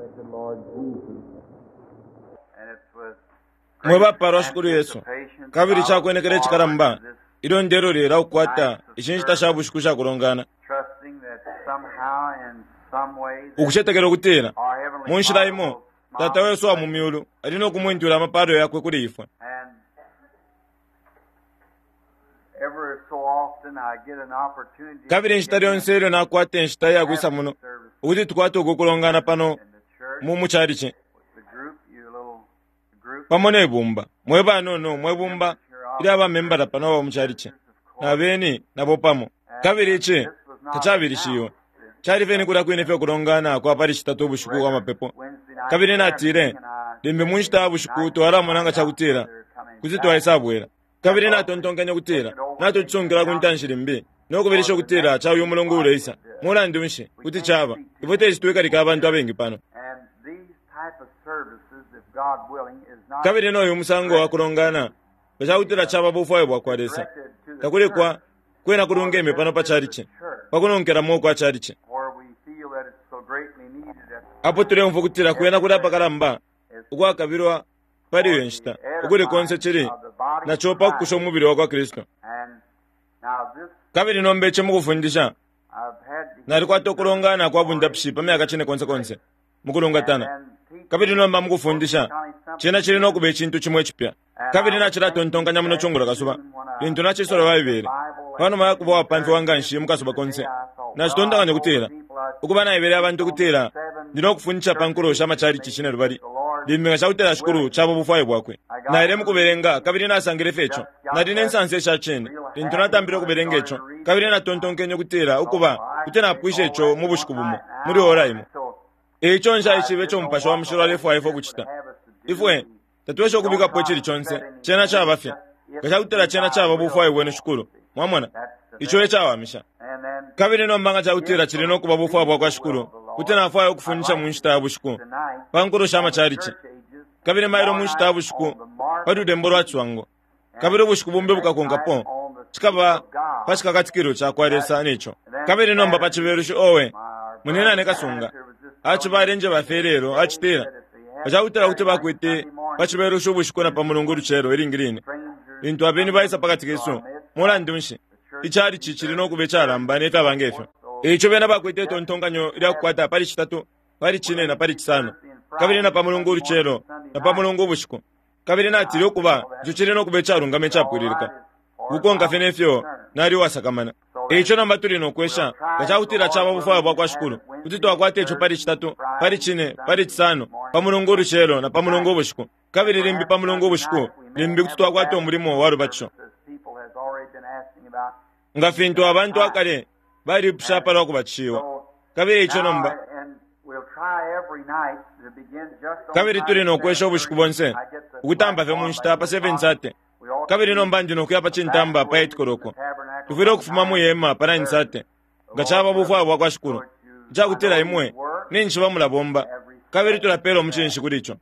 Blessed Lord Jesus. Mwe bapalwa Shikulu Yesu, kabili cakwenekela icikalamba ilyo ndelolela ukukwata ishi nshita sha bushiku sha kulongana, ukucetekela ukutila mu nshila imo Tata wesu wa mu myulu ali no kumwentula amapalo yakwe kuli ifwe. Kabili inshita lyonse ilyo nakwata inshita iya kwisa muno ukuti tukwate uku kulongana pano mu mucalici pamo ne bumba, mwe banono mwe bumba ilya bamembala pano aba mucalici na beni nabo pamo. Kabili ici tacabilishiwe, cali fye ni kulya kwine fye ukulongana kwa pali Citatu ubushiku kwa mapepo. Kabili natile, limbi mu nshita ya bushiku twalamona nga cakutila kuti twaisabwela. Kabili natontonkenye ukutila natucisungila ku ntanshi limbi no kubilisha ukutila ca uyu mulungu uleisa. Mulandu nshi kuti caba ifwe teti twikalike abantu abengi pano. Kabili no yu musango wa kulongana nga cakutila caba bufwayo bwa kwa Lesa, takuli kwa kwena kulungeme pano pa chalichi, pa kunonkelamo ukwa chalichi. Apo tuleumfwa ukutila kwena kuli apakalamba ukwakabilwa pali iyo nshita, ukuli konse cili naco pa kukusha umubili wa kwa Kristu. Kabili nomba ici mukufundisha, nalikwata ukulongana kwa bundapishi pa myaka cine konse konse mukulungatana. Kabili nomba mukufundisha, cena cili no kuba icintu cimo icipya. Kabili nacilatontonkanya muno cungulo kasuba, lintu nacisola Baibele, panuma ya kuba uwapamfiwa nganshi mu kasuba konse, nacitontonkanya ukutila, ukuba naebele abantu ukutila ndi no kufundisha pa nkulo sha macalici cinelubali, limbi nga cakutila Shikulu caba ubufwayo Bwakwe. Naile mukubelenga kabili nasangile fye ico. Nali ne nsansa isha cine lintu natampile ukubelenga ico, kabili natontonkenye ukutila, ukuba, kuti napwisha ico mu bushiku bumo, muli ora imo. E ico nshaishibe ico Mupashi wa Mushilo alefwaya ifwe ukucita. Ifwe tatwesha ukubikapo icili conse, cena caba fye. Nga cakutila cena caba bufwayo bwenu, Shikulu, mwamona, ico e cawamisha. Kabili nomba nga cakutila cili no kuba bufwayo bwakwa Shikulu, kuti nafwaya ukufundisha mu nshita ya bushiku pa nkulo sha macalici, kabili mailo mu nshita ya bushiku pa lulembo lwa ciswango, kabili ubushiku bumbi bukakonkapo cikaba pa cikakatikilo cakwa Lesa ne co. Kabili nomba pa Cibelushi, owe, munyinane kasunga aciba alenjeba fye ilelo, acitila, Nga cakutila kuti bakwete pa Cibelushi ubushiku na pa Mulungu ulucelo ilingi line, lintu abeni baisa pa kati kesu, mulandu nshi, icalici cili no kuba icalamba ne fyaba nge fyo. E ico bena bakwete itontonkanyo lya kukwata pali Citatu, pali Cine, na pali Cisano, kabili na pa Mulungu ulucelo, na pa Mulungu ubushiku. Kabili natile, Ukuba, ico cili no kuba icalungama icapwililika, ukukonka fye ne fyo nali uwasakamana. E ico nomba tuli no kwesha, nga ca kutila caba bufwayo bwa kwa Shikulu, kuti twakwata ico pali Citatu, pali Cine, pali Cisano, pa Mulungu ulucelo, na pa Mulungu ubushiku. Kabili limbi pa Mulungu ubushiku, limbi kuti twakwata umulimo wa lubatisho. Nga fintu abantu akale balipusha palwa kubatishiwa. Kabili eico nomba, kabili tuli no kwesha ubushiku bonse, ukutampa fye mu nshita pa 7:30. Kabili nomba ndi no kuya pa cintamba pa 8 koloko. Tufwile ukufuma mwi hema pa 9:30, nga caba bufwayo bwa kwa Shikulu, icakutila imwe ninshi mulabomba, kabili tulapela umucinshi kuli ico.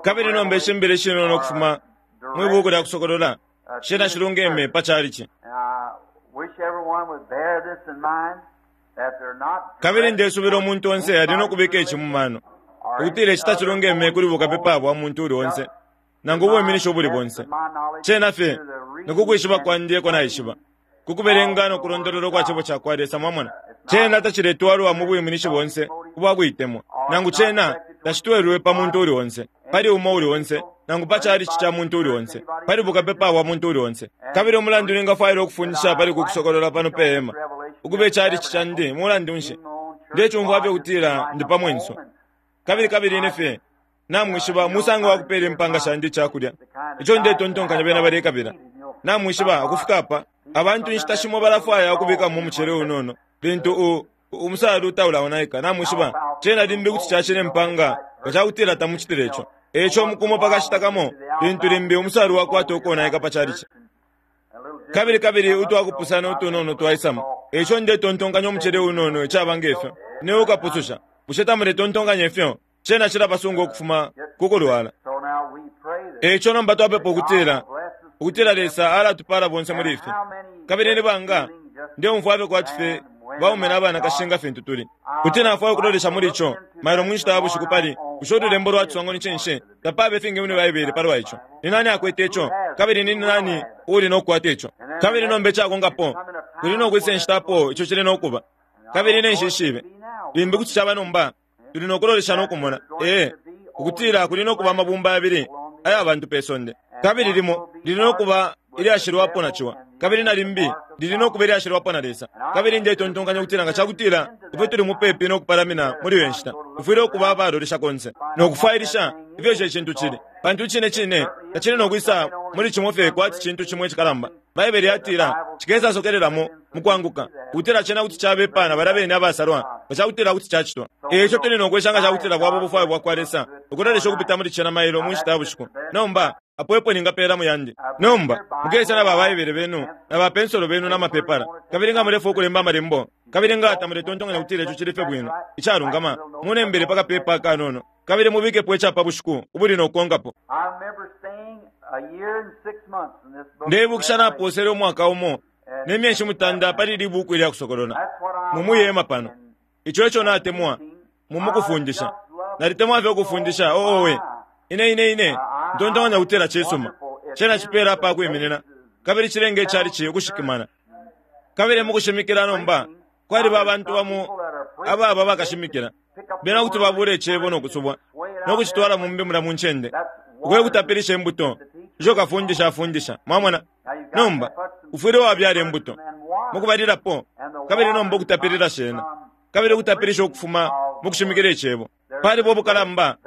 Kabili nomba ishi mbila ishinono ukufuma mwi buuku lya Kusokolola shena shilungeme pa chalichi. Kabili ndesubila umuntu onse ali no kubika ici mu mano, ukutila ici tacilungeme kuli bukapepa bwa muntu uli onse nangu ubwiminishi ubuli bonse. Cena fye ni ku kwishiba kwandi eko naishiba, ku kubelenga no kulondolola ukwa Cebo cakwa Lesa. Mwamona? Cena taciletwalwa mu bwiminishi bonse ubwa kuitemwa, nangu cena tacitwelwe pa muntu uli onse, pali umo uli onse, nangu pa chalichi ca muntu uli onse, pali bukapepa bwa muntu uli onse. Kabili umulandu ningafwaila ukufundisha pali uku kusokolola pano pe hema, ukuba ichalichi candi, mulandu nshi, ndecumfwa fye ukutila ndi pa mwenso. Kabili, kabili ine fye, namwishiba, umusango wa kupela impanga shandi icakulya, ico ndetontonkanya bena balekabila. Namwishiba, ukufika apa, abantu inshita shimo balafwaya ukubikamo umucele unono lintu u, umusalu taulaonaika. Namwishiba, cena limbi kuti cacila impanga nga cakutila tamucitile ico. Eico umukumo pa kashita kamo, lintu limbi umusalu wakwata ukonaika pa chalichi. Kabili, kabili utwakupusana utunono twaisamo. Eico ndetontonkanya umucele unono, icaba ngefyo, niwe ukapususha. Bushe tamuletontonkanya ifyo? Cena cilabasunga ukufuma ku kulwala. Eico nomba twapepa ukutila, ukutila Lesa alatupala bonse muli ifyo. Kabili ni banga, ndeumfwa fye kwati fye baume na banakashi nga fintu tuli. Kuti nafwaya ukulolesha muli ico mailo mu nshita ya bushiku pali bushe ululembo lwa ciswango ni cinshi? Tapaba ifingi muli Baibele palwa ico. Ni nani akwete ico, kabili ni nani uuli no kukwata ico? Kabili nomba icakonkapo, kuli no kwisa inshita apo ico cili no kuba. Kabili ine nshishibe. Limbi kuti caba nomba, tuli no kulolesha no kumona, ee, ukutila kuli no kuba amabumba yabili aya bantu pe sonde. Kabili limo lili no kuba ilyashilwapo na ciwa, kabili na limbi lili no kuba ilyashilwapo na Lesa. Kabili ndetontonkanya ukutila nga cakutila ifwe tuli mupepi no kupalamina muli iyo nshita, tufwile ukuba abalolesha konse no kufwailisha ifyo ico icintu cili, pantu icine cine tacili no kwisa muli cimo fye kwati cintu cimo icikalamba. Baibele yatila cikesasokelelamo mu kwanguka, ukutila cena kuti cabepa na balya bene abasalwa nga cakutila kuti cacitwa. E ico tuli no kwesha nga cakutila bwaba ubufwayo bwakwa Lesa ukulolesha ukupita muli cena mailo mu nshita ya bushiku. Nomba, apo epo ningapeela mu yandi. Nomba, mukese na ba Baibele benu, na ba pensolo benu na mapepala, kabili nga mulefwaya ukulemba amalembo, kabili nga tamuletontonkanya ukutila ico cili fye bwino, icalungama, munembele pa kapepa akanono, kabili mubikepo ica pa bushiku ubuli no kukonkapo. Ndeibukisha napoosele umwaka umo ne myeshi mutanda pali ili buuku ilya Kusokolola, mu mwi hema pano. Ico eco natemwa mu mukufundisha. Nalitemwa fye ukufundisha. Oh, owe. Ine, ine, ine ntontonkanya ukutila cisuma. Cena cipeela apa kwiminina, kabili cilenga icalici ukushikimana. Kabili mukushimikila nomba, kwaliba abantu bamo ababa bakashimikila. Bena kuti babula Icebo no kusubwa, no kucitwala mumbi mulya mu ncende, uko ekutapilisha imbuto isho kafundisha afundisha. Mwamona? Nomba, ufwile wabyala imbuto, mukubalilapo, kabili nomba ukutapilila shena, kabili ukutapilisha ukufuma mukushimikila Icebo. Paliba ubukalamba,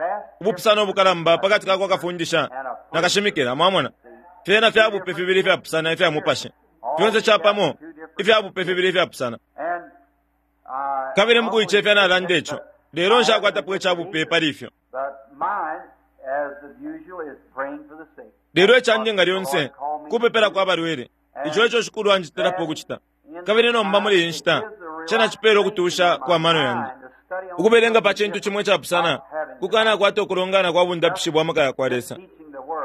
ubupusano ubukalamba pakati ka kwa kafundisha na kashimikila. Mwamona? Fyena fya bupe fibili ifyapusana ifya mupashi. Fyonse capamo, ifya bupe fibili ifyapusana. Kabili mukuicefya nalanda ico, lelo nshakwatapo ica bupe pali ifyo. Lelo icandi nga lyonse kupepelako abalwele. Ico eco Shikulu anjitilapo ukucita. Kabili nomba muli iyi nshita, cena cipela ukutusha kwa mano yandi. Ukubelenga pa cintu cimo icapusana kukanakwata ukulongana kwa bundapishi bwa maka yakwa Lesa.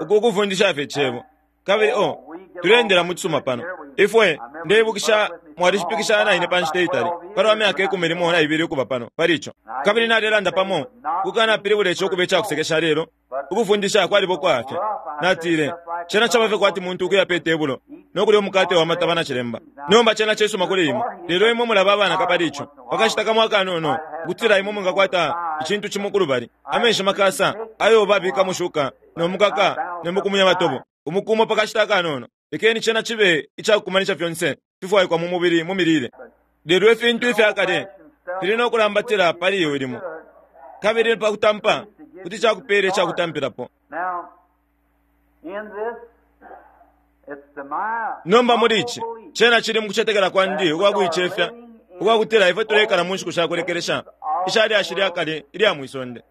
Uku kufundisha fye Icebo. Kabili, oh, tuleendela mu cisuma pano. Ifwe, ndeibukisha, mwalishipikisha na ine pa nshita itali, palwa myaka ikumi limo na ibili ukuba pano, pali ico. Kabili nalelanda pamo, kukanapilibula ico ukuba icakusekesha lelo, ukufundisha kwaliba ukwaafya. Natile, Cena caba fye kwati muntu ukuya pe tebulo no kulya umukate wa mataba na cilemba. Nomba cena cisuma kuli imwe, lelo imwe mulaba abanaka pali ico. Pa kashita kamo akanono, ukutila imwe mwingakwata icintu cimo kulubali, amenshi makasa ayo babikamo shuka no mukaka ne mukumunya matobo, umuku umo pa kashita akanono. Lekeni cena cibe icakukumanisha fyonse fifwaikwa mu mubili mu milile. Lelo ifintu ifya kale fili no kulambatila pali iwe limo, kabili pa kutampa kuti cakupeela ica kutampilapo. Nomba muli ici, cena cili mukucetekela kwandi ukwa kuicefya ukwa kutila ifwe tuleikala mu nshiku sha kulekelesha isha lyashi lya kale ilya mwi sonde.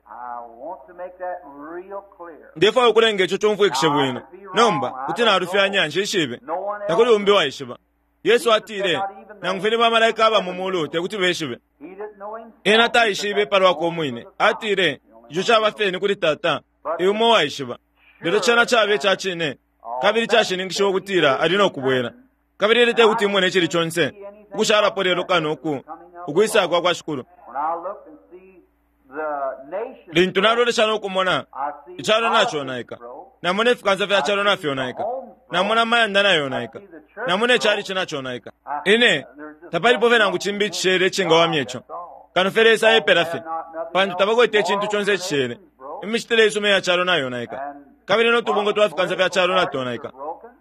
Ndefwaya ukulenga ico cumfwikishe bwino. Nomba, kuti nalufyanya, nshishibe. Takuli umbi waishiba. Yesu atile, Nangu fye ni bamalaika aba mu mulu te kuti beshibe. Ena taishibe pa lwakwe umwine. Atile, Ico caba fye ni kuli Tata, e umo uwaishiba. Lelo cena caba ica cine kabili icashininkishiwa ukutila ali no kubwela. Kabili ine te kuti imone icili conse ukushalapo lelo kano uku ukwisa kwa kwa Shikulu. Lintu nalolesha no kumona icalo naconaika, namona ifikansa fya calo nafyonaika, namona amayanda nayonaika, namona icalici naconaika, ine tapalipo fye nangu cimbi icishele icingawamya ico, kano fye Lesa epela fye, pantu tabakwete icintu conse icishele. Imicitile isuma iya calo nayonaika, kabili no tubungwe twa fikansa fya calo natonaika.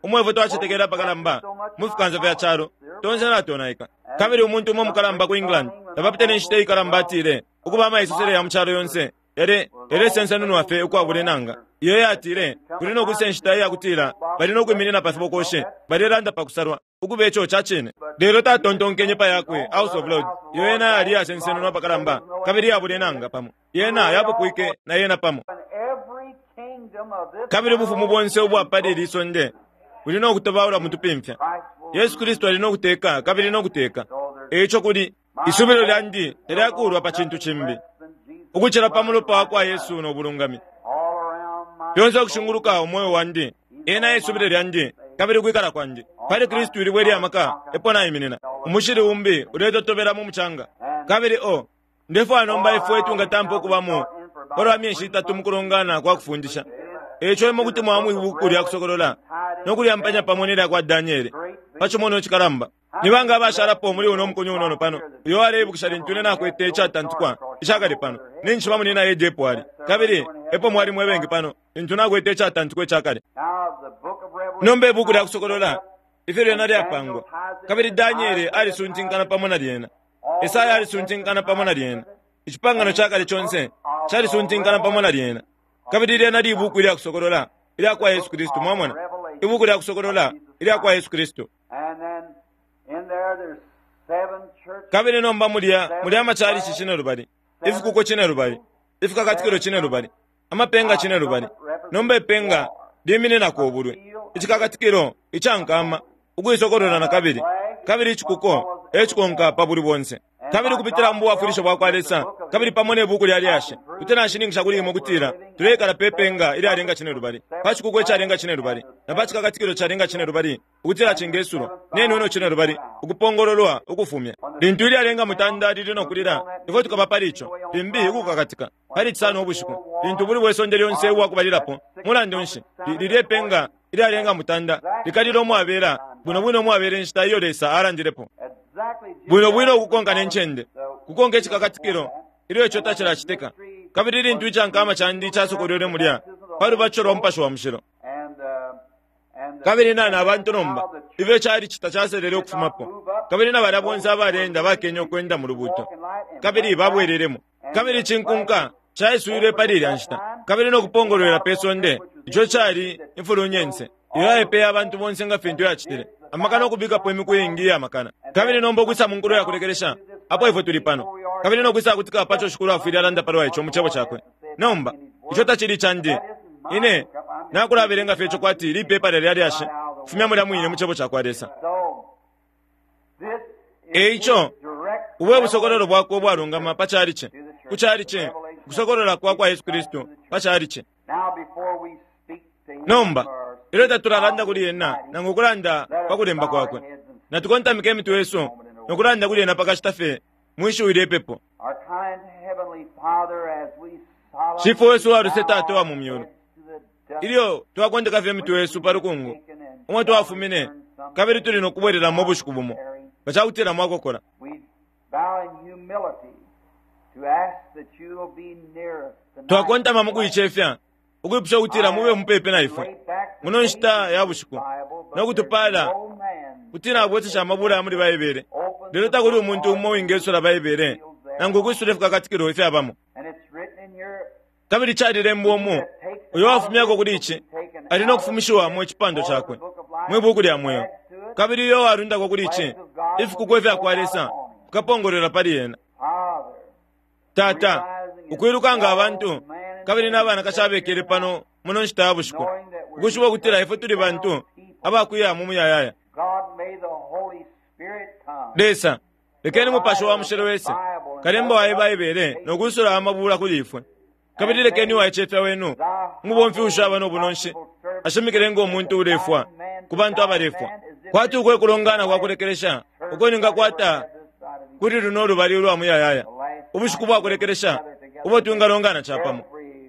Umo ifwe twacetekele apakalamba mu fikansa fya calo, tonse natonaika. Kabili umuntu umo umukalamba ku England, tapapitile inshita ikalamba atile, Ukuba amaisosele ya mu calo yonse yale, yalesensenunwa fye ukwabula inanga. Iyo yatile, Kuli no kwisa inshita iya kutila bali no kwiminina pa fibokoshi, balelanda pa kusalwa. Ukuba ico ca cine. Lelo tatontonkenye pa yakwe House of Lords, iyo yena yali iyasensenunwa apakalamba kabili iyabula inanga pamo. Yena yapupwike na yena pamo. Kabili ubufumu bonse ubwa pali ili sonde buli no kutobaulwa mu tupimfya. Yesu Kristu ali no kuteka kabili no kuteka. E ico kuli, isubilo lyandi talyakuulwa pa cintu cimbi ukucila pa mulopa wa kwa Yesu no bulungami. Fyonse ukushinguluka umweo wandi, ena e subilo lyandi. Kabili ukwikala kwandi pali Kristu ilibwe lya maka epo naiminina. Umushili umbi uletotobela mu mucanga. Kabili o ndefwaya nomba ifwe twingatampa ukubamo palwa myeshi itatu mukulongana kwa kufundisha. Eico imwe kuti mwamwa ibuku lya Kusokolola no kulyampanya pamo ne lya kwa Daniele pa cimonwa icikalamba. Ni banga abashalapo muli uno mukunyu unono pano uyo aleibukisha lintu ine nakwete icatantikwa icakale pano? Ninshi bamunyina Ed epo ali, kabili epo mwali mwe bengi pano lintu nakwete icatantikwa icakale. Nomba ibuku lya Kusokolola, ifyo lyena lyapangwa, kabili Daniele alisuntinkana pamo na lyena, Esaya alisuntinkana pamo na lyena, Icipangano ca Kale conse calisuntinkana pamo na lyena. Kabili lyena libuku ilya Kusokolola ilya kwa Yesu Kristu, mwamona, Ibuku lya Kusokolola ilya kwa Yesu Kristu. Kabili nomba mulya muli amachalichi cinelubali, ifikuko cinelubali, ifikakatikilo cinelubali, amapenga cinelubali. Nomba ipenga limininako ubulwi, icikakatikilo ica nkama, ukuisokolola na kabili, kabili icikuko e cikonka pa bulwi bonse. Kabili ukupitila mu bwafwilisho bwa kwa Lesa, kabili pamo ne buku lya lyashi, kuti nashininkisha kuli imwe ukutila tuleikala pe penga ilyalenga cinelubali, pa cikuko icalenga cinelubali, na pa cikakatikilo calenga cinelubali, ukutila cingesulwa ne nweno cinelubali, ukupongololwa ukufumya. Lintu ilyalenga mutanda lili no kulila, ifwe tukaba pali ico, limbi ukukakatika, pali Cisano ubushiku, lintu ubulwi bwe sonde lyonse ubwa kubalilapo. Mulandu nshi, lilye penga ilyalenga mutanda likalila umwabela, bwino bwino umwabela inshita iyo Lesa alandilepo. Bwino bwino ukukonka ne ncende, kukonka icikakatikilo ilyo ico tacilacitika. Kabili lintu icankama candi casokolwelwe mulya pa lubatisho lwa Mupashi wa Mushilo, kabili na na bantu nomba ifyo cali tacaselele ukufumapo, kabili na balya bonse abaleenda bakenye ukwenda mu lubuuto, kabili babwelelemo. Kabili icinkunka caiswilwe pali ilya nshita, kabili no kupongolwela pe sonde ico cali imfulunyense iyo yaipeye abantu bonse nga fintu yacitile amakana ukubikapo imiku iingi iya makana. Kabili nomba ukwisa mu nkulo ya kulekelesha, apo ifwe tuli pano, kabili no kwisa kutika paco Shikulu afwile alanda palwa ico mu Cebo Cakwe. Nomba, ico tacili candi. Ine nakulabelenga fye ico kwati lipepala lya lyashi, kufumya mulya mwine mu Cebo cakwa Lesa. E ico, ubu e busokololo bwakwe ubwalungama pa calici, ku calici, ukusokolola kwa kwa Yesu Kristu pa calici. Nomba, ilyo tatulalanda kuli ena nangu ukulanda pa kulemba kwakwe, natukontamike imitwe yesu no kulanda kuli ena pa kashita fye mwi shiwi lye pepo. Shifwe wesu uwa luse, Tata uwa mu myulu, ilyo twakondeka fye imitwe yesu pa lukungu umo twafumine, kabili tuli no kubwelelamo ubushiku bumo, nga ca kutila mwakokola. Twakontama mu kuicefya ukwipusha ukutila mube mupepi na ifwe muno nshita ya bushiku no kutupaala kuti nabwesesha amabula ya muli Baibele. Lelo takuli umuntu umo uwingesula Baibele nangu ukwisula ifikakatikilo ifyabamo. Kabili calilembwa umu, uyo wafumyako kuli ici ali no kufumishiwamo icipando cakwe mwi buuku lya mweo, kabili uyo walundako kuli ici ifikuko ifya kwa Lesa fikapongolwela pali ena. Tata, ukwiluka nga abantu kabili na banakashi abekele pano muno nshita ya bushiku, ukwishiba ukutila ifwe tuli bantu abakuya mu muyayaya. Lesa, lekeni Mupashi wa Mushilo wese, kalemba wa Baibele, no kwisula amabula kuli ifwe. Kabili lekeni uwaicefya wenu, umubomfi ushaba no bunonshi, ashimikile ngo muntu ulefwa ku bantu abalefwa. Kwati uko ekulongana kwa kulekelesha uko ningakwata kuli luno lubali ulwa muyayaya, ubushiku bwa kulekelesha ubo twingalongana capamo.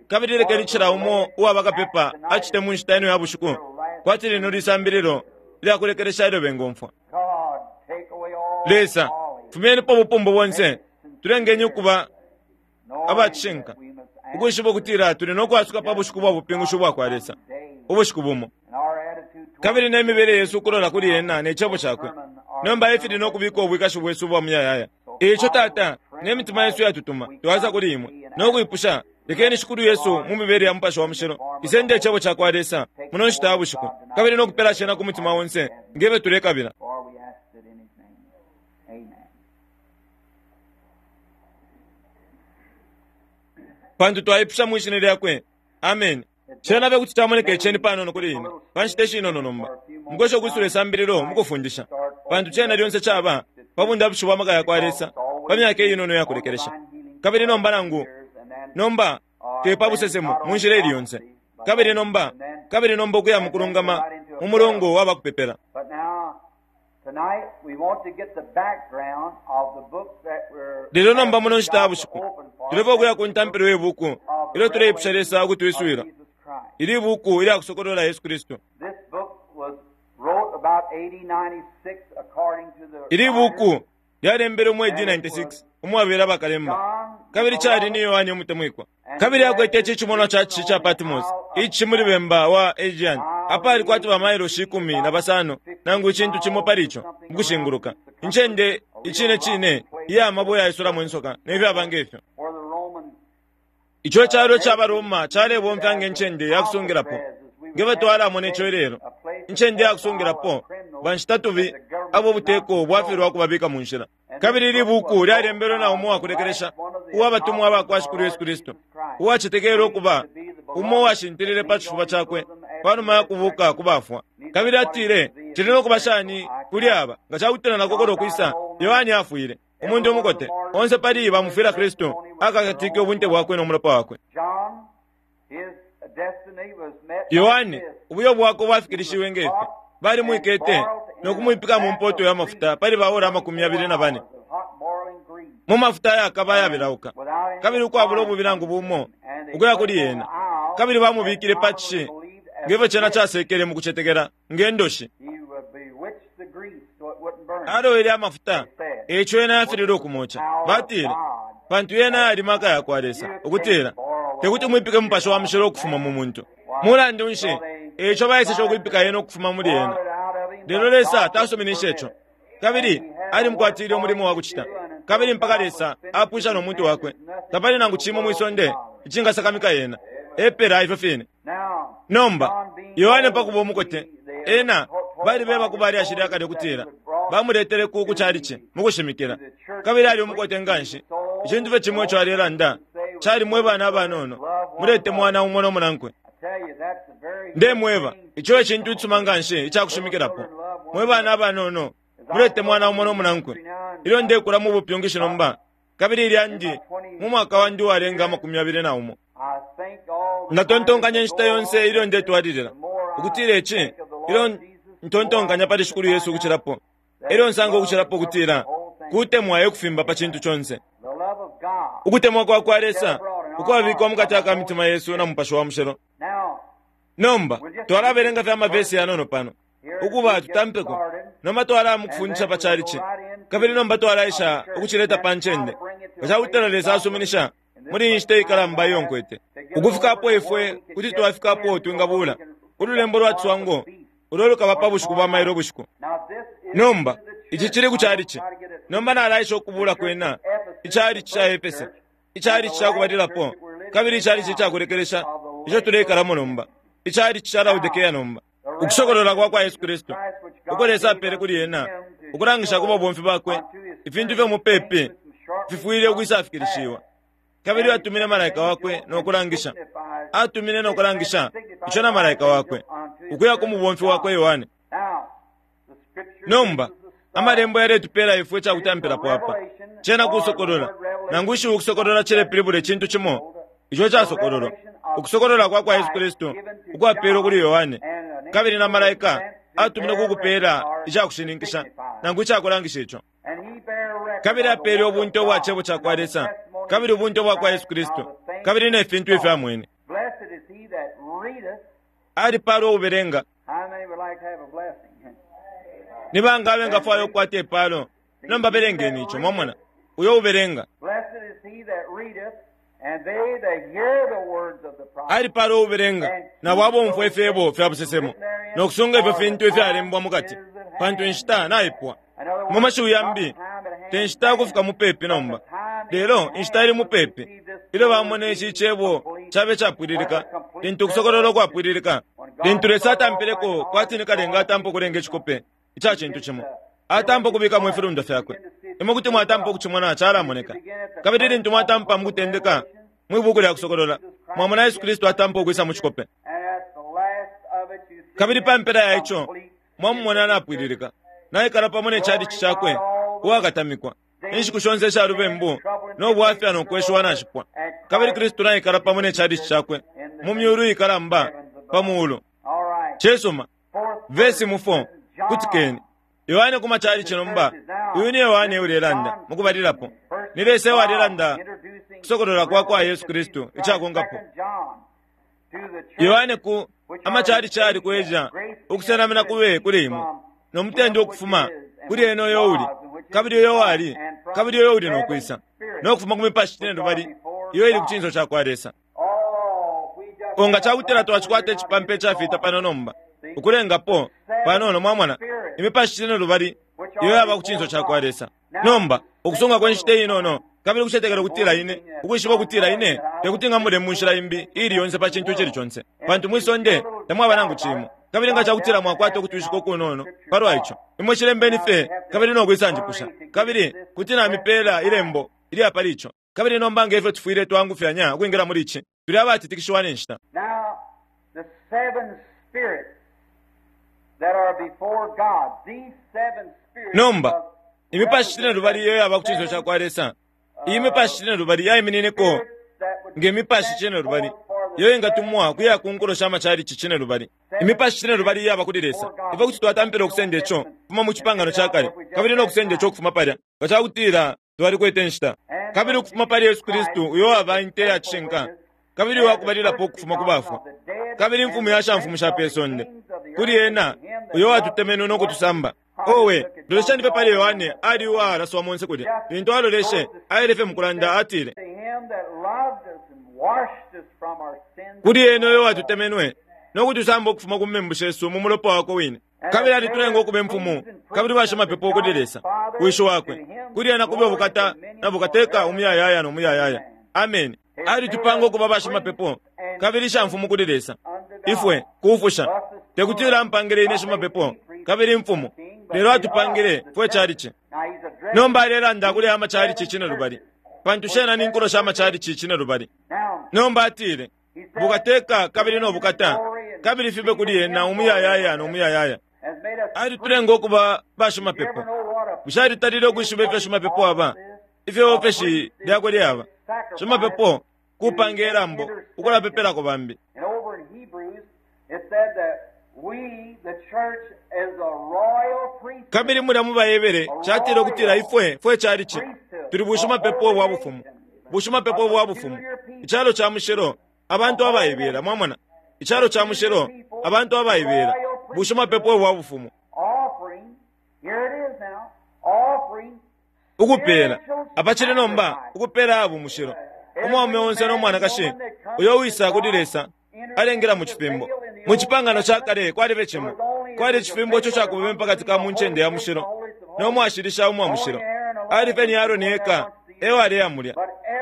Kabili lekeni cila umo uwa bakapepa acite mu nshita ino ya bushiku kwati lino lisambililo ilya kulekelesha ilyo bengomfwa. Lesa, fumyenipo ubupumbu bonse, tulengeni ukuba abacishinka, ukwishiba ukutila tuli no kwasuka pa bushiku bwa bupingushi ubwa kwa Lesa, ubushiku bumo. Kabili ne mibele yesu ukulola kuli ena ne Cebo cakwe nomba efili no kubika ubwikashi bwesu ubwa muyayaya. Eico, Tata, ne mitima yesu yatutuma, twaisa kuli imwe no kwipusha, lekeni Shikulu Yesu mu mibele ya Mupashi wa Mushilo isende Icebo cakwa Lesa muno nshita ya bushiku, kabili no kupela cena ku mutima onse ngefyo tulekabila. Pantu twaipusha mwi Shina lyakwe. Ameni. Cena fye kuti camoneka iceni panono kuli ine pa nshita ishinono nomba, mukwesha ukwisula isambililo mukufundisha, pantu cena lyonse caba pa bundapushi bwa maka yakwa Lesa pa myaka inono iya kulekelesha. Kabili nomba nangu nomba te pa busesemo mu nshila ili yonse, kabili nomba kabili nomba ukuya mukulungama mu mulongo wa bakupepela. Lelo nomba muno nshita ya bushiku tulefwaya ukuya ku ntampilo ye buku ilyo tuleipusha Lesa ukutwiswila ili buku ilya kusokolola Yesu Kristu. Ili buku lyalembelwe mu AD 96 umwabela bakalemba, kabili cali ni Yohane umutemwikwa. Kabili akwete ici cimonwa ca cishi ca Patmos, icishi muli bemba wa Aegean, apali kwati bamailoshi 15 nangu icintu cimo pali ico ukushinguluka, incende icine cine iya mabwe yaisulamo insoka ne fyaba nge fyo. Ico calo ca baRoma calebomfya nge ncende ya kusungilapo, nge fyo twalamona ico ilelo, incende ya kusungilapo banshitatubi abo ubuteko bwafilwa ukubabika mu nshila. Kabili ili buku lyalembelwe na umo uwakulekelesha uwa batumwa aba kwa Shikulu Yesu Kristu, uwacetekelwe ukuba umo uwashintilile pa cifuba cakwe pa numa ya kubuuka ku bafwa. Kabili atile, Cili no kuba shani kuli aba nga ca kutila nakokola ukwisa? Yohane afwile, umuntu umukote. Onse pali bamufwila Kristu akakatike ubunte bwakwe no mulopa wakwe. Yohane, ubuyo bwakwe bwafikilishiwe nge fi: Balimwikete no kumwipika mu mpoto ya mafuta pali baora 24 mu mafuta ayakaba ayabelauka, kabili ukwabula ububi nangu bumo ukuya kuli yena, kabili bamubikile pa cishi nge fyo cena casekele mu kucetekela nge ndoshi. Alowele amafuta, e ico yena yafililwe ukumoca. Batile, Pantu yena yali maka ya kwa Lesa, ukutila te kuti mwipike Mupashi wa Mushilo ukufuma mu muntu. Mulandu nshi, e ico baeseshe ukwipika yena ukufuma muli ena. Lelo Lesa tasuminishe ico, kabili alimukwatile umulimo wa kucita. Kabili mpaka Lesa apwisha no muntu wakwe, tapali nangu cimo mwi sonde icingasakamika yena. Epela ifyo fine. Nomba, Yohane pa kuba umukote, ena balibeba ku balyashi lya kale ukutila bamuletele ku ku calici mu kushimikila. Kabili ali umukote nga nshi. Icintu fye cimo ico alelanda cali, mwe bana abanono, muletemwana umo no munankwe. Ndemweba, ico e cintu icisuma nga nshi ica kushimikilapo. Mwe bana abanono, muletemwana umo no munankwe. Ilyo ndekula mu bupyungishi nomba, kabili ilyandi mu mwaka wandi uwalenga 21, ndatontonkanya inshita yonse ilyo ndetwalilila ukutila ici, ilyo ntontonkanya pali Shikulu Yesu ukucilapo, elyo nsanga ukucilapo ukutila kutemwa e kufimba pa cintu conse. Ukutemwa kwa kwa Lesa ukwabikwa mukati aka mitima yesu na Mupashi wa Mushilo. Nomba twalabelenga fye amavesi yanono pano ukuba tutampeko. Nomba twalaya mukufundisha pa chalichi, kabili nomba twalaisha ukucileta pa ncende nga cakutila Lesa asuminisha muli iyi nshita ikalamba iyo nkwete ukufika apo ifwe kuti twafika apo twingabula ululembo lwa ciswango ulo lukaba pa bushiku bwa mailo ubushiku. Nomba ici cili ku chalichi. Nomba nalaisha ukubula kwena ichalichi ca Efese, ichalichi ca kubalilapo, kabili ichalichi ica kulekelesha ico tuleikalamo nomba, ichalichi ca Laodikea nomba. Ukusokolola kwa kwa Yesu Kristu uko Lesa apele kuli ena ukulangisha ku babomfi bakwe ifintu ifyo mupepi fifwile ukwisafikilishiwa. Kabili atumine malaika wakwe no kulangisha, atumine no kulangisha ico na malaika wakwe ukuya ku mubomfi wakwe Yohane. Nomba amalembo yaletupela ifwe ica kutampilapo apa. Cena kusokolola, nangu ishiwi ukusokolola cilepilibula icintu cimo ico casokololwa. Ukusokolola kwa kwa Yesu Kristu ukwapelwe kuli Yohane, kabili na malaika atumine kukupela ica kushininkisha nangu ica kulangisha ico. Kabili apele ubunte ubwa cebo ca kwa Lesa, kabili ubunte ubwa kwa Yesu Kristu, kabili ne fintu ifyo amwene. Alipaalwa ubelenga. Ni banga abengafwaya ukukwata ipaalo? Nomba belengeni ico, mwamona, uyo ubelenga. Alipaalwa ubelenga nabo abomfwa ifyebo fya busesemo no kusunga ifyo fintu ifyalembwa mukati, pantu inshita naipwa. Mu mashiwi yambi, te nshita ukufika mupepi nomba, lelo inshita ili mupepi ilyo bamona ici cebo cabe capwililika, lintu ukusokolola ukwapwililika, lintu Lesa atampileko kwati ni kalenga atampa ukulenga icikope ica cintu cimo, atampa ukubikamo ifilundwa fyakwe. Imwe kuti mwatampa ukucimona calamoneka. Kabili lintu mwatampa mukutendeka mwi buku lya kusokolola, mwamona Yesu Kristu atampa ukwisa mu cikope. Kabili pa mpela ya ico mwamumona napwililika, naikala pamo ne chalichi cakwe uwakatamikwa. Inshiku shonse isha lubembu no bwafya no kweshiwa nashipwa, kabili Kristu naikala pamo ne chalichi cakwe mu myulu ikalamba pa muulu. Cisuma. Vesi mu 4, kutikeni. Yohane ku machalichi nomba, uyu ni Yohane ulelanda mukubalilapo. Ni Lesa ewalelanda kusokolola kwa kwa Yesu Kristu icakonkapo. Yohane ku amachalichi ali ku Asia, ukusenamina kube kuli imwe, no mutende ukufuma kuli ena uyo uli, kabili uyo wali, kabili uyo uli nokwisa, no kufuma ku mipashi cine lubali iyo ili ku cinso ca kwa Lesa. Nga cakutila twacikwata icipampa icafita pano nomba, ukulengapo panono, mwamona, imipashi cine lubali iyo yaba ku cinso ca kwa Lesa. Nomba ukusunga kwa nshita inono, kabili ukucetekela ukutila ine, ukwishiba ukutila ine tekuti ngamule mu nshila imbi ili yonse pa cintu icili conse, pantu mwi sonde tamwaba nangu cimo. Kabili nga cakutila mwakwata ukutwishika ukunono palwa ico, imwe cilembeni fye kabili no kwisanjipusha, kabili kuti namipela ilembo ilya pali ico. Kabili nomba nge ifyo tufwile twangufyanya ukwingila muli ici, tuli abatitikishiwa ne nshita. Now, the seven spirits that are before God, these seven spirits Nomba of imipashi cine lubali iyo yaba ku cinso ca kwa Lesa, iyi mipashi cine lubali yaiminineko nge mipashi cine lubali iyo ingatumwa kuya ku nkulo sha machalichi cine lubali. Imipashi cine lubali iyaba kuli Lesa. Ifwe kuti twatampila ukusenda ico kufuma mu cipangano ca kale, kabili no kusenda ico ukufuma palya nga cakutila twalikwete inshita, kabili ukufuma pali Yesu Kristu uyo waba inte ya cishinka, kabili uwakubalilapo ukufuma ku bafwa, kabili imfumu ya shamfumu sha pe sonde, kuli ena uyo watutemenwe no kutusamba. Owe, lolesheni fye pali Yohane ali uwalaswa monse kulya. Lintu aloleshe, aile fye mukulanda atile, to him that loved us and washed us from our sins. kuli ena uyo watutemenwe no kutusamba ukufuma ku membu shesu mu mulopa wakwe wine, kabili alitulenga ukuba imfumu kabili bashimapepo kuli Lesa wishi wakwe. Kuli ena kube ubukata na bukateka umuyayaya no muyayaya. Ameni. Alitupanga ukuba bashimapepo kabili shamfumu kuli Lesa. Ifwe kufusha tekutila ampangile ine shimapepo kabili imfumu, lelo atupangile fwe chalichi. Now he's addressing Nomba alelanda kuli amachalichi cine lubali, pantu shena ni nkulo sha machalichi cine lubali. now Nomba atile, bukateka kabili no bukata, kabili fibe kuli ena umuyayaya no muyayaya. has made us Alitulenga ukuba You ever bashimapepo. know what a Bushe alitalile ukwishiba ifyo shimapepo aba, ifyo ofeshi lyakwe lyaba? Shimapepo kupanga ilambo ukulapepelako bambi. And over in Hebrews, it said that we, the church, is a royal priesthood. Kabili mulya mu Baebere catile ukutila ifwe fwe chalichi tuli bushimapepo bwa bufumu, bushimapepo bwa bufumu, icalo ca mushilo, abantu abaibela. Mwamona, icalo ca mushilo, abantu abaibela, bushimapepo bwa bufumu, Offering, here it is now, offering ukupela apacili nomba ukupela abo mushilo. Umwaume onse no mwanakashi uyo wisa kuli Lesa alengela mu cifimbo. Mu cipangano ca kale kwalibe cimo, kwali icifimbo ico cakubeme pakati ka mu ncende ya mushilo no mwashilisha umwa mushilo. Ali fye ni Aaroni eka ewaleya mulya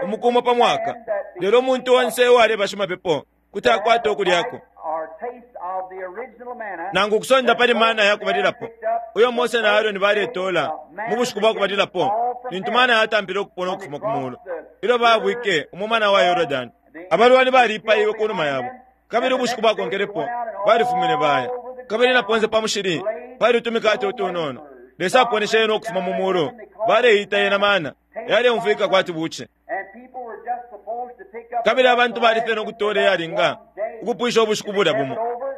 umuku umo pa mwaka, lelo umuntu onse ewaleba shimapepo kuti akwata ukulyako or taste of the original manna. nangu kusonda pali mana ya kubalilapo uyo Mose na Aaroni baletola mu bushiku bwa kubalilapo, lintu mana yatampile ukupona ukufuma ku mulu ilyo babwike umumana wa Yorodani. Abalwani balipaiwe ku numa yabo, kabili ubushiku bwakonkelepo balifumine baya. Kabili na ponse pa mushili pali utumikate utunono. Lesa aponeshe yena ukufuma mu mulu, baleita yena mana yaleumfwika kwati buce. And people were just supposed to pick up Kabili abantu bali fye no kutola yalinga ukupwisha ubushiku bulya bumo,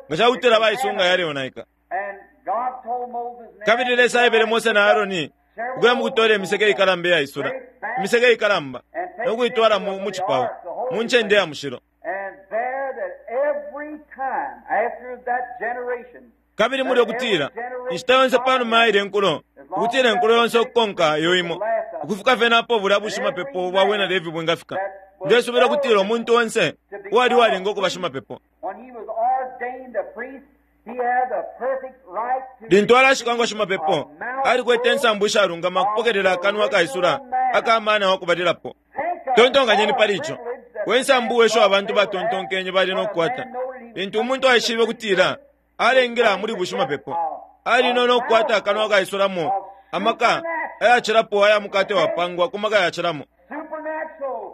nga cakutila baisunga yaleonaika. And God told Moses and Kabili Lesa aebele Mose na Aaroni ukuya mukutola imiseke ikalamba iyaisula, imiseke ikalamba, no kuitwala mu cipao, mu ncende ya mushilo. And there that every time after that generation Kabili mulya ukutila inshita yonse panuma yaile nkulo, ukutila inkulo yonse ukukonka iyo imo, ukufika fye napo bulya bushimapepo bwa bwina Levi bwingafika. Ndesubila ukutila umuntu onse uwali walinga ukuba shimapepo, when he was ordained a priest, he had the perfect right to lintu alashikwa ngo shimapepo, alikwete insambu ishalungama kupokelela akanwa akaisula aka mana wa kubalilapo. Think of Tontonkanyeni all pali the ico. privilege that We nsambu wesho abantu batontonkenye bali no kukwata. Lintu umuntu aishibe kutila alengela muli bushimapepo, ali no kukwata akanwa akaisulamo amaka ayacilapo aya mukate wapangwa ku maka yacilamo, supernatural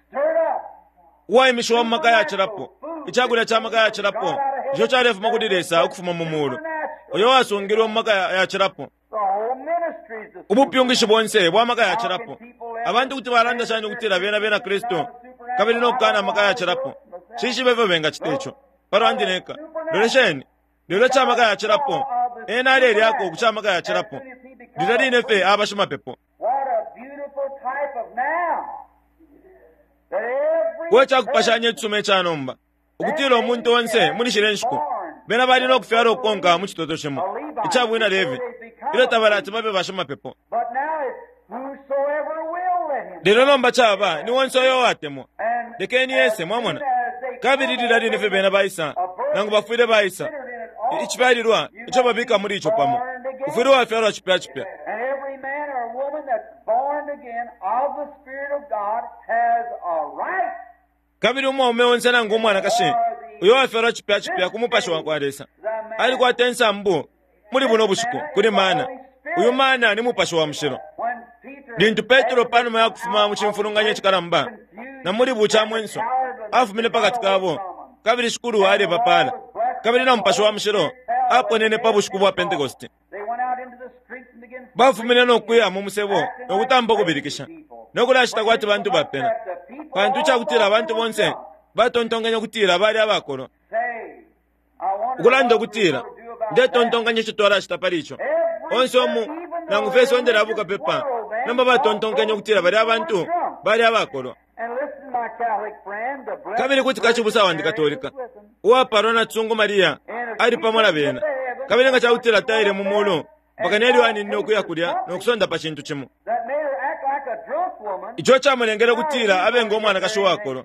stirred up uwaimishiwa mu maka yacilapo, icakulya ca maka yacilapo ico calefuma kuli Lesa ukufuma mu mulu, uyo wasungilwe mu maka yacilapo. the whole ministry is the Ubupyungishi bonse bwa maka yacilapo. Abantu kuti balanda shani ukutila bena bena Kristu kabili no kukana amaka yacilapo? Shishibe ifyo bengacita ico palwandi neka. Lolesheni, Lelo icamaka yacilapo, ena alelyako ku camaka yacilapo lilya line fye aba shimapepo. We cakupashanya icisuma ica nomba, ukutila umuntu onse muli shilya nshiku bena bali no kufyala ukukonka mu citoto cimo ica bwina Levi ilyo tabalati babe bashimapepo. Lelo nomba caba ni onse uyo uwatemwa, lekeni ese, mwamona. Kabili lilya line fye bena baisa, nangu bafwile baisa, icifyalilwa ico babika muli ico pamo, ufwile wafyalwa cipya cipya. Kabili umwaume onse nangu umwanakashi uyo wafyalwa cipya cipya ku Mupashi wakwa Lesa alikwata insambu muli buno bushiku kuli mana. Uyu mana ni Mupashi wa Mushilo. Lintu Petro panuma ya kufuma mu cimfulunganya icikalamba na muli bucamwenso afumine pakati kabo, kabili Shikulu alebapala, kabili na Mupashi wa Mushilo aponene pa bushiku bwa Pentekoste. Bafumine no kuya mu musebo no kutampa ukubilikisha no kulashita kwati bantu bapena, pantu icakutila abantu bonse batontonkanya ukutila bali abakolwa. Ukulanda ukutila, ndetontonkanya ico twalashita pali ico. Onse umu, nangu fye isonde lya bukapepa, nomba batontonkanya ukutila bali abantu bali abakolwa. Kabili kuti kacibusa wandi Katolika uwapalwa na Tsungu Mariya ali pamo na bena, kabili nga cakutila taile mu mulu mpaka nelyo aninine ukuya kulya no kusonda pa cintu cimo ico camulengele ukutila abe ngo mwanakashi uwakolwa.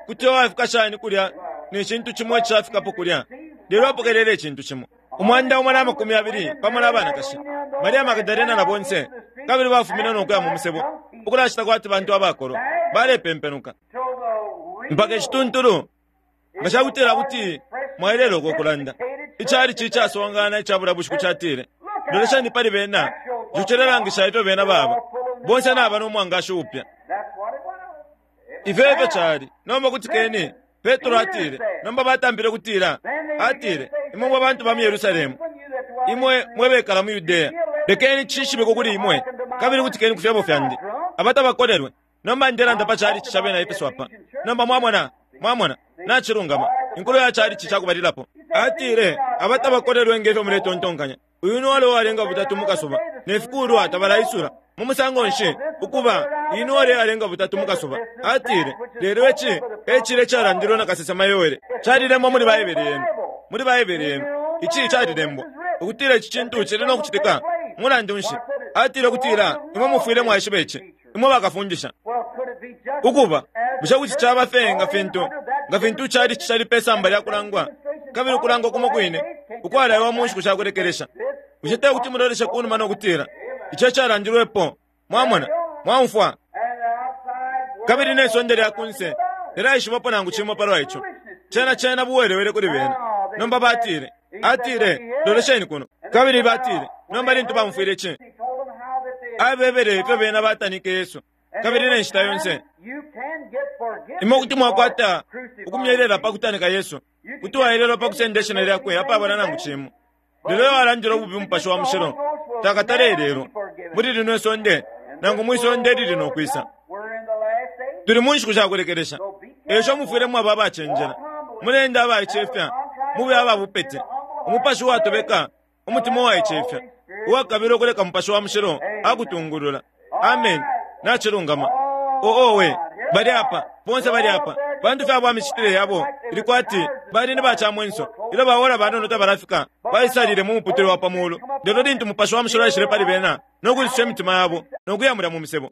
Kuti wafika shani kulya ne cintu cimo icishafikapo kulya, lelo apokelele icintu cimo? 120 pamo na banakashi, Maria Magdalena na bonse, kabili bafumine no kuya mu musebo ukulashita kwati bantu abakolwa balepempenuka mpaka icituntulu. Nga cakutila kuti mwailelo uko kulanda, icali icasongana icabula bushiku catile, loleshani pali bena, ico cilelangisha ifyo bena baba bonse naba no mwangashi upya. Ifyo efyo cali. Nomba kutikeni, Petro atile, nomba batampile kutila, atile, imwe mwe bantu ba mu Yerusalemu, imwe mwe bekala mu Yudea, lekeni cishibikwe kuli imwe, kabili kutikeni ku fyebo fyandi, abatabakolelwe. Nomba ndelanda pa chalichi ca bena Efeso apa. Nomba mwamona, mwamona, nacilungama, inkulo ya chalichi cakubalilapo. Atile, abatabakolelwe ngefyo muletontonkanya. Uyu ni wale uwalenga butatu mukasuba, ne fikulwa tabalaisula. Mu musango nshi ukuba iyi wale alenga butatu mukasuba? Atile, lelo ici ecile calandilwe na kasesema Yoele, calilembwa muli Baibele yenu, muli Baibele yenu ici calilembwa ukutila ici cintu cili no kucitika. Mulandu nshi? Atile ukutila imwe mufwile mwaishiba ici, imwe bakafundisha. Ukuba bushe kuti caba fye nga fintu nga fintu cali cali pe samba lya kulangwa, kabili ukulangwa kumo kwine ukwalaiwa mu nshiku shakulekelesha? Bushe te kuti muloleshe kunuma no kutila ico calandilwepo? Mwamona, mwaumfwa. Kabili ne sonde lya kunse lilaishibapo nangu cimo palwa ico. Cena cena buwelewele kuli bena. Nomba batile, atile, lolesheni kuno. Kabili batile, nomba lintu bamufwile ici, abebele ifyo bena batanike Yesu. Kabili ne nshita yonse imwe kuti mwakwata ukumyelela pa kutanika Yesu, kuti waelelwa pa kusenda ishina lyakwe apabula nangu cimo. Lelo alandile ububi Mupashi wa Mushilo takatale lelo muli lino isonde nangu mwi sonde lili no kwisa. Tuli mu nshiku shakulekelesha, esho mufwile mwaba abacenjela, mulende abaicefya, mube ababupete, umupashi uwatobeka, umutima uwaicefya, uwakabila ukuleka Mupashi wa Mushilo akutungulula. Amen. Nacilungama. Oo we, bali apa, bonse bali apa. Bantu fye abo amicitile yabo ili kwati bali ni bacamwenso. Ilyo baola banono tabalafika, baisalile mu muputule wa pa mulu. Lelo lintu Mupashi wa Mushilo aishile pali bena no kulisusha imitima yabo no kuyamulya mu misebo.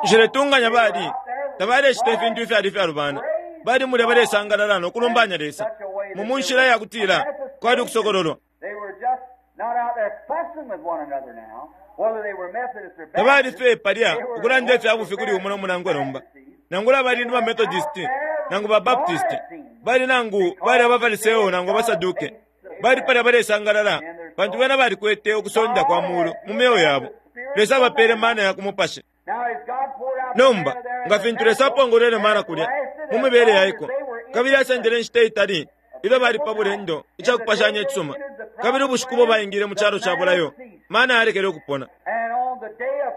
Nshiletunganya bali tabalecita ifintu ifyali ifyalubana. Bali mulya balesangalala no kulumbanya Lesa mu munshila ya kutila kwali ukusokololwa. Tabali fye palya ukulanda ifya bufi kuli umo no munankwe nomba. Nangula bali ni ba Methodist nangu ba Baptist, bali nangu bali abaFariseo nangu abaSaduke, bali palya balesangalala pantu bena balikwete ukusonda kwa mulu mu myeo yabo. Lesa abapele mana ya kumupashi. Nomba nga fintu Lesa apongolwele mana kulya mu mibele yaiko, kabili asendele inshita itali ilyo bali pa bulendo icakupashanya icisuma, kabili ubushiku bo baingile mu calo ca bulayo, mana yalekele ukupona.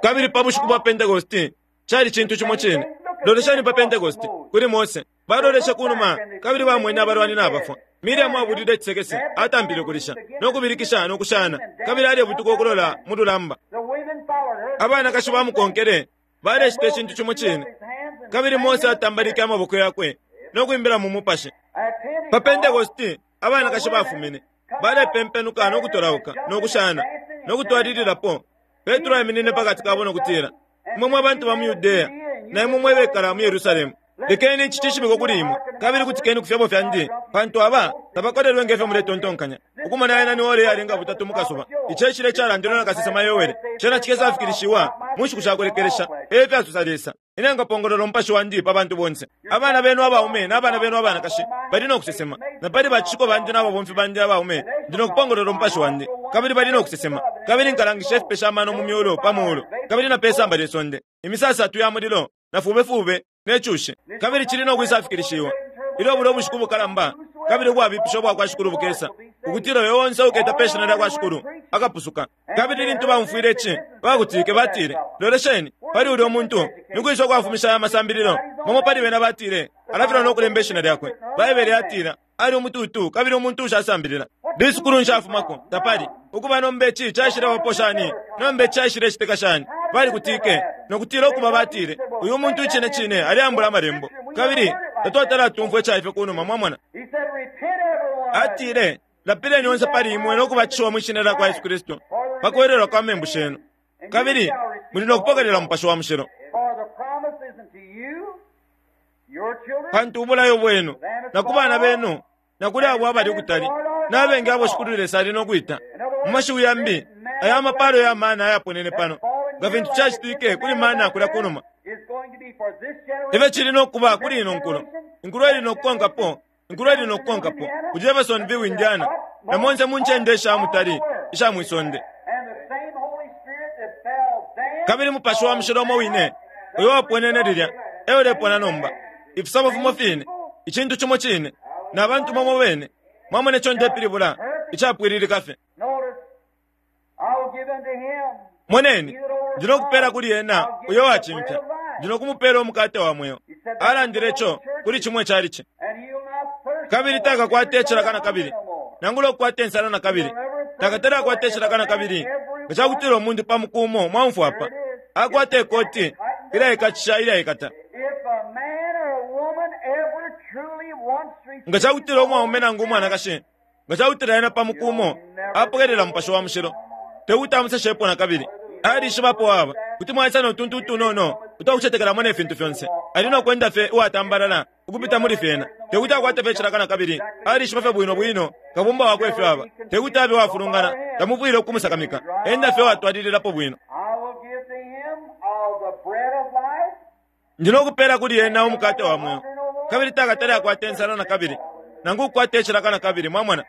Kabili pa bushiku bwa Pentekoste cali cintu cimo cine. Loleshani pa Pentekoste kuli Mose. Baloleshe kunuma kabili bamwene abalwani nabafwa. Miriamu abulile icisekese, atampile ukulisha no kubilikisha no kushana, kabili alebutuka ukulola mu lulamba. Abanakashi bamukonkele balecita icintu cimo cine. Kabili Mose atambalike amaboko yakwe no kwimbila mu mupashi. Pa Pentekosti abanakashi bafumine balepempenuka no kutolauka no kushana no kutwalililapo. Petro aiminine pa kati kabo no kutila, Imwe mwe bantu ba mu Yudea na imwe mwe bekala mu Yerusalemu, lekeni ici cishibikwe kuli imwe, kabili kutikeni ku fyebo fyandi, pantu aba tabakolelwe nge fyo muletontonkanya. Ukumona ena ni ora iyalenga butatu mu kasuba. Ici e cilya icalandilwe na kasesema Yoele, cena cikesafikilishiwa mu nshiku sha kulekelesha, e fyasosa Lesa. Ine nkapongolola umupashi wandi pa bantu bonse. Abana benu abaume na bana benu abanakashi bali no kusesema, na pali bacishiko bandi na babomfi bandi abaume ndi no kupongolola umupashi wandi, kabili bali no kusesema. Kabili nkalangisha ifipesha amano mu myulu pa muulu, kabili na pe samba lye sonde, imisasatu ya mulilo na fubefube ne cushi. Kabili cili no kwisafikilishiwa ilyo bulya ubushiku bukalamba kabili ubwabipisha ubwa kwa Shikulu bukesa, ukutila uyo onse uketa pe shina lya kwa Shikulu akapusuka. Kabili lintu baumfwile ici, bakutike batile, Lolesheni pali ulya muntu, ni kwisa ukwafumisha aya masambililo? Bamo pali bena batile, Alafilwa no kulemba ishina lyakwe. Baibele yatila, Ali umutuutu kabili umuntu ushasambilila. Lisukulu nshi afumako? Tapali. Ukuba nomba ici caishilebapo shani? Nomba ici caishilecitika shani? Balikutike no kutila ukuba batile, Uyu muntu icine cine aleambula amalembo, kabili tatwatala tumfwa ica ifyo ku numa. Mwamona? Atile, Lapileni onse pali imwe no kubatishiwa mwi shina lya kwa Yesu Kristu pa kwelelwa kwa membu shenu, kabili muli no kupokelela Mupashi wa Mushilo. Pantu ubulayo bwenu, na ku bana benu, na kuli abo abali ukutali, na abengi abo Shikulu Lesa ali no kwita. Mu mashiwi yambi, aya amapalo ya mana ayaponene pano, nga fintu cacitike kuli mana kulya ku numa, efyo cili no kuba kuli ino nkulo, inkulo ili no kukonkapo, inkulo ili no kukonkapo, ku Jeffersonville, Indiana, na monse mu ncende isha mutali isha mwi sonde. Kabili Mupashi wa Mushilo umo wine uyo waponene lilya e ulepona nomba. Ifisabo fimo fine, icintu cimo cine, na bantu bamo bene. Mwamona ico ndepilibula? Icapwililika fye. Moneni, ndi no kupela kuli ena uyo wacimfya, ndi no kumupela umukate wa mweo. Alandile ico kuli cimo icalici. Kabili takakwate icilaka na kabili, nangula ukukwata insala na kabili. Takatale akwata icilaka na kabili. Nga ca kutila umuntu pa muku umo mwaumfwa apa, akwata ikoti ilyaikatisha ilyaikata. Nga ca kutila umwaume nangu umwanakashi, nga ca kutila ena pa muku umo apokelela Mupashi wa Mushilo, te kuti amuseshepo na kabili. Alishibapo aba kuti mwaisa no tuntu utunono utwakucetekelamo ne fintu fyonse. Ali no kwenda fye uwatambalala ukupita muli fyena. Te kuti akwate fye icilaka na kabili. Alishiba fye bwino bwino Kabumba wakwe ifyo aba. Te kuti abe uwafulungana, tamufwile ukumusakamika. Enda fye uwatwalililapo bwino. Ndi no kupeela kuli ena umukate wa mweo, kabili takatale akwata insala na kabili, nangu ukukwata icilaka na kabili. Mwamona?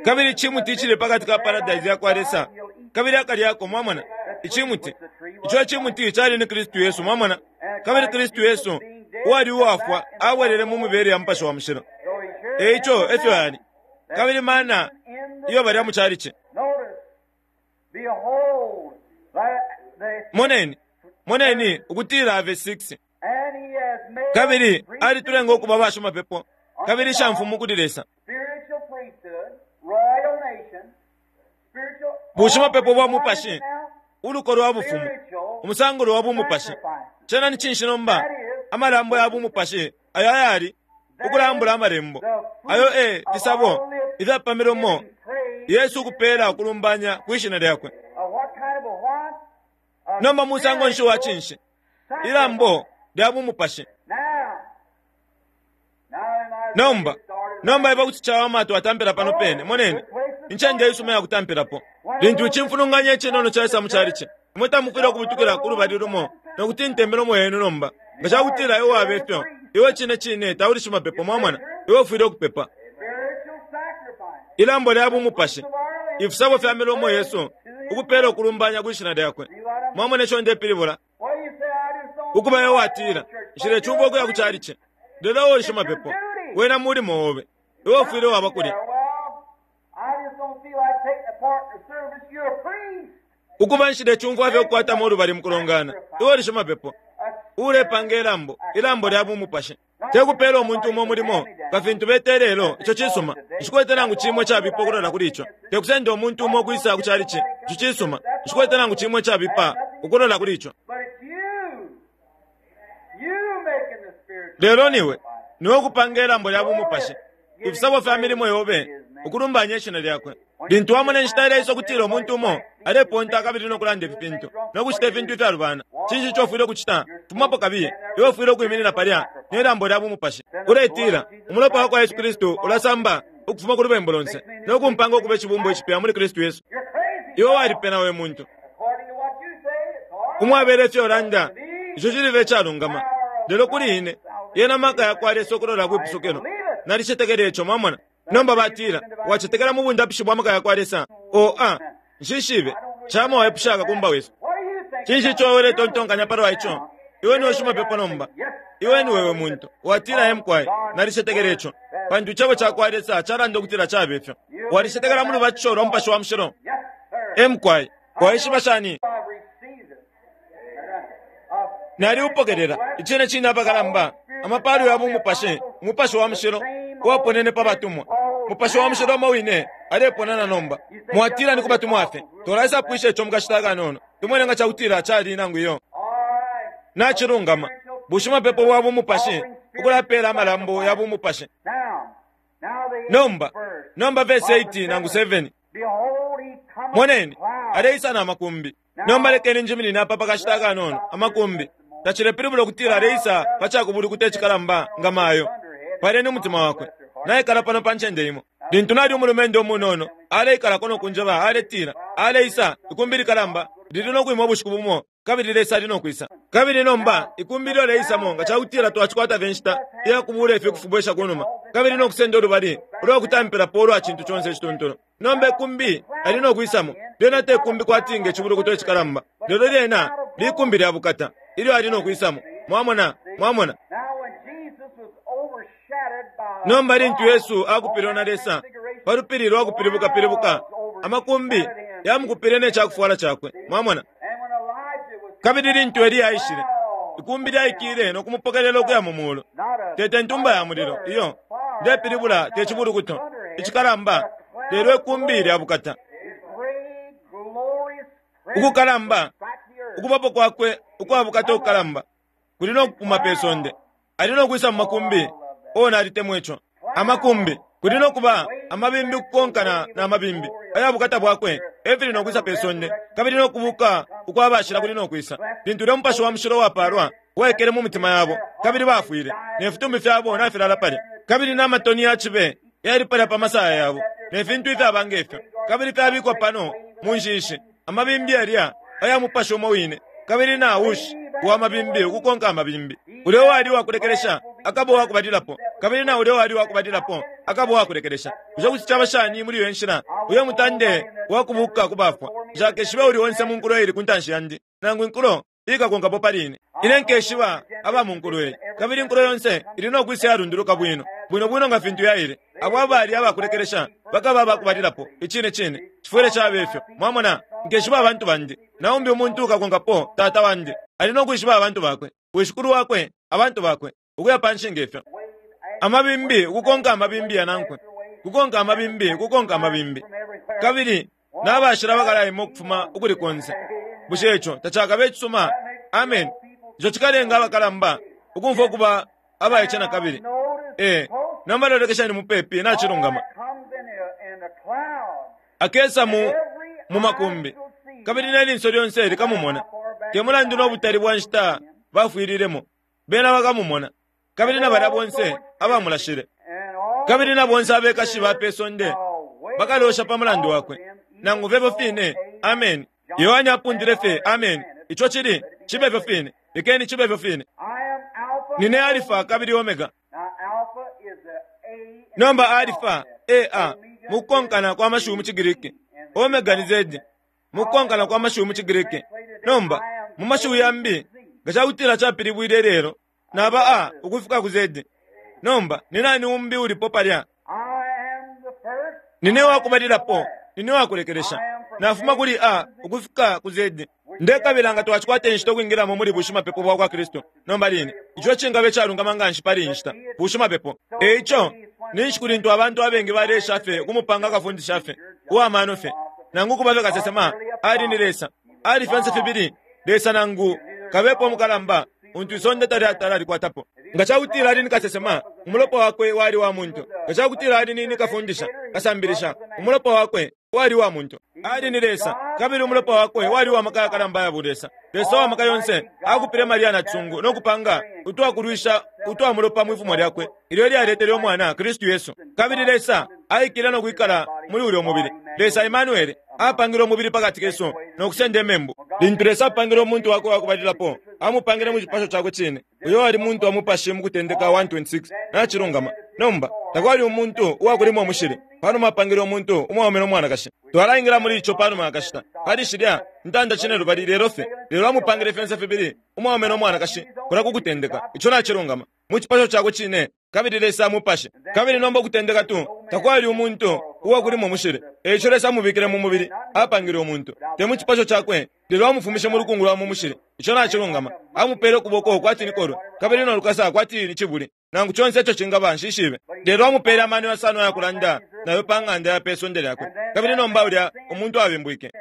Kabili icimuti icili pa kati ka paradise ya kwa Lesa, kabili akalyako. Mwamona? Icimuti. Ico icimuti cali ni Kristu Yesu. Mwamona? Kabili Kristu Yesu, uwali uwafwa, abwelele mu mibele ya Mupashi wa Mushilo. E ico efyo ali. Kabili mana iyo balya mu calici. Moneni, moneni ukutila ave 6. Kabili alitulenga ukuba bashimapepo kabili ishamfumu kuli Lesa. Bushimapepo bwa mupashi, uluko lwa bufumu, umusangulo wa bumupashi. Cena ni cinshi nomba? Amalambo ya bumupashi ayo ayali ukulambula amalembo ayo e fisabo ifyapamilomo Yesu ukupeela ukulumbanya kwi shina lyakwe. Nomba musango nshi wa cinshi? Ilambo lya bumupashi. Nomba, nomba iba kuti cawama twatampila pano pene. Moneni, incende isuma ya kutampilapo. Lintu icimfulunganya icinono caisa mu calici, imwe tamufwile ukubutukila ku lubali lumo no kutinta imilomo yenu nomba. Nga ca kutila iwe waba ifyo, iwe cine cine tauli shimapepo, mwamona, iwe ufwile ukupepa. Ilambo lya bumupashi, ifisabo fya milomo yesu, ukupeela ukulumbanya kwi shina lyakwe. Mwamona ico ndepilibula? Ukuba iwe watila, nshilecumfwa ukuya ku calici. Lelo iwe uli shimapepo, wena mulimo obe. Iwe ufwile waba kulya. Ukuba nshilecumfwa fye ukukwatamo ulubali mu kulongana. Iwe uli shimapepo, uulepanga ilambo, ilambo lya bumupashi. Te kupela umuntu umo umulimo, nga fintu beta ilelo, ico cisuma. Nshikwete nangu cimo icabipa ukulola kuli ico. Te kusenda umuntu umo ukwisa ku chalichi, ico cisuma. Nshikwete nangu cimo icabipa ukulola kuli ico. But it's you. You making the spiritual Lelo niwe, niwe ukupanga ilambo lya bumupashi. Ifisabo fya milimo yobe, ukulumbanya ishina lyakwe. Lintu wamona inshita ileisa ukutila umuntu umo aleponta kabili no kulanda ifi fintu, no kucita ifintu ifyalubana, cinshi ico ufwile ukucita? Fumapo kabiye. Iwe ufwile ukwiminina palya ne lambo lya bumupashi. Uletila, umulopa wa kwa Yesu Kristu ulasamba ukufuma ku lubembu lonse, no kumpanga ukuba icibumbwa icipya muli Kristu Yesu. You're crazy. Iwe walipena we muntu. According to what you say, it's all right. Umwabele ifyo ulanda, ico cilibe icalungama. Lelo kuli ine, yena maka yakwa Lesa ukulola kwipusukilo. Nalicetekela ico, mwamona. Nomba batila, wacetekela mu bundapishi bwa maka yakwa Lesa. O a, nshishibe, chama waepusha akakumba wesu. What do you think? Cinshi ico wewe uletontonkanya palwa ico? Iwe niwe shimapepo nomba. Iwe ni wewe muntu. Watila emkwai, nalicetekela ico. Pantu icebo cakwa Lesa calanda ukutila cabe ifyo. Walicetekela mu lubatisho lwa Mupashi wa Mushilo. Yes, sir. Emkwai, waishiba shani? I've received it. Naliupokelela icine cine apakalamba amapalo ya bumupashi, umupashi wa mushilo uwaponene pa batumwa. Mupashi wa mushilo umo wine aleponana nomba. Mwatila ni ku batumwa fye. Tolaisapwisha ico mukashita akanono. Tumwene nga cakutila cali nangu iyo. All right. Nacilungama. Bushimapepo bwa bumupashi ukulapeela amalambo ya bumupashi. Now, now the Nomba, eighth verse. nomba verse 8 nangu 7. Behold, he cometh Moneni, with clouds. aleisa na makumbi. Nomba lekeni njiminine apa pakashita akanono, amakumbi. Tacilepilibula ukutila aleisa pa cakubulukuta icikalamba nga mayo. Paleni umutima wakwe. Naikala pano pa ncende imo. Lintu nali umulumendo umunono, aleikalako no kunjeba, aletila, aleisa, ikumbi likalamba, lili no kwima ubushiku bumo, kabili Lesa ali no kwisa. Kabili nomba, ikumbi ilyo leisamo nga cakutila twacikwata fye inshita iyakubula ifyo kufubwesha kunuma, kabili no kusenda ulubali ulwa kutampilapo ulwa cintu conse icituntulu. Nomba ikumbi ali no kwisamo, lyena te kumbi kwati nge cibulukuto icikalamba, lelo lyena likumbi lya bukata, ilyo ali no kwisamo. Mwamona, mwamona. Now, when Jesus was overshadowed by Nomba lintu Yesu akupilwe na Lesa pa lupili lwa kupilibuka-pilibuka, amakumbi yamukupile ne cakufwala cakwe. Mwamona. And when Elijah was Kabili lintu Eliya aishile, ikumbi lyaikile no kumupokelela ukuya mu mulu. Tete ntumba ya mulilo, iyo ndepilibula te cibulukuto icikalamba, lelo ikumbi lya bukata. his great glorious presence Ukukalamba, struck the earth. ukubapo kwakwe ukwa bukata ukukalamba kuli no kupuma pe sonde. Ali no kwisa mu makumbi, o nalitemwa ico. Amakumbi, kuli no kuba amabimbi ukukonkana na mabimbi aya bukata bwakwe efili no kwisa pe sonde, kabili no kubuka ukwa bashila kuli no kwisa. Lintu ulya Mupashi wa Mushilo wapalwa waikele mu mitima yabo, kabili bafwile, ne fitumbi fyabo nafilala palya, kabili n'amatoni ya cibe yali palya pa masaya yabo, ne fintu ifyaba ngefyo, kabili fyabikwa pano mu nshishi, amabimbi yalya aya mupashi umo wine, kabili na ushi wa mabimbi ukukonka amabimbi. Ulya uwali uwakulekelesha akaba uwakubalilapo, kabili na ulya uwali uwakubalilapo akaba uwakulekelesha. Bushe kuti caba shani muli iyo nshila? Uyo mutande wakubuka ku bafwa. Nshakeshibe uli onse mu nkulo ili ku ntanshi yandi, nangu inkulo ikakonkapo pali ine. Ine nkeshiba aba mu nkulo iyi, kabili inkulo yonse ili no kwisa yalunduluka bwino bwino bwino nga fintu yaile. Abo abali abakulekelesha bakaba abakubalilapo. Icine cine cifwile caba ifyo. Mwamona, nkeshiba abantu bandi, na umbi umuntu ukakonkapo tata wandi ali no kwishiba abantu bakwe, wishikulu wakwe abantu bakwe, ukuya panshi ngefyo. Amabimbi ukukonka amabimbi yanankwe, kukonka amabimbi ukukonka amabimbi, kabili n'abashila bakalaima ukufuma ukuli konse. Bushe ico tacakabe icisuma? Amen. Ico cikalenga abakalamba ukumfwa ukuba abaice na kabili. Ee, nomba lolekeshani mupepi nacilungama. Comes in the cloud. Akesa mu makumbi, kabili ne linso lyonse likamumona. Te mulandu no butali bwa nshita bafwililemo, bena bakamumona, kabili na balya bonse abamulashile, And all kabili na bonse abekashi ba pe sonde bakalosha pa mulandu wakwe. Nangu fye fine. Amen. Yohane apundile fye amen. Ico cili cibe fyo fine. Lekeni cibe fyo fine. I am Alpha. Nine Alifa kabili Omega. Now Alpha is the A in Nomba the Alifa, alphabet. A, mukukonkana kwa mashiwi mu ciGiriki. Omega ni Z, mukukonkana kwa mashiwi mu ciGiriki. Nomba, mu mashiwi yambi, nga cakutila capilibwile lelo, naba A ukufika ku Z. Nomba, ni nani umbi ulipo palya? I am the first. Nine wakubalilapo, nine wakulekelesha. Nafuma kuli A ukufika ku Z. Ndekabila nga twacikwata inshita ukwingilamo muli bushimapepo bwa kwa Kristu nomba line. Ico cingaba icalungama nganshi pali iyi nshita, bushimapepo. E ico, ninshi kulintu abantu abengi baleesha fye ukumupanga kafundisha fye, uwa mano fye, nangu kuba fye kasesema, ali ni Lesa. Ali fyonse fibili Lesa nangu kabepa umukalamba untu isonde talyatala alikwatapo. Nga ca kutila ali ni kasesema, umulopa wakwe wali wa muntu. Nga ca kutila ali ni kafundisha, kasambilisha, umulopa wakwe wali wa muntu. Ali ni Lesa, kabili umulopa wakwe wali wa maka yakalamba ya bulesa. Lesa wa maka yonse akupile Maria na cisungu no kupanga utwakulwisha utwa mulopa mwi fumo lyakwe, ilyo lyaletele umwana Kristu Yesu. Kabili Lesa aikile no kwikala muli ulyo mubili. Lesa Emmanuel apangile umubili pakati kesu no kusenda imembu. Lintu Lesa apangile umuntu wakwe wakubalilapo, amupangile mu cipasho cakwe cine. Uyo ali muntu wa mupashi mu Kutendeka 1:26. Nacilungama. Nomba, takwali umuntu uwakulima umushili. Panuma apangile umuntu umwaume no mwanakashi. Twalaingila muli ico panuma yakashita. Pali shilya ntanda cinelubali lelo fye. Lelo amupangile fyonse fibili, umwaume no mwanakashi, kulya ku Kutendeka. Ico nacilungama. Mu cipasho cakwe cine, kabili Lesa mupashi. Kabili nomba Ukutendeka 2, takwali umuntu uwakulima umushili. E ico Lesa amubikile mu mubili, apangile umuntu. Te mu cipasho cakwe, lelo amufumishe mu lukungu lwa mu mushili. Ico nacilungama. Amupele ukuboko kwati ni kolwe, kabili no lukasa kwati ni cibuli. Nangu conse ico cingaba, nshishibe. Lelo amupele amano yasano aya kulanda nayo pa ng'anda ya pe sonde lyakwe. Kabili nomba ulya umuntu abimbwike.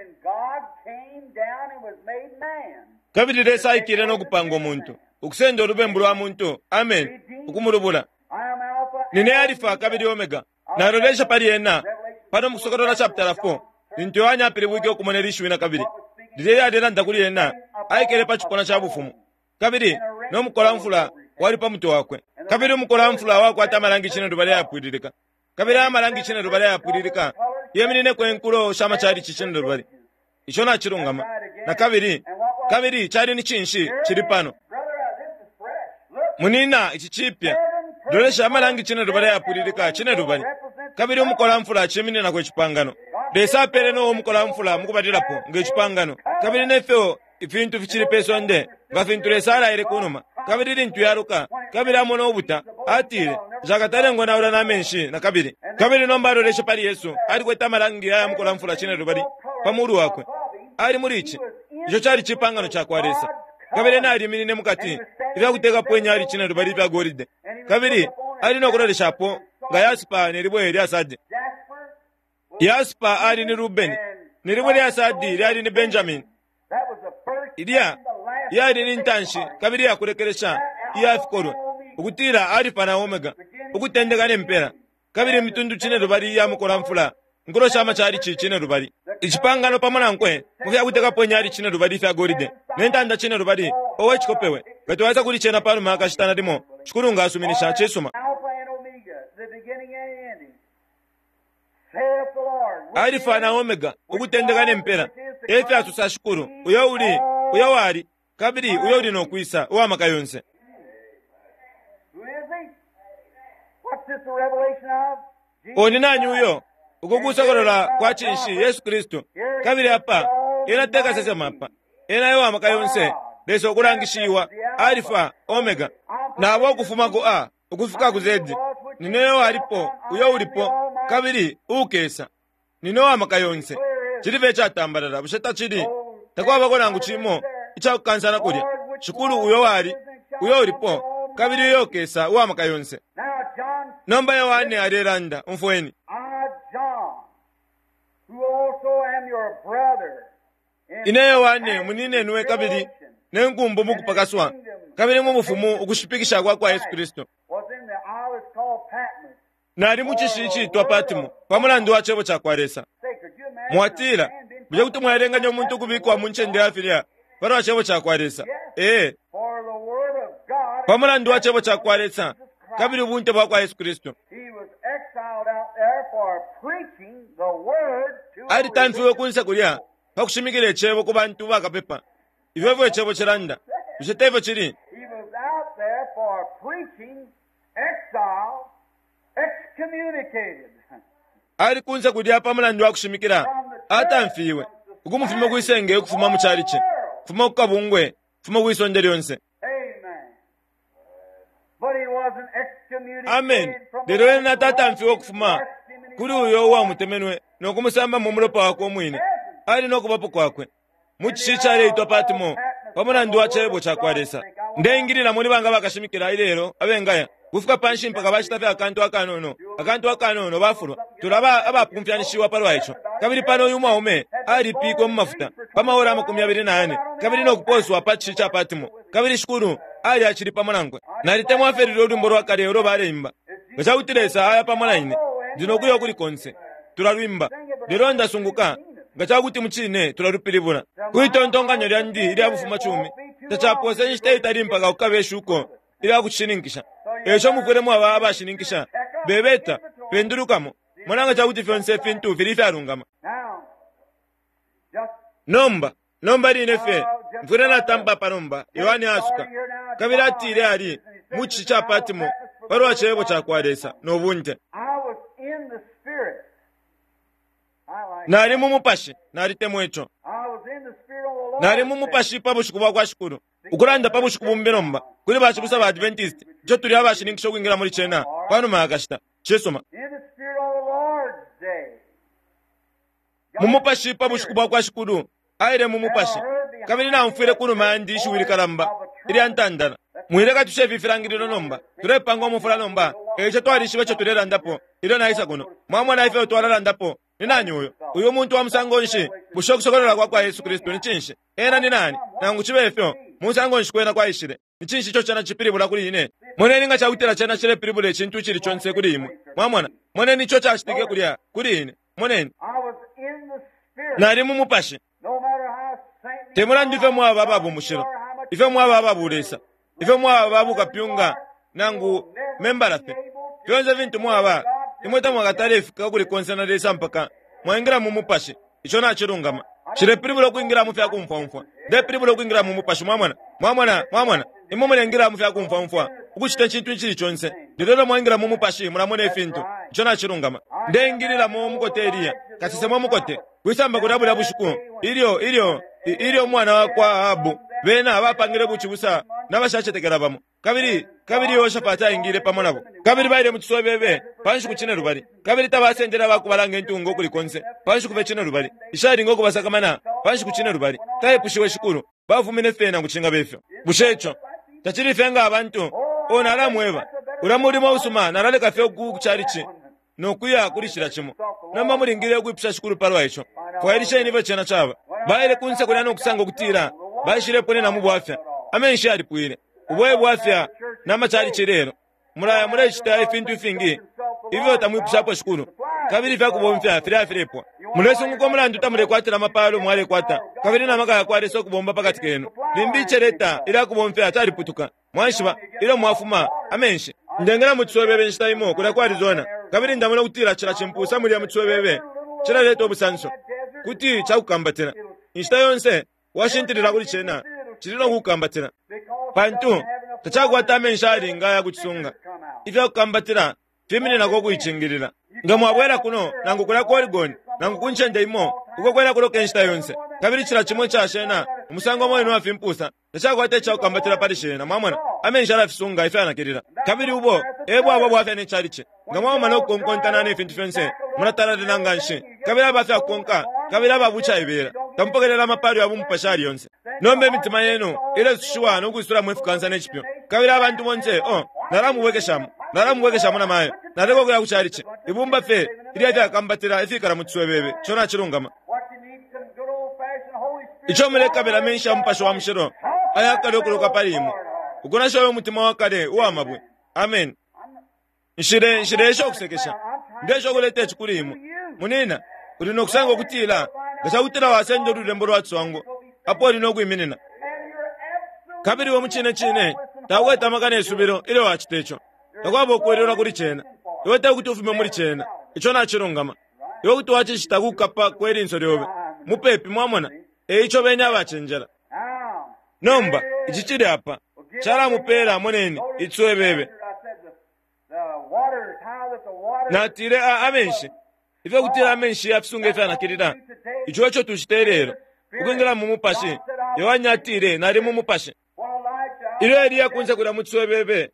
Kabili Lesa aikile no kupanga umuntu, ukusenda ulubembu lwa muntu, amen, ukumulubula. Nine Alifa kabili Omega. Nalolesha pali ena pano mu Kusokolola chapitala 4, lintu Yohane apilibwike ukumona ili shiwi nakabili, lilya ilyalelanda kuli ena, aikele pa cipuna ca bufumu, kabili no mukolamfula wali pa mutwe wakwe. Kabili umukolamfula wakwata amalangi cinelubali ayapwililika, kabili aya malangi cinelubali ayapwililika yeminineko inkulo sha macalici cinelubali. Ico nacilungama. Na kabili, kabili cali ni cinshi cili pano? Munina, ici cipya. Lolesha amalangi cinelubali ayapwililika cinelubali. Kabili umukolamfula cimininako icipangano. Lesa apele Noa umukolamfula mukubalilapo nge cipangano. Kabili nefyo ifintu ficili pe sonde, nga fintu Lesa alaile kunuma. Kabili lintu yaluka, kabili amona ubuta, atile, Nshakatale ngonaula na menshi na kabili. Kabili nomba aloleshe pali Yesu, alikwete amalangi aya mukolamfula cinelubali pa mulu wakwe. Ali muli ici. Ico cali cipangano ca kwa Lesa. Kabili ena aliminine mukati, ifya kutekapo inyali cinelubali ifya golide. Kabili ali no kuloleshapo nga yasipa ne libwe lya sadi. Yasipa ali ni Rubeni, ne libwe lya sadi lyali ni Benjamini. Ilya yali ni ntanshi kabili yakulekelesha iya fikolwe, ukutila Alifa na Omega, ukutendeka ne mpela. Kabili imitundu cinelubali iya mukolamfula, inkulo sha macalici cinelubali. Icipangano pamo nankwe mu fya kutekapo inyali cinelubali ifya golide, ne ntanda cinelubali. Owe cikopewe, nga twaisa kuli cena panuma yakashita nalimo, Shikulu nga asuminisha. Cisuma. Alifa na Omega, ukutendeka ne mpela, e fyasosa Shikulu, uyo uli, uyo wali, kabili uyo uli no kwisa, uwa maka yonse. Oni nani uyo? Uku kusokolola kwa cinshi? Yesu Kristu. Kabili apa, ena te kasesema apa. Ena e wa maka yonse, Lesa ukulangishiwa, Alifa, Omega. Nabo ukufuma ku A ukufika ku Z. Nine uyo walipo, uyo ulipo, kabili uukesa. Nine uwa maka yonse. Cili fye icatambalala, bushe tacili? Takwabako nangu cimo icakukansana kulya. Shikulu uyo wali, uyo ulipo, kabili uyo ukesa, uwa maka yonse. Nomba Yohane alelanda, umfweni. Ine Yohane muninenwe kabili ne nkumbu mukupakaswa kabili mu bufumu ukushipikisha kwa kwa Yesu Kristu. Nali mu cishi iciitwa Patmo pa mulandu wa cebo ca kwa Lesa. Mwatila, bushe kuti mwaelenganya umuntu ukubikwa mu ncende ya filya pa lwa cebo ca kwa Lesa? Ee, pa mulandu wa cebo ca kwa Lesa kabili ubunte bwa kwa Yesu Kristu. Alitamfiwe kunse kulya pa kushimikila icebo ku bantu bakapepa. Ifyo efyo icebo cilanda. Bushe te fyo cili? Ali kunse kulya pa mulandu wa kushimikila, atamfiwe, ukumufumya kwi senge ukufuma mu calici, ukufuma ku kabungwe, ukufuma kwi sonde lyonse. Amen. Lelo ena tatamfiwe ukufuma kuli uyo uwamutemenwe no kumusamba mu mulopa wakwe umwine. Ali no kubapo kwakwe. Mu cishi icaleitwa Patmo, pa mulandu wa Cebo cakwa Lesa. Ndeingilila muli banga bakashimikila ilelo abengaya kufika panshi mpaka bacita fye akantu akanono, akantu akanono bafulwa. Tulaba abapumfyanishiwa palwa ico. Kabili pano uyu mwaume alipikwe mu mafuta pa maora 24 kabili no kuposwa pa cishi ca Patmo. Kabili Shikulu ali acili pamo nankwe. Nalitemwa fye lulyo lwimbo lwa kale ulo baleimba. Nga ca kuti Lesa aya pamo na ine, ndi no kuya ukuli konse. Tulalwimba. Lelo ndasunguka nga ca kuti mucine tulalupilibula. Kwi tontonkanyo lyandi ilya bufumacumi, tacapoose inshita itali mpaka kukabe ishuko ilya kucishininkisha. E ico mufwile mwaba abashininkisha. Bebeta, pendulukamo, mona nga ca kuti fyonse ifintu fili ifyalungama. Nomba, nomba line fye, mfwile natampa apa nomba, Yohane aasuka. Kabili atile ali mu cishi ca Patmo pa lwa Cebo ca kwa Lesa no bunte. Nali mu Mupashi, nalitemwa ico. Nali mu Mupashi pa bushiku bwa kwa Shikulu. Ukulanda pa bushiku bumbi nomba, kuli bacibusa ba Adventist, ico tuli abashininkisha ukwingila muli cena panuma ya kashita. Cisuma. Mu Mupashi pa bushiku bwa kwa Shikulu, aile mu Mupashi, kabili naumfwile kunuma yandi ishiwi likalamba ilya ntandala. Mwileka tushe ifi filangililo nomba. Tulepanga umufula nomba, e ico twalishiba ico tulelandapo ilyo naisa kuno. Mwamona ifyo twalalandapo. Ni nani uyo? Uyu muntu wa musango nshi? Bushe ukusokolola kwa kwa Yesu Kristu ni cinshi? Ena ni nani? Nangu cibe fyo, musango nshi kwena kwaishile? Ni cinshi ico cena cipilibula kuli ine? Moneni nga ca kutila cena cilepilibula icintu icili conse kuli imwe. Mwamona? Moneni ico cacitike kulya kuli ine. Moneni. Nali mu Mupashi. Te mulandu ifyo mwaba aba bumushilo, ifyo mwaba aba bulesa, ifyo mwaba aba bukapyunga, nangu membala fye, fyonse fintu mwaba, imwe tamwakatale fika kuli konse na Lesa mpaka mwaingila mu Mupashi. Ico nacilungama. Cilepilibula ukwingila mu fya kumfwaumfwa. Ndepilibula ukwingila mu Mupashi, mwamona. Mwamona, mwamona. Imwe mulengila mu fya kumfwaumfwa, ukucita icintu icili conse. Lelo ilyo mwaingila mu Mupashi, mulamona ifintu. Ico nacilungama. Ndeingililamo umukote Eliya, kasesema umukote, kwisamba kulya bulya bushiku, ilyo, ilyo, ilyo umwana wakwa Ahabu, bena bapangile bucibusa na bashacetekela bamo. Kabili, kabili Yehoshafati aingile pamo nabo. Kabili baile mu ciswebebe pa nshiku cinelubali. Kabili tabasendele abakubalanga intunga ukuli konse pa nshiku fye cinelubali, ishalinga ukubasakamana pa nshiku cinelubali. Taipushiwe Shikulu, bafumine fye nangu cingaba ifyo. Bushe ico tacili fye nga abantu? Oh, nalamweba, ulya mulimo usuma, nalaleka fye ku calici no kuya kuli cila cimo. Nomba mulingile ukwipusha Shikulu palwa ico. Fwailisheni ifyo cena caba. Baile kunse kulya no kusanga ukutila baishileponena mu bwafya. Amenshi yalipwile. Ubo e bwafya na macalici ilelo. Mulaya mulecita ifintu ifingi ifyo tamwipushapo Shikulu, kabili ifya kubomfya filaya filepwa. Mulesunguka umulandu tamulekwatila amapalo mwalekwata, kabili na maka yakwa Lesa ukubomba pakati kenu. Limbi iceleta ilya kubomfya caliputuka. Mwaishiba, ilyo mwafuma, amenshi. Ndengela mu ciswebebe inshita imo kulya ku Arizona, kabili ndamona ukutila cila cimpusa mulya mu ciswebebe cilaleta ubusanso. Kuti cakukambatila. Inshita yonse washintilila kuli cena, cili no kukukambatila. Pantu, tacakwata amenshi ayalinga aya kucisunga. Ifya kukambatila fimininako ukuicingilila. Nga mwabwela kuno, nangu kulya ku Oregon, nangu ku ncende imo, uko kwena kuloka inshita yonse, kabili cila cimo ica shena, umusango umo wine uwa fimpusa, tacakwata ica kukambatila pali shena, mwamona, amenshi alafisunga ifyanakilila. Kabili ubo e bwaba bwafya ne chalichi. Nga mwauma no kukonkontana ne fintu fyonse, mulatalalila nganshi, kabili aba fya kukonka, kabili aba bucaibela, tamupokelela amapalo ya bumupashi ayali yonse. Nomba imitima yenu ilesushiwa no kwisulamo ifikansa ne cipyu. Kabili abantu bonse, oh, nalamubwekeshamo, nalamubwekeshamo na mayo, naleka ukuya ku chalichi. Ibumba fye ilya fyakambatila ifikala mu ciswebebe, ico nacilungama. Ico mulekabila menshi ya Mupashi wa Mushilo ayakale ukuloka pali imwe, ukunasha uyo mutima wa kale uwa mabwe. Ameni. Nshile, nshileesha ukusekesha. Ndeesha ukuleta ici kuli imwe. Munina, uli no kusanga ukutila, nga ca kutila wasenda ululembo lwa ciswango, apo uli no kwiminina. Kabili iwe mucine cine taukwete amaka ne subilo ilyo wacita ico. Takwaba ukwelelwa kuli cena. Iwe tekuti ufume muli cena. Ico nacilungama. Iwe kuti wacicita ku kukapa kwe linso lyobe. Mupepi, mwamona. E ico beni abacenjela. Nomba, ici cili apa. Calamupela, moneni, iciswebebe. Natile, a, amenshi. Ifyo kutila amenshi yafisunga ifyanakilila. Ico eco tucita ilelo. Ukwingila mu Mupashi. Yohane atile, Nali mu Mupashi. Ilyo Eliya kunse kulya mu ciswebebe,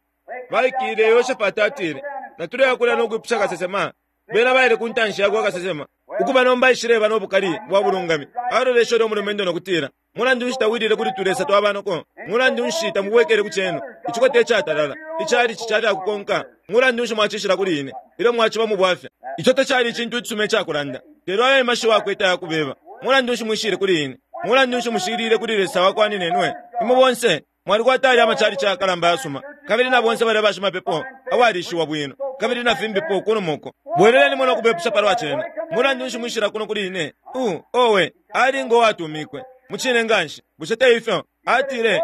baikile, Yehoshafati atile, Natuleya kulya no kwipusha kasesema. Bena baile ku ntanshi yakwa kasesema. Ukuba nomba aishileba no bukali bwa bulungami. Aloleshe ulya umulumendo no kutila, Mulandu nshi tawilile kuli tulesa twa banoko? Mulandu nshi tamubwekele ku cenu, icikote icatalala, icalici ca fya kukonka? Mulandu nshi mwacishila kuli ine ilyo mwaciba mu bwafya? Ico tacali icintu icisuma ica kulanda, lelo ayo e mashiwi akwete aya kubeba. Mulandu nshi mwishile kuli ine? Mulandu nshi mushiliile kuli Lesa wa kwa ninenwe? Imwe bonse mwalikwata yalya amacalici ayakalamba ayasuma, kabili na bonse balya bashimapepo abalishiwa bwino, kabili na fimbipo kunuma uko. Bwelelenimo no kubepusha palwa cena. Mulandu nshi mwishila kuno kuli ine? Uh, owe, ali ngo watumikwe. Mucine nganshi. Bushe te ifyo? Atile,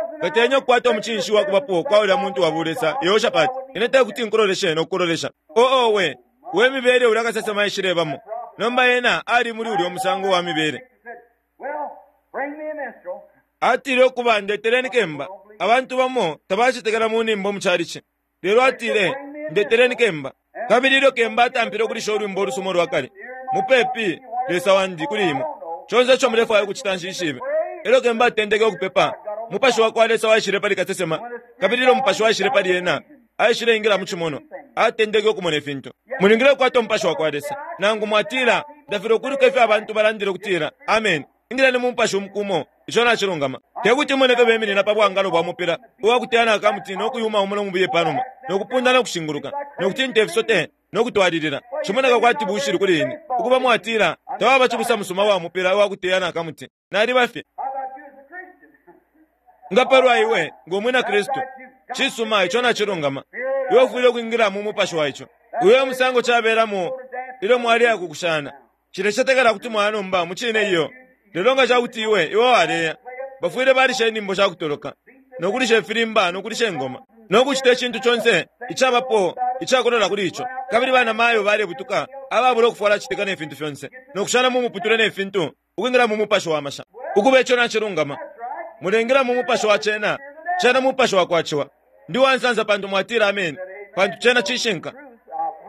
Nga ukukwata umucinshi wa kubapo kwa ulya muntu wa bulesa, Yehoshafati, ine te kuti nkuloleshe no kukulolesha. Oh, owe, we mibele ulya kasesema aishilebamo. Nomba ena ali muli ulyo musango wa mibele. Atile ukuba ndeteleni kemba. Abantu bamo tabacetekela mu nimbo mu calici. Lelo atile, Ndeteleni kemba. Kabili ilyo kemba atampile ukulisha ulwimbo ulusuma ulwa kale, mupepi, Lesa wandi, kuli imwe. Conse ico mulefwaya ukucita nshishibe. Elyo kemba atendeke ukupepa, Mupashi wa kwa Lesa waishile pali kasesema, kabili ilyo Mupashi waishile pali ena, aishileingila mu cimonwa, atendeke ukumona ifintu. Mulingile ukukwata Umupashi wa kwa Lesa. Nangu mwatila, Ndafilwa ukwiluka ifyo abantu balandile ukutila, Ameni. Ingileni mu Mupashi umuku umo, ico nacilungama. Te kuti mone ifyo beminina pa bwangalo bwa mupila uwa kuteyana akamuti no kuyuma umo no mubiye pa numa, no kupunda no kushinguluka, no kutinta ifisote, no kutwalilila. Cimoneka kwati bushili kuli ine. Ukuba mwatila, Tawaba cibusa musuma uwa mupila uwa kuteyana akamuti. Naliba fye. Nga palwa iwe, ngo mwina Kristu? Cisuma, ico nacilungama. Iwe ufwile ukwingila mu mupashi wa ico. Uyo e musango cabelamo ilyo mwaleya ku kushana. Nshilecetekela kuti mwaya nomba, mucine iyo. Lelo nga ca kuti iwe, iwe waleya, bafwile balisha inyimbo sha kutoloka, no kulisha ifilimba no kulisha ingoma, no kucita icintu conse icabapo icakulola kuli ico. Kabili banamayo balebutuka ababula ukufwala citika ne fintu fyonse, no kushana mu muputule ne fintu, ukwingila mu mupashi wa masha. Ukuba ico nacilungama. Mulengila mu mupashi wa cena, cena mupashi wa kwa ciwa. Ndi uwansansa pantu mwatila ameni, pantu cena cishinka.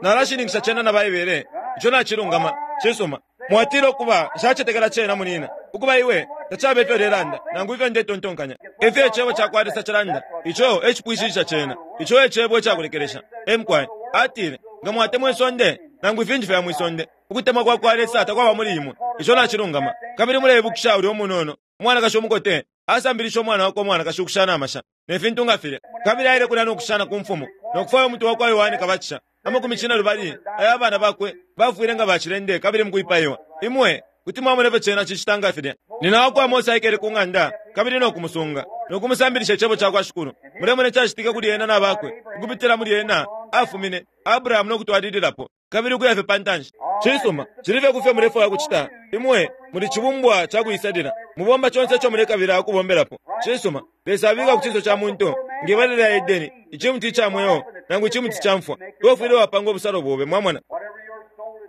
Nalashininkisha cena na Baibele. Ico nacilungama. Cisuma. Mwatila, Ukuba, nshacetekela cena, munina. Ukuba, iwe, tacaba ifyo ulelanda, nangu ifyo ndetontonkanya. Ifyo Icebo cakwa Lesa cilanda, ico e cipwishishisha cena. Ico e Cebo icakulekelesha. Ee, mukwai. Atile, Nga mwatemwa isonde, nangu ifintu fya mwi sonde, ukutemwa kwa kwa Lesa takwaba muli imwe. Ico nacilungama. Kabili muleibukisha ulya umunono, umwanakashi umukote, asambilishe umwana wakwe umwanakashi ukushana amasha, ne fintu nga filya. Kabili aile kulya no kushana ku mfumu, no kufwaya umutwe wa kwa Yohane Kabatisha. Amakumi cinelubali aya bana bakwe bafwile nga bacilende kabili mukwipaiwa. Imwe kuti mwamona ifyo cena cicita nga filya. Nyina wa kwa Mose aikele ku ng'anda kabili no kumusunga, no kumusambilisha icebo ca kwa Shikulu. Mulemona icacitike kuli ena na bakwe, ukupitila muli ena afumine Abrahamu no kutwalililapo. Kabili ukuya fye pa ntanshi. Cisuma, cili fye ku fyo mulefwaya ukucita. Imwe muli cibumbwa ca kuisalila. Mubomba conse ico mulekabila ukubombelapo. Cisuma, Lesa abika ku cinso ca muntu, nge bala lya Edeni, icimuti ica mweo nangu icimuti ca mfwa. Iwe ufwile wapanga ubusalo bobe, mwamona.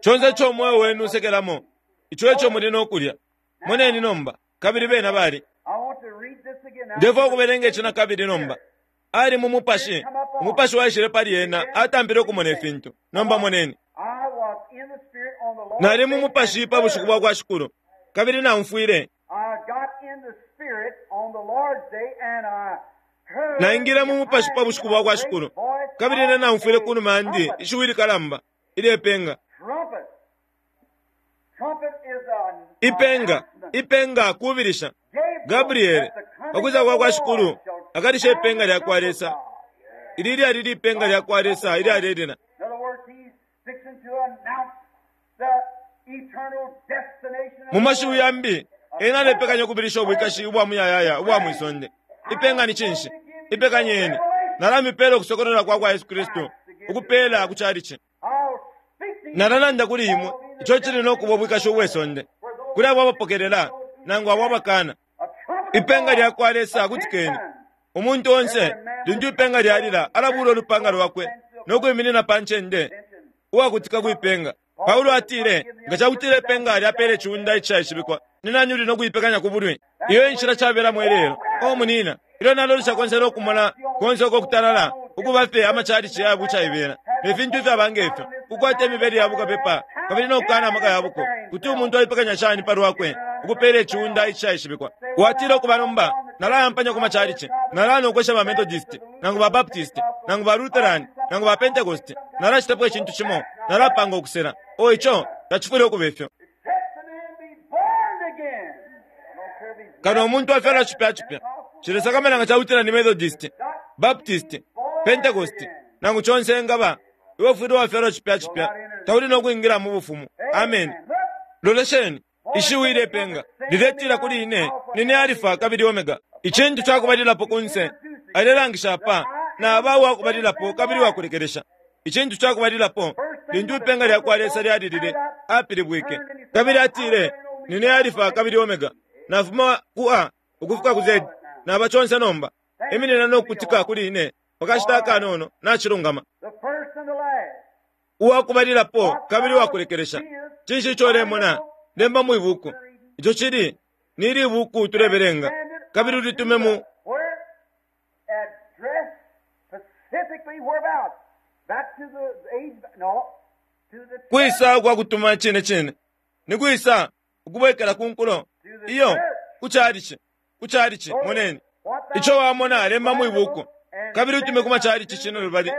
Conse ico umweo wenu usekelamo, ico eco muli no kulya. Moneni nomba, kabili bena bali. Ndefwaya ukubelenga ici nakabili nomba. Ali mu Mupashi. Umupashi waishile pali ena, atampile ukumona ifintu. Nomba moneni. Nali mu Mupashi pa bushiku bwa kwa Shikulu, kabili naumfwile. Naingile mu Mupashi pa bushiku bwa kwa Shikulu, kabili ine naumfwile kunuma yandi ishiwi likalamba ilye penga. Ipenga, ipenga kubilisha. Gabriele, pa kwisa kwa kwa Shikulu, akalisha ipenga lya kwa Lesa. Ili lyali lipenga lya kwa Lesa ilyalelila. Mu mashiwi yambi, ena alepekanya ukubilisha ubwikashi ubwa muyayaya ubwa mwi sonde. Ipenga ni cinshi? Ipekanyeni. Nalamipela ukusokolola kwa kwa Yesu Kristu, ukupela ku chalichi. Nalalanda kuli imwe ico cili no kuba ubwikashi ubwe sonde, kuli abo abapokelela nangu abo abakana. Ipenga lya kwa Lesa kutikeni. Umuntu onse, lintu ipenga lyalila, alabuula ulupanga lwakwe no kwiminina pa ncende uwakutika kwi penga. Paulo atile, Nga ca kutila ipenga lyapeela iciunda icishaishibikwa, ni nani uli no kuipekanya ku bulwi? Iyo e nshila cabelamo ilelo. Oh, munina, ilyo nalolesha konse no kumona konse uko kutalala, ukuba fye amacalici aya bucaibela ne fintu ifyaba nge fyo, ukukwata imibele ya bukapepa kabili no kukaana amaka ya buko, kuti umuntu aipekanya shani pa lwakwe ukupeela iciunda icishaishibikwa? Watila, Ukuba nomba, nalayampanya ku macalici. Nalaya no kwesha ba Methodist, nangu ba Baptist, nangu ba Lutheran, nangu ba Pentecost. Nalacitapo icintu cimo. Nalapanga ukusela. Oh, ico tacifwile ukuba ifyo. Kano umuntu afyalwa cipya cipya. Cilesakamana nga cakutila ni Methodist, Baptist, Pentecost, nangu conse engaba, iwe ufwile wafyalwa cipya cipya, tauli no kwingila mu bufumu. Amen. Lolesheni, ishiwi ilepenga liletila kuli ine, nine Alifa kabili Omega. Icintu cakubalilapo kunse, alelangisha apa, naba uwakubalilapo kabili uwakulekelesha. Icintu cakubalilapo, lintu ipenga lya kwa Lesa lyalilile, apilibwike. Kabili atile, nine Alifa kabili Omega. Nafuma ku A ukufika ku Z. Naba conse nomba. Iminina no kukutika kuli ine pakashita akanono, nacilungama. The first and the last. Uwakubalilapo kabili uwakulekelesha. Cinshi ico ulemona? Lemba mwi buku. Ico cili ni ili buku tulebelenga. Kabili ulitume mu Where? Address specifically whereabouts? Back to the age, no, to the church. kwisa ukwa kutuma cine cine. Ni kwisa ukubwekela ku nkulo. Iyo, kuchalichi. Kuchalichi, moneni. Ico wamona lemba mwi buku. Kabili utume ku machalichi cino lubali.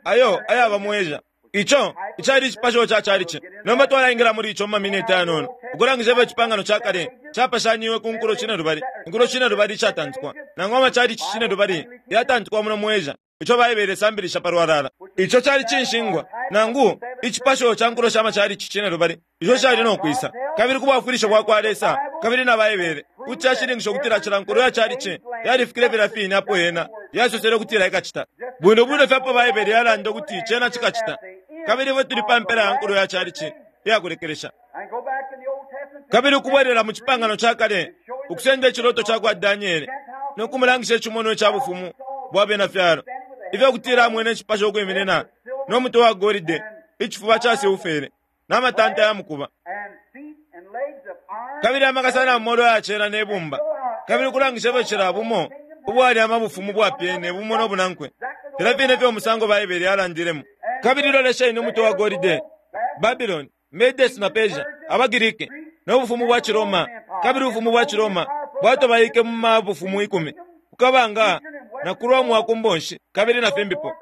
Ayo ayaba mu Asia. Ico icali icipasho ca chalichi. Nomba twalaingila muli ico mu maminiti ayanono. Ukulangisha ifyo icipangano ca kale capashanyiwe ku nkulo cine lubali. Inkulo cine lubali icatantikwa. Nangu amachalichi cine lubali yatantikwa muno mu Asia. Ico Baibele isambilisha palwalala. Ico cali cinshingwa. Nangu icipasho ca nkulo sha machalichi cine lubali. Ico cali no kwisa. Kabili ku bwafwilisho bwa kwa Lesa, kabili na Baibele, kuti cashininkisha ukutila cila nkulo ya chalichi yalifikile filya fine apo yena yasosele ukutila ikacita. Bwino bwino fye apo Baibele yalanda ukuti cena cikacita. Kabili ifwe tuli pa mpela ya nkulo ya chalichi iyakulekelesha. And go back in the Old Testament. Kabili ukubwelela mu cipangano ca kale, ukusenda iciloto ca kwa Daniele, no kumulangisha icimonwa ca bufumu bwa bena fyalo. Ifyo kutila amwene icipasho ukwiminina, no mutwe wa golide, icifuba ca silfere, na matanta ya mukuba. And feet and legs of iron. Kabili amakasa na molo yacela ne bumba. Kabili ukulangisha ifyo cila bumo ubwali amabufumu bwapyene bumo no bunankwe. Filya fine fyo umusango Baibele yalandilemo. Kabili lolesheni umutwe wa golide, Babylon, Medes na Persia, abaGiriki, no bufumu bwa Ciroma. Kabili ubufumu bwa Ciroma bwatobaike mu mabufumu 10, kukabanga na ku Rome wa ku mbonshi, kabili na fimbipo.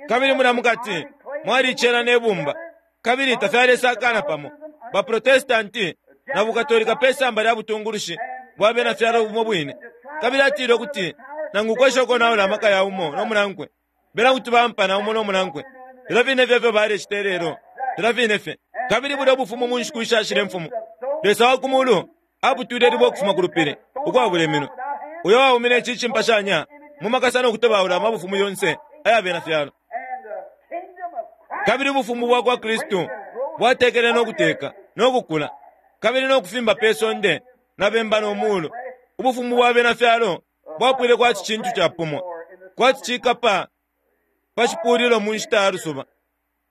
Kabili mulya mukati mwali icela ne bumba, kabili tafyalesakana pamo. Baprotestanti na bukatolika pe samba lya butungulushi bwa bena fyalo bumo bwine. Kabili atile ukuti nangu kwesha ukonaula amaka ya umo no munankwe, bena kuti bampana umo no munankwe. Filya fine fye ifyo balecita lelo, filya fine fye. Kabili bulya bufumu mu nshiku ishashile mfumu, Lesa wa ku mulu aputwile libwe ukufuma ku lupili ukwabula iminwe, uyo waumine ici cimpashanya mu makasa no kutobaula amabufumu yonse aya bena fyalo. And the kingdom of Christ. Kabili ubufumu bwa kwa Kristu bwatekele no kuteka no kukula, kabili no kufimba pe sonde na bemba no mulu. Ubufumu bwa bena fyalo bwapwile kwati cintu capumwa, kwati cikapa pa cipulilo mu nshita ya lusuba.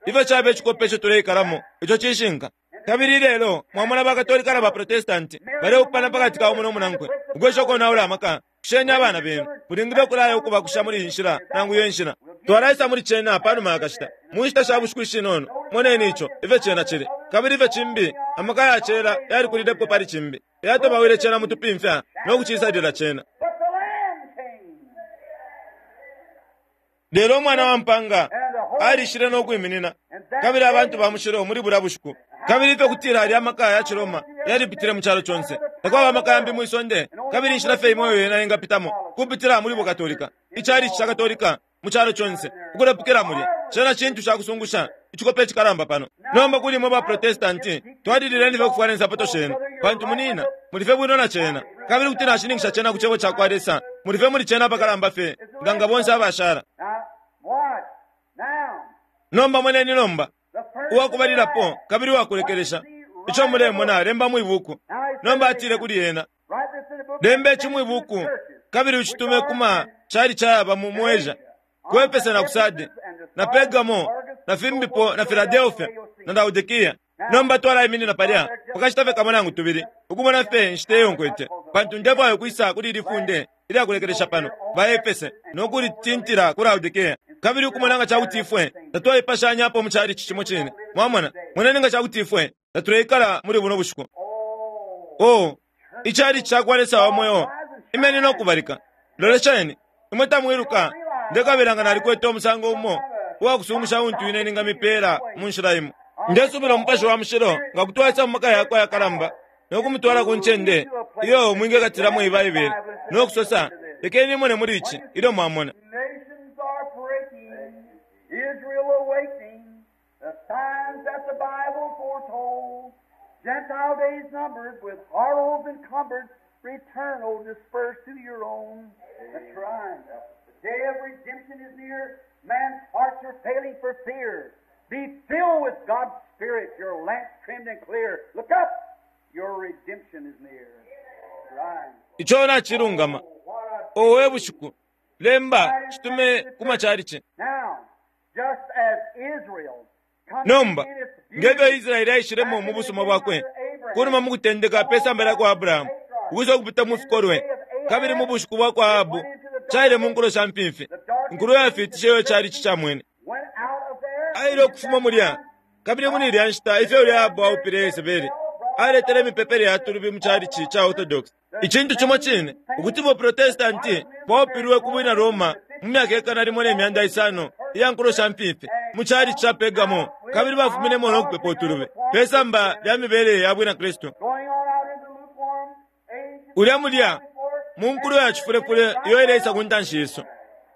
Ifyo caba icikope ico tuleikalamo, ico cishinka. Kabili lelo mwamona bakatolika na baprotestanti baleupana pakati ka umo no munankwe, ukwesha ukonaula amaka. Kusheni abana benu, mulingile ukulaya ukubakusha muli iyi nshila nangu iyo nshila. Twalaisa muli cena panuma ya kashita, mu nshita sha bushiku ishinono. Moneni ico, ifyo cena cili. Kabili ifyo cimbi, amaka ya cela yalikulilepo pali cimbi, yatobawile cena mu tupimfya no kucisalila cena. But the Lamb came. Lelo umwana wa mpanga alishile no kwiminina, kabili abantu ba mushilo muli bulya bushiku. Kabili ifyo kutila alya amaka ya Ciroma yalipitile mu calo conse. Takwaba amaka yambi mwi sonde, kabili inshila fye imo iyo yena ingapitamo, kupitila muli bukatolika. Icalici ca Katolika mu calo conse, ukulepukila mulya. Cena cintu ca kusungusha, icikope icikalamba pano. Nomba kuli imwe ba Protestanti, twalilileni fye ukufwala insapato shenu, pantu munina, muli fye bwino na cena. Kabili kuti nashininkisha cena ku cebo ca kwa Lesa, muli fye muli cena apakalamba fye, nga nga bonse abashala. Now, watch. Now, Nomba moneni nomba, the first uwakubalilapo kabili uwakulekelesha. Ico mulemona lemba mwi buku. Nomba atile kuli ena, Write this in the book. lemba ici mwi buku, kabili ucitume kuma cali cayaba mu Asia, ku Efese na ku Sade, na Pergamo, na fimbipo na Filadelfia, na Laodikia. Nomba twalaiminina palya pakashita fye kamo nangu tubili, ukumona fye inshita iyo nkwete, pantu ndefwaya ukwisa kuli ili funde ilyakulekelesha pano ba Efese no kulitintila ku Laodikia, kabili ukumona nga cakuti ifwe tatwaipashanyapo mu calici cimo cine. Mwamona, moneni nga cakuti ifwe tatuleikala muli buno bushiku. Oh, icalici ca kwa Lesa wa mweo, imeni no kubalika. Lolesheni, imwe tamwiluka, ndekabila nga nalikwete umusango umo uwakusungusha untu ine ningamipela mu nshila imo. Ndesubila umupashi wa mushilo nga kutwaisa mu maka yakwe ayakalamba, no kumutwala ku ncende iyo mwingekatilamo iyi Baibele, no kusosa, Lekeni imone muli ici, ilyo mwamona. Nations are breaking, Israel awakening, the signs that the Bible foretold. Gentile days numbered, with horrors encumbered, return, O dispersed to your own. That's right. The day of redemption is near. Man's hearts are failing for fear. Be filled with God's Spirit, your lamps trimmed and clear. Look up, your redemption is near. That's right. Ico nacilungama. What a Owe bushiku. Lemba, citume ku macalici. Now, just as Israel coming Nomba, in its ngefyo beauty Israeli aishilemo mu busuma bwakwe, kunuma mu kutendeka pe samba lya kwa Abrahamu, ukwisa ukupita mu fikolwe, kabili mu bushiku bwa kwa Ahabu, caile mu nkulo sha mfimfi, inkulo yafiitishe iyo calici camwene. went out of there, Aile ukufuma mulya, kabili muli ilya nshita ifyo ulya Ahabu aupile Yesebeli, aletele imipepele ya tulubi mu calici ca Orthodox. Icintu cimo cine, ukuti buprotestanti bwaupilwe ku bwina Roma mu myaka 1500 iya nkulo sha mfimfi mu calici ca Pergamo, kabili bafuminemo no kupepa utulubi pe samba lya mibele ya bwina Kristu. going on out into lukewarm age Ulya mulya mu nkulo ya cifulefule iyo ileisa ku ntanshi yesu,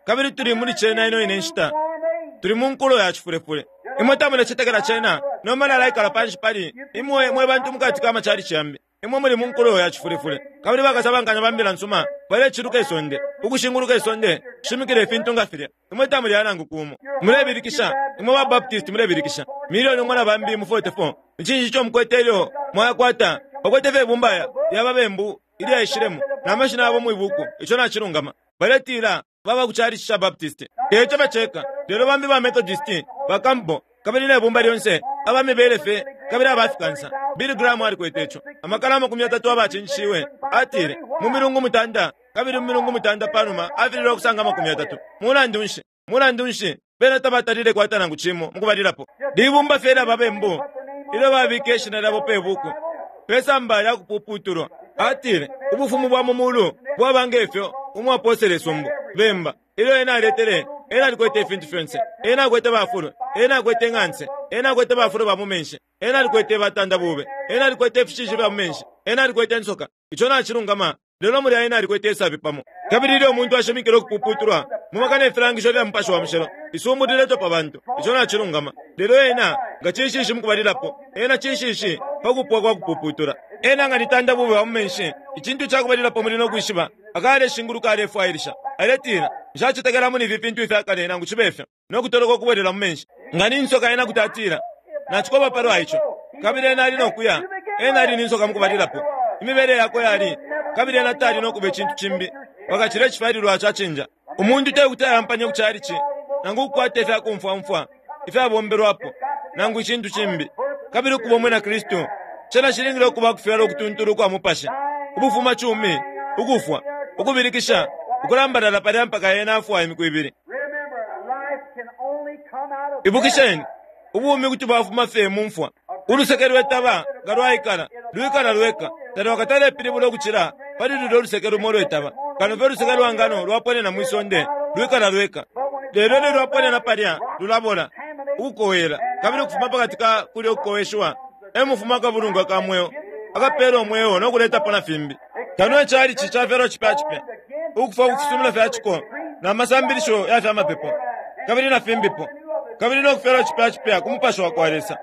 kabili tuli muli cena ino ine nshita. lukewarm age. Tuli mu nkulo ya cifulefule. Imwe tamulecetekela cena, nomba nalaikala panshi pali imwe mwe bantu mukati ka macalici yambi. Imwe muli mu nkulo ya cifulefule, kabili bakasabankanya ba mbila nsuma baleciluka isonde, ukushinguluka isonde, kushimikila ifintu nga filya. Imwe tamulya nangu kumo. Mulebilikisha, imwe ba Baptist mulebilikisha. Milioni umo na bambi mu 44. Ni cinshi ico mukwete ilyo mwayakwata? Bakwete fye ibumba ya babembu ilyaishilemo na mashina yabo mwibuku. Ico nacilungama. Baletila baba ku calici ca Baptist. Eco baceka, lelo bambi ba Methodist, ba Campbell, kabili ne bumba lyonse, aba mibele fye, kabili abafikansa. Billy Graham alikwete ico. Amakana 30 abacinjishiwe, atile, mu milungu 9, kabili mu milungu 9 panuma, afililwe ukusanga 30. Mulandu nshi? Mulandu nshi? Bena tabatalile kwata nangu cimo mukubalilapo. Libumba fye lya babembu, ilyo babika ishina lyabo pe buku, pe samba lya kupuputulwa. Atile, ubufumu bwa mu mulu bwaba ngefyo umwaposele isumbu bemba. Ilyo ena aletele, ena alikwete ifintu fyonse. Ena akwete bafulwe, ena akwete ng'anse, ena akwete bafulwe ba mu menshi, ena alikwete batanda bube, ena alikwete ifishishi fya mu menshi, ena alikwete insoka. Ico nacilungama, lelo mulya ena alikwete isabi pamo. Kabili ilyo umuntu ashimikile ukupuputulwa, mu maka ne filangisho fya Mupashi wa Mushilo, isumbu liletwa pa bantu. Ico nacilungama. Lelo ena nga cinshinshi mukubalilapo, ena cinshinshi pa kupwa kwa kupuputula. Ena nga nitanda bube wa mu menshi, icintu cakubalilapo muli no kwishiba, akaleshinguluka alefwailisha. Aletila, nshacetekela muli ifi fintu ifya kale nangu cibe fyo, no kutoloka ukubwelela mu menshi. Nga ni nsoka ena kuti atila, nacikoba palwa ico. Kabili ena ali no kuya, ena ali ni nsoka mukubalilapo. Imibele yakwe yali, kabili ena tali no kuba icintu cimbi, wakacila icifyalilwa cacinja. Umuntu te kuti ayampanye ku calici, nangu ukukwata ifya kumfwamfwa, ifyabombelwapo, nangu icintu cimbi. Kabili ukuba umwina Kristu, cena cilingile ukuba kufyalwa ukutuntulu ukwa mupashi, ubufuma cumi, ukufwa, ukubilikisha, ukulambalala palya mpaka ena afwa imiku ibili. Remember, life can only come out of Ibukisheni, ubumi kuti bwafuma fye mu mfwa. Uluseke lwetaba nga lwaikala, lwikala lweka, talwakatalepilibula ukucila pali lulya uluseke lumo lwetaba. Kano fye uluseke lwa ngano lwaponena mwi sonde, lwikala lweka. Lelo ilyo lwaponena palya, lulabola, ukukowela, kabili ukufuma pakati ka kulya ukukoweshiwa, e mufuma akabulungwa ka mweo, akapela umweo no kuletapo na fimbi. Kano icalici cafyalwa cipya cipya, ukufwa ku fisumino fya ciko, na masambilisho ya fya mapepo, kabili na fimbipo, kabili no kufyalwa cipya cipya ku mupashi wa kwa Lesa.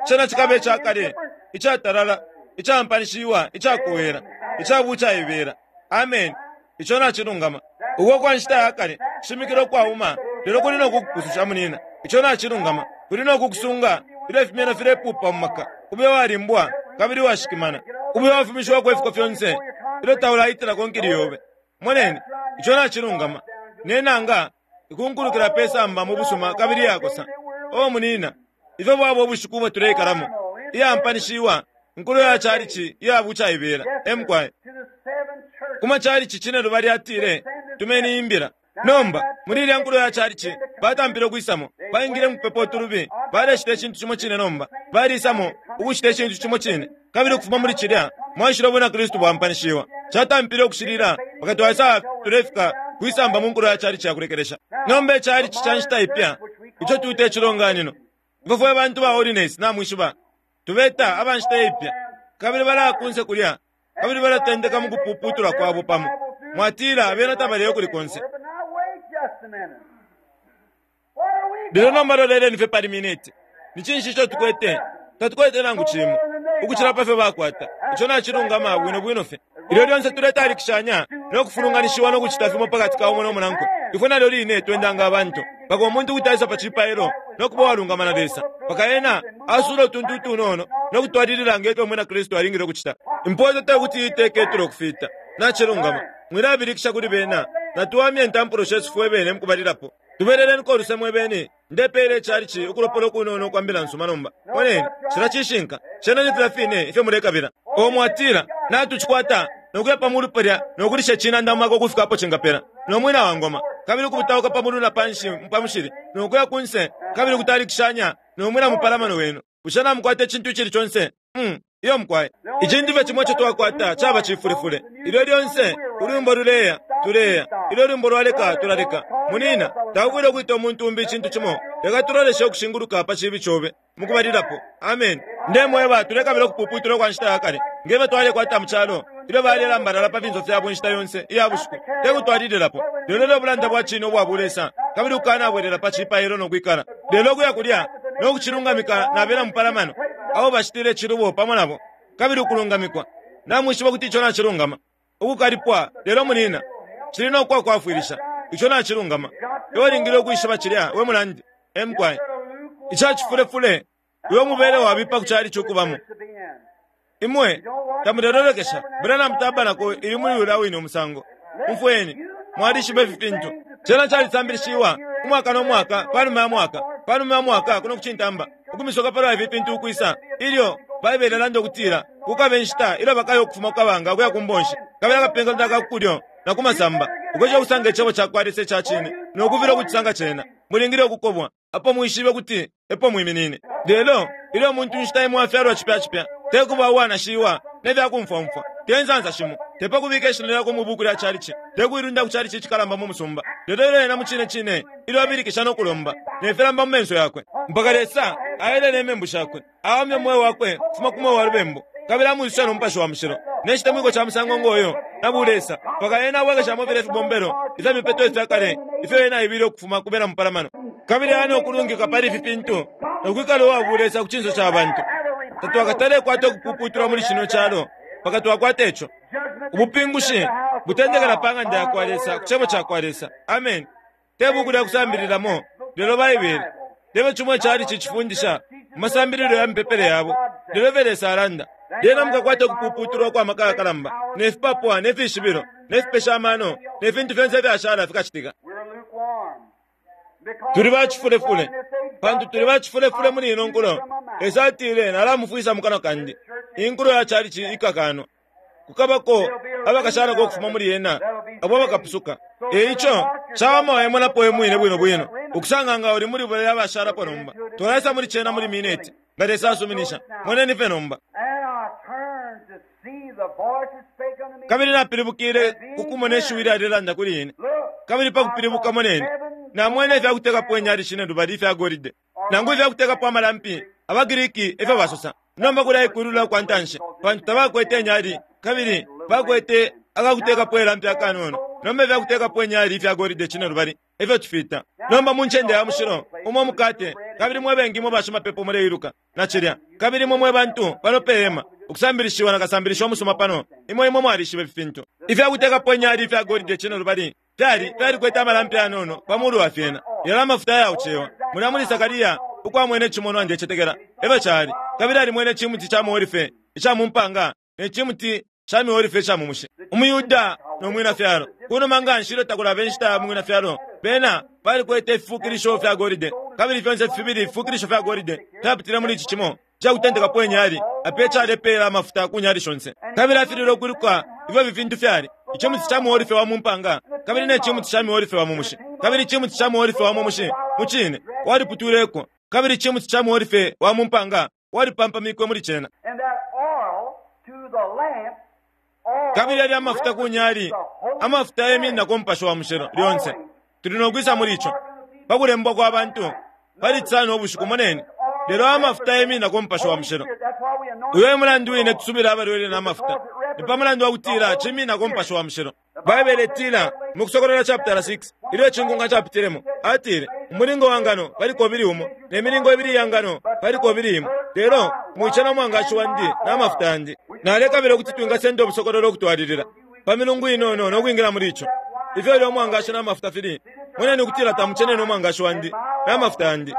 Cena cikaba icakale, icatalala, icampanishiwa, icakowela, icabucaibela. Amen. Ico nacilungama. Uko kwa nshita ya kale, shimikilo kwauma, lelo kuli no kukupususha munina. Ico nacilungama. Kuli no kukusunga, ilyo ifimeno filepupa mu maka, ube walimbwa, kabili washikimana. Ube wafumishiwako ifiko fyonse, ilyo taulaitila konkili yobe. Moneni, ico nacilungama. Ne nanga ikunkulukila pe samba mu busuma kabili yakosa. O munina, ifyo bwaba ubushiku ubo tuleikalamo, iyampanishiwa, nkulo ya calici iya bucaibela. Emukwaye. to the seven churches. Kuma calici cine lubali atile, tumeni imbila. Nomba, muli ilya nkulo ya calici, batampile ukwisamo, baingile mu kupepa utulubi, baleshita icintu cimo cine nomba, balisamo ukushita icintu cimo cine, kabili ukufuma muli cilya, mwaishile ubwina Kristu bwampanishiwa. Catampile ukushilila, mpaka twaisa tulefika kwisamba mu nkulo ya calici ya kulekelesha. Nomba icalici ca nshita ipya, ico tuita icilonganino. Ifwe fwe bantu ba holiness namwishiba, tubeta aba nshita ipya. Kabili balaya kunse kulya, kabili balatendeka mukupuputula kwabo pamo. Mwatila bena tabaleyo kuli konse. Lelo nomba loleleni fye pali miniti. Ni cinshi ico tukwete? Tatukwete nangu cimo ukucila pa fyo bakwata. Ico nacilungama bwino bwino fye. Ilyo lyonse tuletalikishanya no kufulunganishiwa no kucita fimo pa kati ka umo no munankwe, ifwe nalyo line twenda nga abantu. Mpaka umuntu kuti aisa pa cipailo no kuba uwalungama na Lesa, mpaka ena asuula utuntu utunono no kutwalilila nge fyo Umwina Kristu alingile ukucita. Impoto te kuti iiteke itulo kufita. Nacilungama. Mwilabilikisha kuli bena. Natuwamye intampulo shesu fwe bene mukubalilapo. Tubeleleniko uluse mwe bene. Ndepeela icalici ukulopola ukunono ukwa Mbila nsuma nomba. Moneni, cilya cishinka. Cena ni filya fine ifyo mulekabila. O mwatila, Natucikwata, no kuya pa mulu palya no kulisha icinanda mu maka ukufika apo cingapela, no mwina wa ngoma, kabili ukubutauka pa mulu na panshi pa mushili, no kuya kunse, kabili ukutalikishanya no mwina mupalamano wenu. Bushe namukwata icintu icili conse? Hum, iyo mukwai. Icintu fye cimo ico twakwata caba cifulefule. Ilyo lyonse ulwimbo luleya, tuleya. Ilyo ulwimbo lwaleka, tulaleka. Munina, taufwile ukwita umuntu umbi icintu cimo. Leka tuloleshe ukushinguluka pa cibi cobe, mukubalilapo. Ameni. Ndemweba, tulekabila ukupuputulwa kwa nshita ya kale, nge fyo twalekwata mu calo, ilyo balelambalala pa finso fyabo inshita yonse iya bushiku, te kutwalililapo, lelo ilyo ubulanda bwa cine ubwa bulesa, kabili ukukanabwelela pa cipailo no kwikala, lelo ukuya kulya no kucilungamika na bena mupalamano abo bacitile icilubo pamo nabo, kabili ukulungamikwa. Namwishiba ukuti ico nacilungama. Ukukalipwa, lelo munina, cili no kwakwafwilisha. Ico nacilungama. Iwe ulingile ukwishiba cilya, we munandi. E mukwai. Ica cifulefule, uyo mubele wabipa ku calici ukubamo. Imwe tamulelolekesha Branham Tabernacle ili muli ulya wine umusango. Umfweni, mwalishiba ifi fintu. Cena calisambilishiwa umwaka no mwaka, panuma ya mwaka, panuma ya mwaka, kuno kucintamba, ukumisoka palwa ifi fintu ukwisa, ilyo Baibele ilanda ukutila kukaba inshita ilyo bakaya ukufuma ku kabanga ukuya ku mbonshi, kabili akapenkanta ka ku kulyo na ku masamba, ukwesha ukusanga Icebo cakwa Lesa ica cine no kufilwa ukucisanga cena. Mulingile ukukobwa apo mwishibe ukuti epo mwiminine. Lelo ilyo umuntu inshita imo afyalwa cipya cipya, te kuba uwanashiwa ne fya kumfwa umfwa, te nsansa shimo, te pa kubika ishina lyakwe mwi buuku lya calici, te kuilunda ku calici icikalamba mu musumba, lelo ilyo ena mucine cine ilyo abilikisha no kulomba, ne filamba mu menso yakwe, mpaka Lesa aelele imembu shakwe, awamya umweo wakwe ukufuma ku mweo wa lubembu, kabili amwisusha no Mupashi wa Mushilo, ne citemwiko ca musango ngo yo, na bulesa, mpaka ena abwekeshamo filya fibombelo ifya mipeto ifya kale ifyo ena aibile ukufuma ku bena mupalamano, kabili aya no kulungika pali ifi fintu, no kwikala uwa bulesa ku cinso ca bantu. Tatwakatale kwata ukupuputulwa muli cino calo mpaka twakwata ico. Ubupingushi butendekela pa ng'anda ya kwa Lesa, ku Cebo ca kwa Lesa. Ameni. Te buku lya kusambililamo, lelo Baibele. Te fyo cimo icalici cifundisha mu masambililo ya mipepele yabo, lelo ifyo Lesa alanda. Lyena mukakwata ukupuputulwa ukwa maka yakalamba, ne fipapwa, ne fishibilo, ne fipesha amano, ne fintu fyonse ifyashala fikacitika. Tuli ba cifulefule. Pantu tuli ba cifulefule muli ino nkulo, Lesa atile, Nalamufwisa mu kanwa kandi. Inkulo ya calici ikakanwa. Kukabako abakashalako ukufuma muli yena, abo abakapusuka. E ico, cawama waimonapo we mwine bwino bwino, ukusanga nga uli muli balya abashalapo nomba. Twalaisa muli cena muli mineti, nga Lesa asuminisha. Moneni fye nomba. Kabili napilibukile ku kumona ishiwi ilyalelanda kuli ine. Kabili pa kupilibuka, moneni, namwene ifya kutekapo inyali cinelubali ifya golide, nangu ifya kutekapo amalampi, abaGriki e fyo basosa. Nomba kulya ikulula kwa ntanshi, pantu tabakwete inyali, kabili bakwete akakutekapo ilampi akanono. Nomba ifya kutekapo inyali ifya golide cinelubali e fyo tufita. Nomba mu ncende ya mushilo, umo umukate, kabili mwe bengi mwe bashimapepo muleiluka na cilya, kabili imwe mwe bantu pano pe hema, ukusambilishiwa na kasambilisha umusuma pano, imwe, imwe mwalishiba ifi fintu. Ifya kutekapo inyali ifya golide cinelubali fyali, fyalikwete amalampi yanono pa mulu wa fyena, lelo amafuta ayaucewa. Mulya muli Sakaria, uko amwene icimonwa, ndecetekela efyo cali, kabili alimwene icimuti ca muolife ica mu mpanga ne cimuti ca miolife ica mu mushi. UmuYuda no mwina fyalo. Kunuma nganshi ilyo takulaba inshita ya mwina fyalo, bena balikwete ififukilisho fya golide, kabili fyonse fibili ififukilisho fya golide fyapitile muli ici cimo ica kutendekapo inyali, apo ecalepeela amafuta ku nyali shonse. Kabili afililwe ukwiluka ifyo ifi fintu fyali, icimuti ca muolife wa mu mpanga kabili ne cimuti ca miolife wa mu mushi. Kabili icimuti ca muolife wa mu mushi, mucine, waliputwileko, kabili icimuti ca muolife wa mu mpanga walipampamikwe muli cena. Kabili yalya amafuta ku nyali, amafuta yemininako Mupashi wa Mushilo lyonse. Tuli no kwisa muli ico. Pa kulembwa kwa bantu, pali Cisano ubushiku, moneni. Lelo amafuta yemininako Umupashi wa Mushilo. Uyo e mulandu wine tusubila abalwele na mafuta, ni pa mulandu wa kutila cimininako Umupashi wa Mushilo. Baibele itila mu Kusokolola chaputala 6, ilyo icinkunka capitilemo, atile, Umulingo wa ngano pali kobili umo, ne milingo ibili iya ngano pali kobili imo, lelo mwicena umwangashi wandi na mafuta yandi. Nalekabila ukuti twingasenda ubusokololo ukutwalilila pa milungu inono no kwingila muli ico. Ifyo ilyo umwangashi na mafuta fili, moneni ukutila tamucenene umwangashi wandi na mafuta yandi.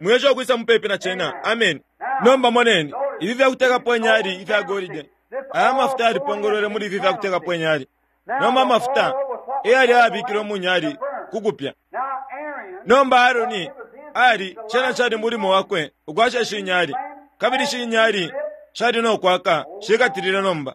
Mwiesha ukwisa mupepi na cena. Ameni. Nomba moneni, ifi fyakutekapo inyali ifya golide. Aya mafuta yalipongolwele muli ifi fyakutekapo inyali. Nomba amafuta eyali ayabikilwe mu nyali ku kupya. Nomba Aaroni ali, cena cali mulimo wakwe ukwasha ishi nyali, kabili ishi nyali shali no kwaka shikatilile nomba.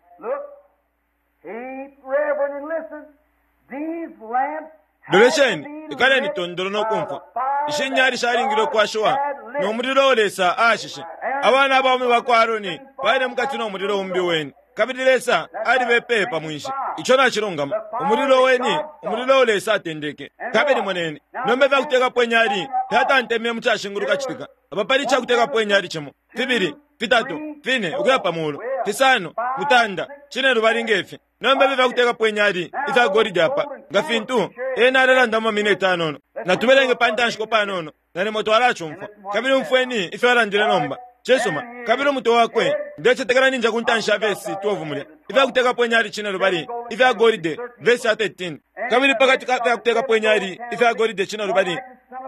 Lolesheni, ikaleni tondolo no kumfwa. Ishi nyali shalingile ukwashiwa no mulilo uo Lesa aashishe. Abana abaume ba kwa Aaroni baile mukati no mulilo umbi weni, kabili Lesa alibepeye pa mwinshi. Ico nacilungama. Umulilo weni, umulilo uo Lesa atendeke. Kabili moneni, nomba ifyakutekapo inyali fyatantemye mu cashinguluka citika. Apa pali icakutekapo inyali cimo, fibili, fitatu, fine, ukuya pa mulu, fisano, mutanda, cine lubali nge fi. Nomba ifi fyakutekapo inyali ifya golide apa, nga fintu ena alelanda mu mamineti anono. Natubelenge pa ntanshiko panono, nalimo twalacumfwa. Kabili umfweni ifyo alandile nomba. Cisuma. Kabili umutwe wakwe, ndecetekela ninja ku ntanshi ya vesi 12 mulya. Ifyakutekapo inyali cine lubali ifya golide, vesi ya 13. Kabili pakati ka fyakutekapo inyali ifya golide cine lubali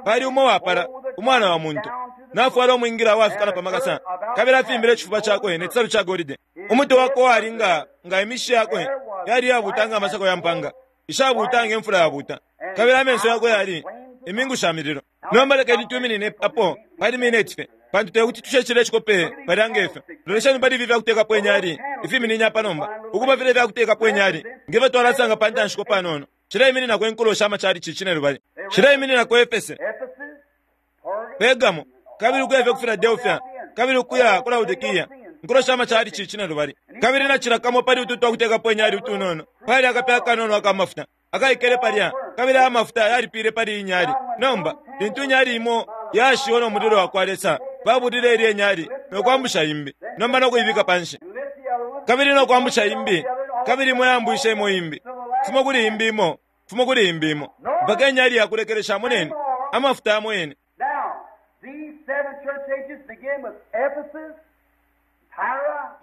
pali umo wapala umwana wa muntu, nafwala umwingila wafika na pa makasa, kabili afimbile icifuba cakwe ne cisalu ca golide. Umutwe wakwe wali nga nga imishi yakwe yali yabuuta nga amasako ya mpanga ishabuuta nge mfula yabuuta, kabili amenso yakwe yali imingu sha mililo. Nomba lekeni twiminine apo pali mineti fye, pantu te kuti tushe icikope palya nge fyo. Lolesheni pali ifi fyakutekapo inyali ifiminine apa nomba, ukuba filya ifyakutekapo inyali nge fyo twalasanga pa ntanshiko panono. Cileimininako inkulo sha macalici cinelubali. Cileimininako Efese, Pergamo, kabili ukuya fye ku Filadelfia, kabili ukuya ku Laodikia, inkulo sha macalici cinelubali. Kabili na cila kamo pali utu twakutekapo inyali utunono pali akape akanono aka mafuta akaikele palya, kabili aya mafuta yalipile pali iyi nyali. Nomba lintu inyali imo yashiwe no mulilo wa kwa Lesa, babulile ilye nyali no kwambusha imbi, nomba no kuibika panshi, kabili no kwambusha imbi, kabili imo yambwishe imo imbi, fumo kuli imbi imo, fumo kuli imbi imo, mpaka inyali yakulekelesha. Moneni amafuta yamo yene.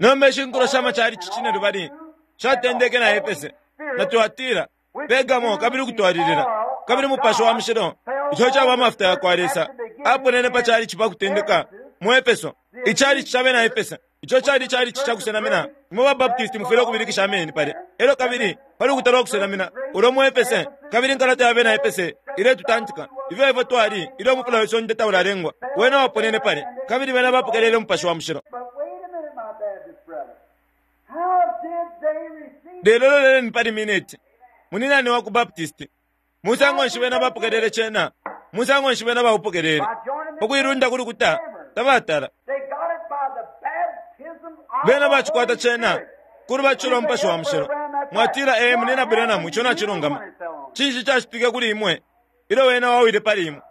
Nomba ishi nkulo sha macalici cinelubali shatendeke na Efese na Tuatira, Pergamo, kabili ukutwalilila. Kabili Mupashi wa Mushilo, ico caba amafuta ya kwa Lesa, aponene pa calici pa kutendeka mu Efeso, icalici ca bena Efese. Ico cali icalici ca kusenamina. Imwe ba Baptist mufwile ukubilikisha ameni palya. Elyo kabili pali ulukuta lwa kusenamina ulo mu Efese, kabili inkalata ya bena Efese iletutantika ifyo ifwe twali ilyo umufula we sonde taulalengwa. Wena waponene palya, kabili bena bapokelele Umupashi wa Mushilo. Lelo loleleni pali mineti. Muninani wa ku Baptist, musango nshi bena bapokelele cena? Musango nshi bena baupokelele? Ukuilunda ku lukuta, tabatala. Bena bacikwata cena ku lubatisho lwa Mupashi wa Mushilo. Mwatila, Ee, Munina Branham, ico nacilungama. Cinshi cacitike kuli imwe ilyo wena wawile pali imwe?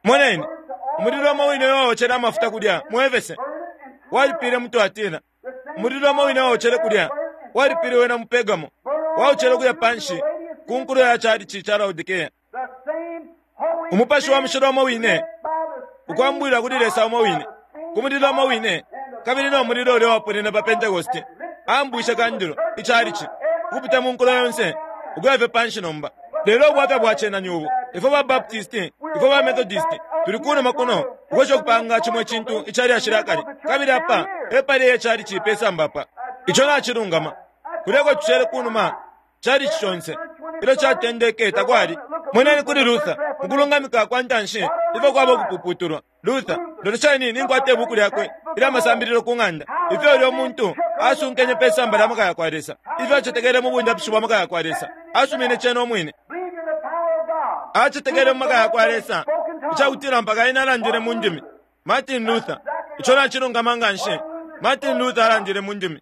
Moneni, umulilo umo wine uwaocele amafuta kulya mu Efese walipile mu Tuatira. Umulilo umo wine uwaocele kulya walipile wena mu Pergamo, waocele ukuya panshi ku nkulo ya calici ca Laodikea. Umupashi wa Mushilo umo wine, ukwambwila kuli Lesa umo wine, ku mulilo umo wine, kabili no mulilo ulya waponene pa Pentekoste, aambwishe kandulo, icalici, ukupita mu nkulo yonse, ukuya fye panshi nomba. Lelo ubwafya bwa cena ni ubu, ifwe ba Baptist, ifwe ba Methodist, tuli kunuma kuno, ukwesha ukupanga cimo icintu icalyashi lya kale, kabili apa epali e calici pe samba apa. Ico nacilungama. Kulya eko tushele kunuma, calici conse, ilyo catendeke, takwali. Moneni kuli Luther, mukulungamika kwa ntanshi, ifyo kwaba ukupuputulwa. Luther, lolesheni, ninkwata ibuku lyakwe ilya masambililo ku ng'anda, ifyo ulyo muntu asunkenye pe samba lya maka yakwa Lesa, ifyo acetekele mu bundapishi bwa maka yakwa Lesa, asumine cena umwine. Acetekele mu maka yakwa Lesa, icakutila mpaka ena alandile mu ndimi. Martin Luther, ico nacilungama nganshi. Martin Luther alandile mu ndimi.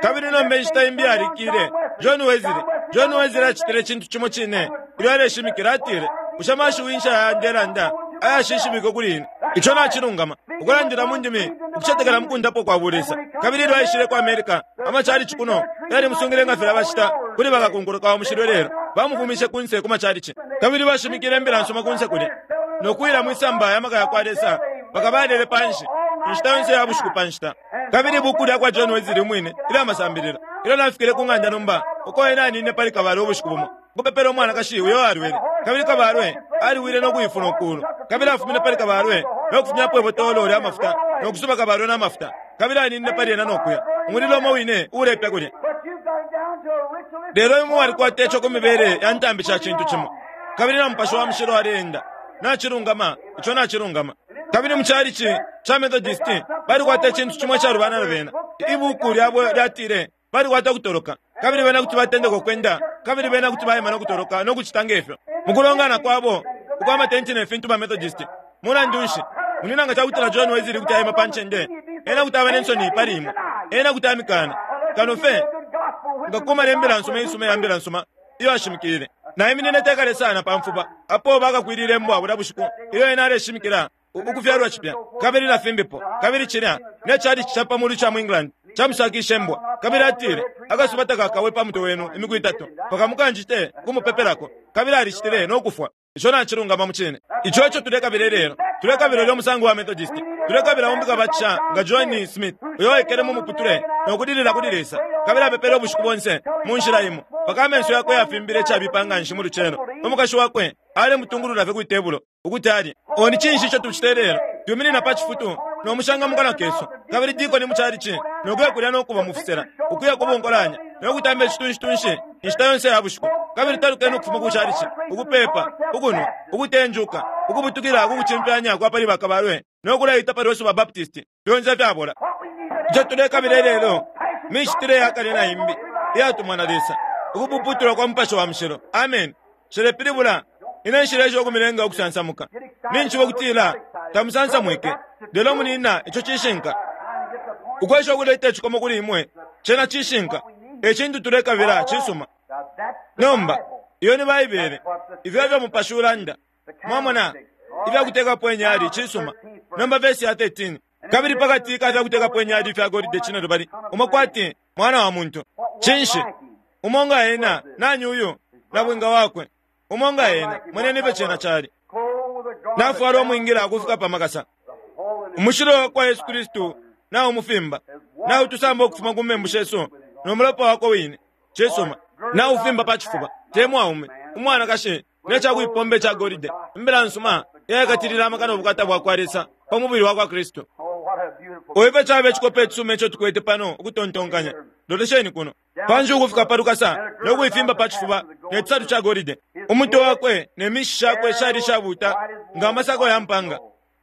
Kabili nomba inshita imbi yalikile, John Wesley. John Wesley acitile icintu cimo cine ilyo aleshimikila, atile, Bushe amashiwi nshi aya ndelanda? ayashishibikwe kuli ine. Ico nacilungama. Ukulandila mu ndimi, ukucetekela mu kundapwa kwa Bulesa. Kabili ilyo aishile ku America, amachalichi kuno yalimusungile nga filya bacita kuli bakakunkuluka wa mushilo ilelo. Bamufumishe kunse ku machalichi. Kabili bashimikile imbila nsuma kunse kulya, no kuwila mwisamba ya maka yakwa Lesa, mpaka balele panshi, inshita yonse ya bushiku pa nshita. Kabili ibuku lyakwa John Wesley umwine ilya masambililo, ilyo nafikile ku ng'anda nomba, uko ena aninine pali kabalwe ubushiku bumo, ukupepela umwanakashi uyo alwele. Kabili kabalwe aliwile no kuifuna ukulu. Kabili afumine pali kabalwe no kufumyapo ibotolo lya mafuta, no kusuba kabalwe na mafuta. Kabili aninine pali ena no kuya. Umulilo umo wine uulepya kulya. Lelo imwe mwalikwata ico ku mibele ya ntambi sha cintu cimo. Kabili na Mupashi wa Mushilo aleenda. Nacilungama, ico nacilungama. Kabili mu chalichi ca Methodist balikwata icintu cimo icalubana na bena. Ibuku lyabo lyatile balikwata ukutoloka, kabili bena kuti batendeka ukwenda, kabili bena kuti baima no kutoloka no kucita nge fyo. Mukulongana kwabo ukwa matenti ne fintu ba Methodist, mulandu nshi, munyina, nga cakutila John Wesley kuti aima pa ncende, ena kuti aba ne nsoni pali imwe. Ena kuti amikana. Kano fe nga kumana imbila nsuma isuma ya mbila nsuma iyo ashimikile. Naiminine tekale sana pa mfuba apo bakakwilile mbwa bulya bushiku ilyo ena aleshimikila ukufyalwa cipya kabili na fimbipo. Kabili cilya ne chalichi ca pa mulu ca mu England camusakishe mbwa. Kabili atile, Akasuba takakawe pa mutwe wenu imiku itatu mpaka mukanjite kumupepelako. Kabili alicitile no kufwa. Ico nacilungama mucine. Ico eco tulekabila ilelo. Tulekabila ulya musango wa Methodist. Tulekabila umbi kabatisha nga John Smith, uyo waikele mu muputule no kulilila kuli Lesa, kabili apepele ubushiku bonse mu nshila imo, mpaka amenso yakwe yafimbile icabipa nganshi mu lucelo. Umukashi wakwe alemutungulula fye kwi tebulo ukuti alye. O ni cinshi ico tucita ilelo? Twiminina pa cifutu no mushanga mu kanwa kesu, kabili dikoni mu calici, no kuya kulya no kuba mu fisela, ukuya ku bunkolanya, no kutamba icitunshi-tunshi inshita yonse ya bushiku, kabili talukeni ukufuma ku calici, ukupeepa, ukunwa, ukutenjuka, ukubutukila ku kucimfyanya kwa pali bakabalwe, no kulaita pali Yesu ba Baptist, fyonse ifyabola. Ico tulekabila ilelo micitile ya kale na imbi iyatumwa na Lesa, ukupuputulwa kwa Mupashi wa Mushilo. Ameni. Nshilepilibula ine nshileesha ukumilenga ukusansamuka. Ninjishiba ukutila tamusansamwike, lelo munina ico cishinka. Ukwesha ukuleta icikomo kuli imwe, cena cishinka. E cintu tulekabila. Cisuma. Nomba, iyo ni Baibele. Ifyo efyo Mupashi ulanda. Mwamona? Ifya kutekapo inyali, cisuma. Nomba vesi ya 13. Kabili pakati ka fya kutekapo inyali ifya golide cinelubali, umo kwati mwana wa muntu. Cinshi? Umo nga ena, nani uyu? Nabwinga wakwe. Umo nga ena, moneni ifyo cena cali. Nafwala umwingila ukufika pa makasa. Umushilo wakwa Yesu Kristu naumufimba. Nautusamba ukufuma ku membu shesu no mulopa wakwe wine. Cisuma. Naufimba pa cifuba, te mwaume, umwanakashi, ne ca kuipomba ica golide, imbila nsuma iyaikatilila amaka no bukata bwa kwa Lesa pa mubili wa kwa Kristu. O ifyo cabe cikope icisuma ico tukwete pano ukutontonkanya! Lolesheni kuno. Panshi ukufika pa lukasa no kuifimba pa cifuba ne cisalu ca golide. Umutwe wakwe ne mishi shakwe shali ishabuuta nga amasako ya mpanga,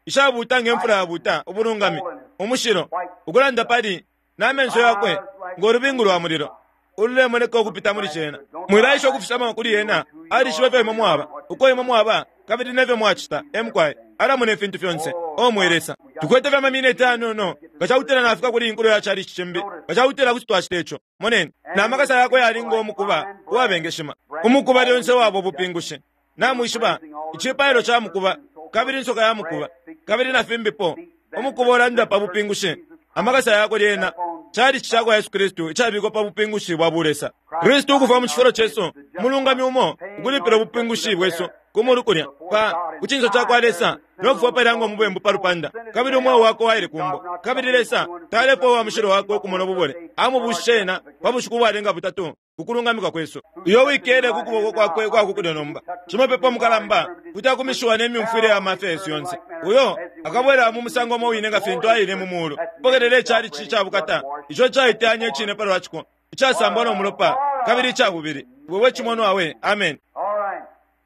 ishabuuta nge mfula yabuuta, ubulungami, umushilo, ukulanda pali, na menso yakwe ngo lubingu lwa mulilo ululemoneka ukupita muli cena. Mwilaesha ukufisama kuli ena, alishiba ifyo imwe mwaba, uko imwe mwaba, kabili ne fyo mwacita. E mukwai, alamona ifintu fyonse. O mwe Lesa, tukwete fye amamineti ayanono nga ca kutila nafika kuli inkulo ya calici cimbi, nga ca kutila kuti twacita ico. Moneni, na makasa yakwe yali ngo mukuba uwabengeshima. Umukuba lyonse waba ubupingushi. Namwishiba, icipailo ca mukuba, kabili insoka ya mukuba, kabili na fimbipo. Umukuba ulanda pa bupingushi. Amakasa yakwe lyena calici ca kwa Yesu Kristu icabikwa pa bupingushi bwa bulesa. Kristu ukufwa mu cifulo cesu, umulungami umo, ukulipila ubupingushi bwesu ku mulu kulya, pa, ku cinso ca kwa Lesa, no kufwa palya ngo mubembu pa lupanda, kabili umweo wakwe waile ku mbo. Kabili Lesa talefwaya uwa mushilo wakwe ukumona ububole. Amubuushishe ena pa bushiku ubwalenga butatu, ku kulungamikwa kwesu. Uyo uwikele ku kuboko kwakwe ukwa ku kulyo nomba, Shimapepo Mukalamba, kuti akumishiwa ne myumfwile ya mafya yesu yonse, uyo akabwela mu musango umo wine nga fintu aile mu mulu, kupokelela icalici ca bukata, ico icaiteyanya icine pa lwa ciko, icasambwa no mulopa, kabili ica bubili. We we cimonwa we! Ameni.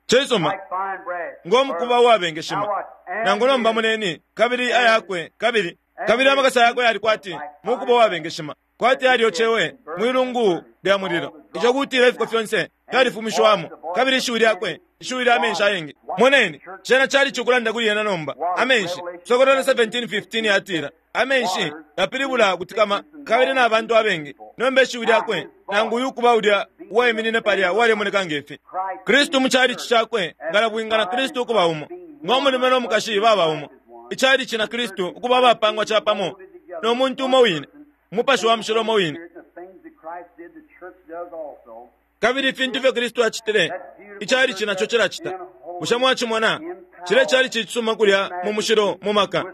Cisuma, ngo mukuba uwabengeshima. Nangu nomba moneni, kabili ayakwe, kabili, kabili amakasa yakwe yali kwati mukuba uwabengeshima, kwati yalyocewe mwi lungu lya mulilo, ico kutila ifiko fyonse fyalifumishiwamo, kabili ishiwi lyakwe, ishiwi lya menshi ayengi. Moneni, cena calici ukulanda kuli yena nomba, amenshi. Sokolola 17:15 yatila, Amenshi yapilibula kutikama, kabili na bantu abengi. Nomba ishiwi lyakwe, nangu uyu kuba ulya uwaiminine palya uwalemoneka nge fi. Kristu mu chalichi cakwe, nga nabwinga na Kristu ukuba umo. Ngo mulume no mukashi baba umo. Icalici na Kristu ukuba abapangwa capamo no muntu umo wine, Umupashi wa Mushilo umo wine. Kabili ifintu ifyo Kristu acitile, icalici naco cilacita. Bushe mwacimona? Cilya calici icisuma kulya mu mushilo mu maka,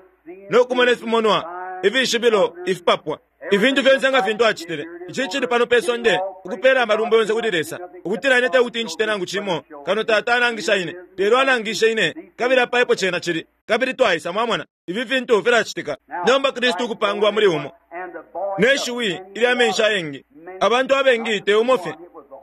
no kumona ifimonwa, ifishibilo, ifipapwa, ifintu fyonse nga fintu acitile. Ici cili pano pe sonde, ukupela amalumbo yonse kuli Lesa, ukutila ine tekuti ncite nangu cimo kano Tata anangisha ine, lelo alangishe ine, kabili apa epo cena cili. Kabili twaisa, mwamona, ifi fintu filacitika. Nomba Kristu ukupangwa muli umo, ne shiwi ilya menshi ayengi, abantu abengi te umo fye,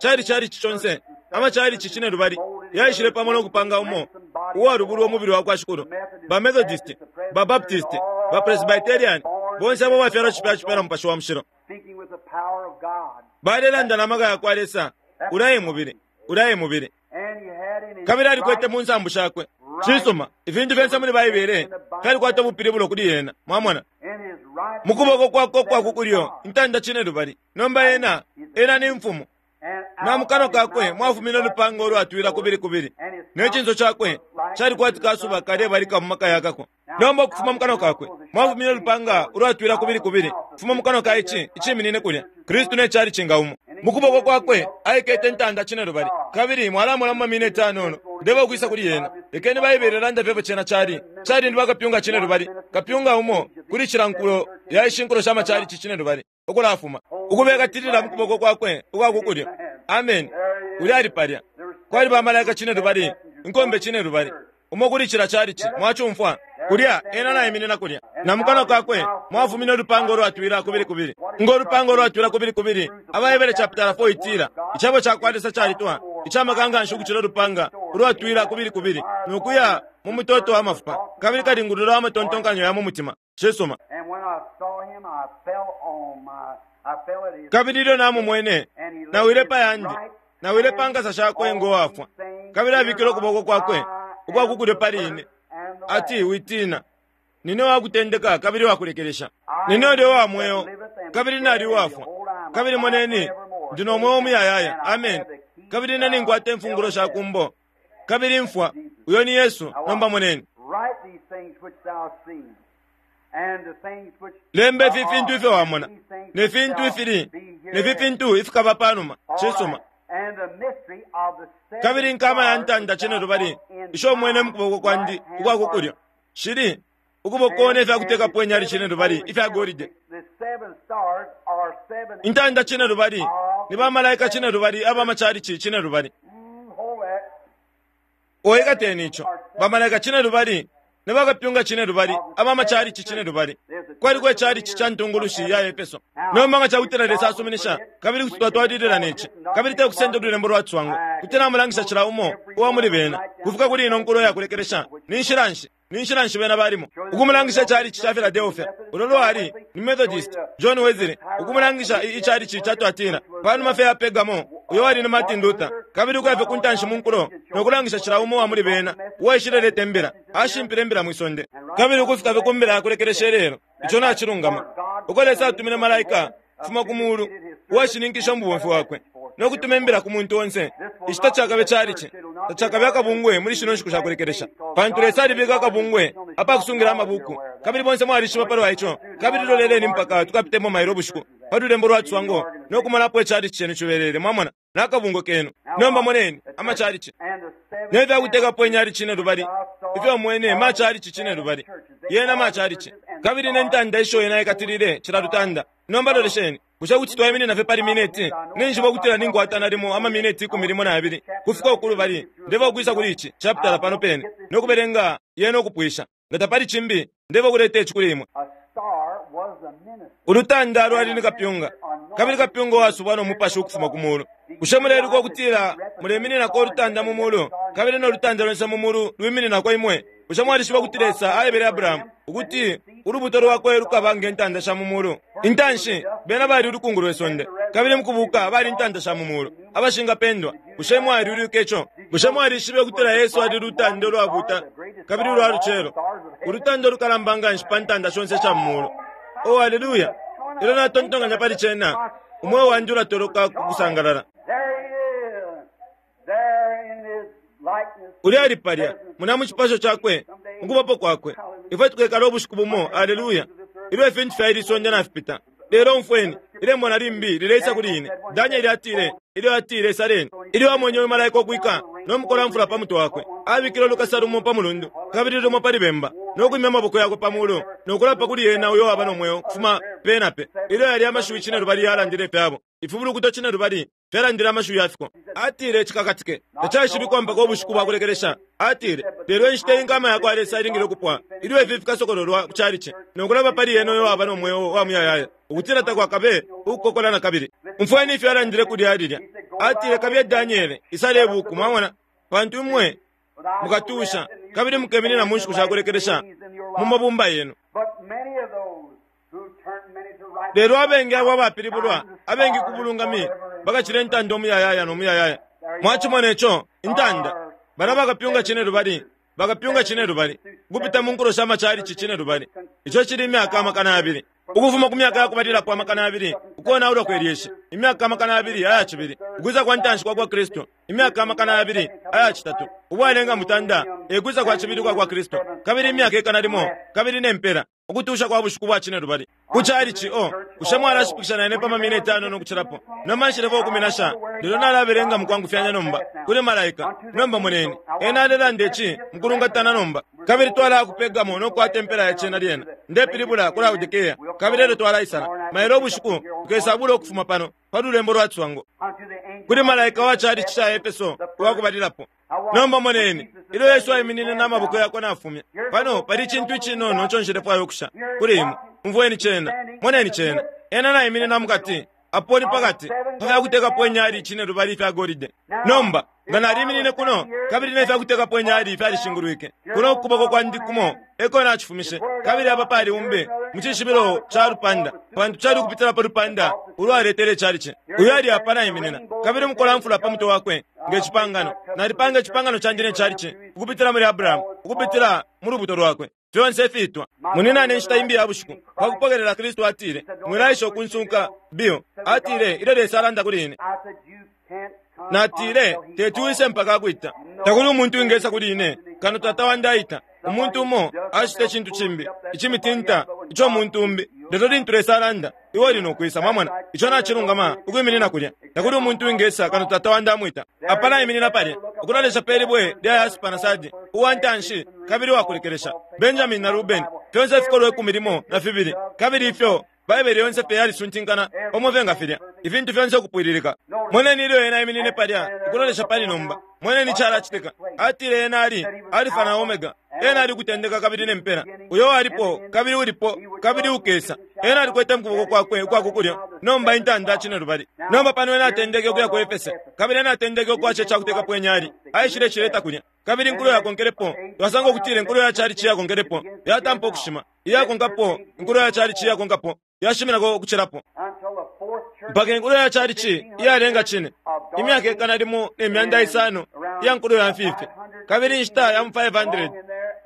cali calici conse, amacalici cinelubali yaishile pamo no kupanga umo uwalubulwa umubili wa kwa Shikulu. Ba Methodist, ba Baptist, ba Presbyterian, bonse abo bafyalwa cipya cipya na Mupashi wa Mushilo. Balelanda na maka ya kwa Lesa, ulya e mubili, ulya e mubili. Kabili alikwete mu nsambu shakwe. Cisuma, ifintu fyonse muli Baibele fyalikwata ubupilibulo kuli yena. Mwamona? Mu kuboko kwakwe ukwa ku kulyo, intanda cinelubali. Nomba ena, ena ni mfumu. Na mu kanwa kakwe mwafumine ulupanga ulwatwila kubili kubili, ne cinso cakwe cali kwati kasuba kalebalika mu maka yakako. Nomba ukufuma mu kanwa kakwe mwafumine ulupanga ulwatwila kubili kubili, ukufuma mu kanwa ka ici iciminine kulya, Kristu ne calici nga umo. Mu kuboko kwakwe aikete intanda cinelubali, kabili mwalamona mu mamineti anono ndeba ukwisa kuli yena. Lekeni Baibele ilande fye ifyo cena cali. Cali ni bakapyunga cinelubali, kapyunga umo kuli cila nkulo ya ishi nkulo sha macalici cinelubali, ukulafuma, ukubekatilila mu kuboko kwakwe ukwa ku kulyo. Ameni. Ulya ali palya. Kwali ba malaika cinelubali, inkombe cinelubali, umo kuli cila chalichi. Mwacumfwa? Kulya, ena naiminina kulya. Na mukanwa kakwe mwafumine ulupanga ulwatwila kubili kubili. Ngo lupanga ulwatwila kubili kubili. Abahebere chapitala 4 itila, Icebo ca kwa Lesa calitwa, ica maka nganshi ukucila ulupanga ulwatwila kubili kubili, no kuya mu mutoto wa mafupa, kabili kalingulula wa matontonkanyo ya mu mutima. Cisuma. Kabili ilyo namumwene, nawile pa yandi, nawile pa nkasa shakwe ngo wafwa. Kabili abikile ukuboko kwakwe ukwa ku kulyo pali ine, ati, Witiina, nine wa kutendeka kabili wa kulekelesha. Nine ulya uwa mweo, kabili nali uwafwa, kabili moneni, ndi no mweo umuyayaya. Ameni. Kabili ine ninkwata imfungulo sha ku mbo kabili imfwa. Uyo ni Yesu. Nomba moneni. Lemba ifi fintu ifyo wamona, ne fintu ifili, ne fi fintu ifikaba pa numa. Cisuma. Kabili inkama ya ntanda cinelubali isho umwene mu kuboko kwandi ukwa ku kulyo shili ukuboko ne fya kutekapo inyali cinelubali ifya golide. Intanda cinelubali ni bamalaika cinelubali aba macalici cinelubali. Oikateni ico. Bamalaika cinelubali ne bakapyunga cinelubali aba macalici cinelubali. Kwaliko icalici ca ntungulushi ya Efeso. Nomba nga ca kutila Lesa asuminisha, kabili kuti twatwalilila ne ci, kabili te kusenda ululembo lwa ciswango, kuti namulangisha cila umo uwa muli bena, kufika kuli ino nkulo ya kulekelesha. Ni nshila nshi, ni nshila nshi bena balimo? Ukumulangisha icalici ca Philadelphia, ulo lwali ni Methodist, John Wesley, ukumulangisha i, icalici ca Tuatira, panuma fye ya Pergamo, uyo wali ni Martin Luther, kabili ukuya fye ku ntanshi mu nkulo, no kulangisha cila umo uwa muli bena, uwaishileleta imbila, ashimpile imbila mwi sonde, kabili ukufika fye ku mbila ya kulekelesha ilelo. Ico nacilungama. Uko Lesa atumine malaika ukufuma ku mulu, uwashininkisha umubomfi wakwe, no kutuma imbila ku muntu onse, ici tacakabe calici, tacakabe akabungwe muli shino nshiku sha kulekelesha, pantu Lesa alibika akabungwe apakusungila amabuku, kabili bonse mwalishiba palwa ico. Kabili loleleni mpaka tukapitemo mailo ubushiku pa lulembo lwa ciswango no kumona apo icalici cenu cibelele, mwamona, na kabungwe kenu. Nomba moneni amacalici ne fya kutekapo inyali cinelubali ifyo mwene macalici cinelubali, yena macalici, kabili ne ntanda isho yena aikatilile cila lutanda. Nomba lolesheni. Bushe kuti twaiminina fye pali mineti? Ninjishiba ukutila ninkwata nalimo ama mineti ikumi limo na yabili kufika uku lubali. Ndeba ukwisa kuli ici chapitala pano pene no kubelenga yena ukupwisha. Nga tapali cimbi, ndeba ukuleta ici kuli imwe. Ulutanda lwali ni kapyunga, kabili kapyunga uwasubwa no Mupashi ukufuma ku mulu. Bushe muleiluka ukutila mulemininako ulutanda mu mulu, kabili no lutanda lonse mu mulu lwimininako imwe? Bushe mwalishiba ukuti Lesa aebele Abrahamu ukuti ulubuto lwakwe lukaba nge ntanda sha mu mulu? Intanshi, bena bali ulukungu lwe sonde, kabili mukubuuka bali intanda sha mu mulu, abashingapendwa. Bushe mwaliulwike ico? Bushe mwalishibe ukutila Yesu ali lutanda ulwabuuta kabili ulwa lucelo, ulutanda ulukalamba nganshi pa ntanda shonse isha mu mulu? Oh, aleluya! Ilyo natontonkanya pali cena, umweo wandi ulatoloka ku kusangalala. Ulya ali palya, muna mu cipasho cakwe, mukubapo kwakwe. Ifwe tukekala ubushiku bumo, aleluya, ilyo ifintu fya ili sonde nafipita. Lelo umfweni, ilembo na limbi lileisa kuli ine. Danieli atile, ilyo atile, Saleni, ilyo amwenye uyu malaika ukwika no mukolamfula pa mutwe wakwe, abikile ulukasa lumo pa mulundu kabili lumo pali bemba, no kwimya amaboko yakwe pa mulu, no kulapa kuli ena uyo waba no mweo kufuma pe na pe. Ilyo yali amashiwi cine lubali yalandile ifyabo, ifibulukuto cine lubali fyalandile amashiwi yafiko. Atile cikakatike tacaishibikwa mpaka ubushiku bwa kulekelesha. Atile, lelo inshita inkama yakwa Lesa ilingile ukupwa, ilyo ifi fikasokololwa ku calici, no kulapa pali ena uyo waba no mweo wa muyayaya, ukutila takwakabe ukukokola na kabili. Umfweni ifyo alandile kulya lilya. Atile, kabiye Daniele, isale ibuku, mwamona, pantu imwe mukatusha kabili mukeminina mu nshiku shakulekelesha mu mabumba yenu. Lelo abengi abo abapilibulwa, abengi ku bulungami, bakacila intanda umuyayaya no muyayaya. Mwacimona ico, intanda. Bala bakapyunga cine lubali, bakapyunga cine lubali, ukupita mu nkulo sha macalici cine lubali. Ico cili imyaka 200. Ukufuma ku myaka yakubalilapo 200, ukonaulwa kwe lyeshi, imyaka 200 aya cibili, ukwisa kwa ntanshi kwa kwa Kristu, imyaka 200 aya citatu, ubwalenga mutanda, e kwisa kwa cibili kwa kwa Kristu, kabili imyaka 1,000, kabili ne mpela, ukutusha kwa bushiku bwa cine lubali. Ku calici o, bushe mwalashipikisha na ine pa mamina 5 no kucilapo? Nomba nshilefwaya ukuminasha, lelo nalabelenga mukwangufyanya nomba, kuli malaika. Nomba moneni, ena alelanda ici mukulungatana nomba. Kabili twalaya ku Pergamo no kukwata impela ya cena lyena. Ndepilibula ku Laodikea, kabili elyo twalaisala. Mailo ubushiku tukesabula ukufuma pano, pa lulembo lwa ciswango. Kuli malaika wa calici ca Efeso uwakubalilapo. Nomba moneni, ilyo Yesu aiminine na maboko yakwe nafumya. Pano pali icintu icinono ico nshilefwaya ukusha kuli imwe. Umfweni cena, moneni cena. Ena naiminina mukati, apo ni pakati, pa fyakutekapo inyali cine lubali ifya golide. Nomba, nga naliminine kuno, kabili ne fyakutekapo inyali fyalishingulwike, kuno kukuboko kwandi kumo eko nacifumishe, kabili apa pali umbi mu cishibilo ca lupanda, pantu cali ukupitila pa lupanda ulwaletele icalici. Uyo ali apa naiminina, kabili mukolamfula pa mutwe wakwe nge cipangano. Nalipanga icipangano candi ne calici ukupitila muli Abrahamu, ukupitila mu lubuto lwakwe. Fyonse ifitwa. Muninane inshita imbi ya bushiku, pa kupokelela Kristu atile, mwilaisha ukunsunka, Bill. Atile, ilyo Lesa alanda kuli ine. Natile, teti wise mpaka akwita. Takuli umuntu wingesa kuli ine, kano tata wandi aita. Umuntu umo acita icintu cimbi, icimitinta, ico muntu umbi. Lelo lintu Lesa alanda, iwe uli no kwisa, mwamona. Ico nacilungama, ukwiminina kulya. Takuli umuntu wingesa kano tata wandi amwita. Apa naiminina palya, ukulolesha pe libwe lya yaspa na sardi, uwa ntanshi kabili uwakulekelesha, Benjamin na Rubeni, fyonse ifikolwe 12, kabili ifyo Baibele yonse fye yalisuntinkana pamo fye nga filya, ifintu fyonse ukupwililika. Moneni ilyo ena aiminine palya, ukulolesha pali nomba. Moneni icalacitika. Atile ena ali Alifa na Omega. Ena ali ukutendeka kabili ne mpela, uyo walipo, kabili ulipo, kabili ukesa. Ena alikwete mukuboko kwakwe ukwa kukulyo, nomba intanda cine lubali. Nomba pano ena atendeke ukuya ku Efese, kabili ena atendeke ukwasha icakutekapo inyali, aishile cileta kulya. Kabili inkulo yakonkelepo, twasanga ukutila inkulo ya calici yakonkelepo, yatampa ukushima. Iyakonkapo, inkulo ya calici yakonkapo, yashiminako ukucilapo. Mpaka inkulo ya calici iyalenga cine, imyaka 1,500 iya nkulo ya mfifi, kabili inshita ya mu 500,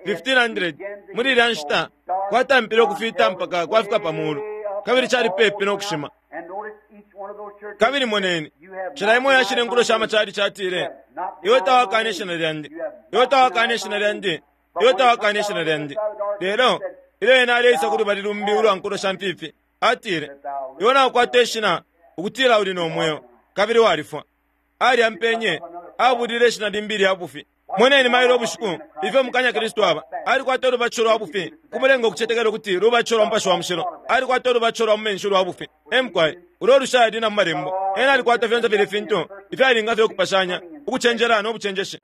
1500, muli ilya nshita kwatampile ukufita mpaka kwafika pa mulu, kabili cali pepi no kushima. Kabili moneni, cila imo yashile nkulo sha macalici atile, iwe tawakane ishina lyandi, iwe tawakane ishina lyandi, iwe tawakane ishina lyandi. Lelo ilyo ena aleisa ku lubali lumbi ulwa nkulo sha mfifi, atile, iwe naukwata ishina ukutila uli no mweo, kabili walifwa. Alyampenye, abulile ishina limbi lya bufi. Moneni mailo ubushiku ifyo mukanya Kristu aba. Alikwata ulubatisho lwa bufi, kumulenga ukucetekela ukuti lubatisho lwa Mupashi wa Mushilo. Alikwata ulubatisho lwa mu menshi ulwa bufi. Emkwai, ulo lushali na mu malembo. Ena alikwata fyonse filya fintu ifyalinga fye ukupashanya, ukucenjela no bucenjeshi.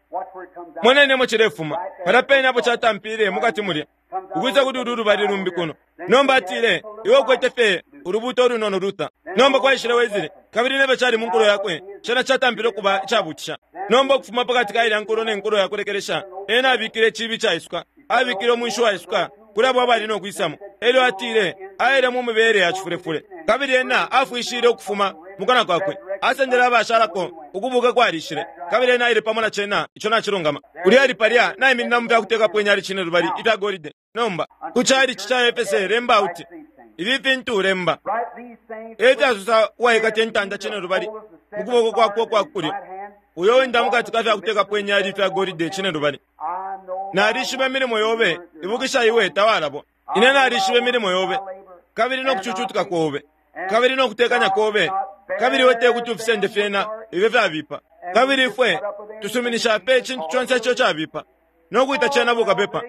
Moneni emo cilefuma. Palya pene apo catampile mukati mulya, ukwisa kuli ulu lubali lumbi kuno. Nomba atile, iwe ukwete fye ulubuuto ulunono Luther. Nomba kwaishile Wesley, kabili nefyo cali mu nkulo yakwe, cena catampile ukuba icabutisha. Nomba ukufuma pakati ka ilya nkulo ne nkulo yakulekelesha, ena abikile iciibi icaisuka, abikile umwinshi uwaisuka kuli abo abali no kwisamo. Elyo atile, aile mu mibele ya cifulefule, kabili ena afwishile ukufuma mukana kwakwe, asendele abashalako, ukubuka kwalishile, kabili ena aile pamo na cena. Ico nacilungama. Ulya ali palya naiminina mu fyakutekapo inyali cine lubali ifya golide. Nomba ku calici ca Efese lemba auti, ifi fintu lemba. Efyasosa uwaikata intanda cine lubali, mu kuboko kwakwe ukwa kulyo, uyo wenda mukati ka fyakutekapo inyali ifya golide cinelubali. Nalishiba imilimo yobe, ibukisha iwe tawalabwa. Ine nalishiba imilimo yobe, kabili no kucucutika kobe, kabili no kutekanya kobe, kabili iwe tekuti ufisende fyena ifyo fyabipa. Kabili ifwe tusuminisha pe icintu conse ico cabipa, no kwita cena bukapepa,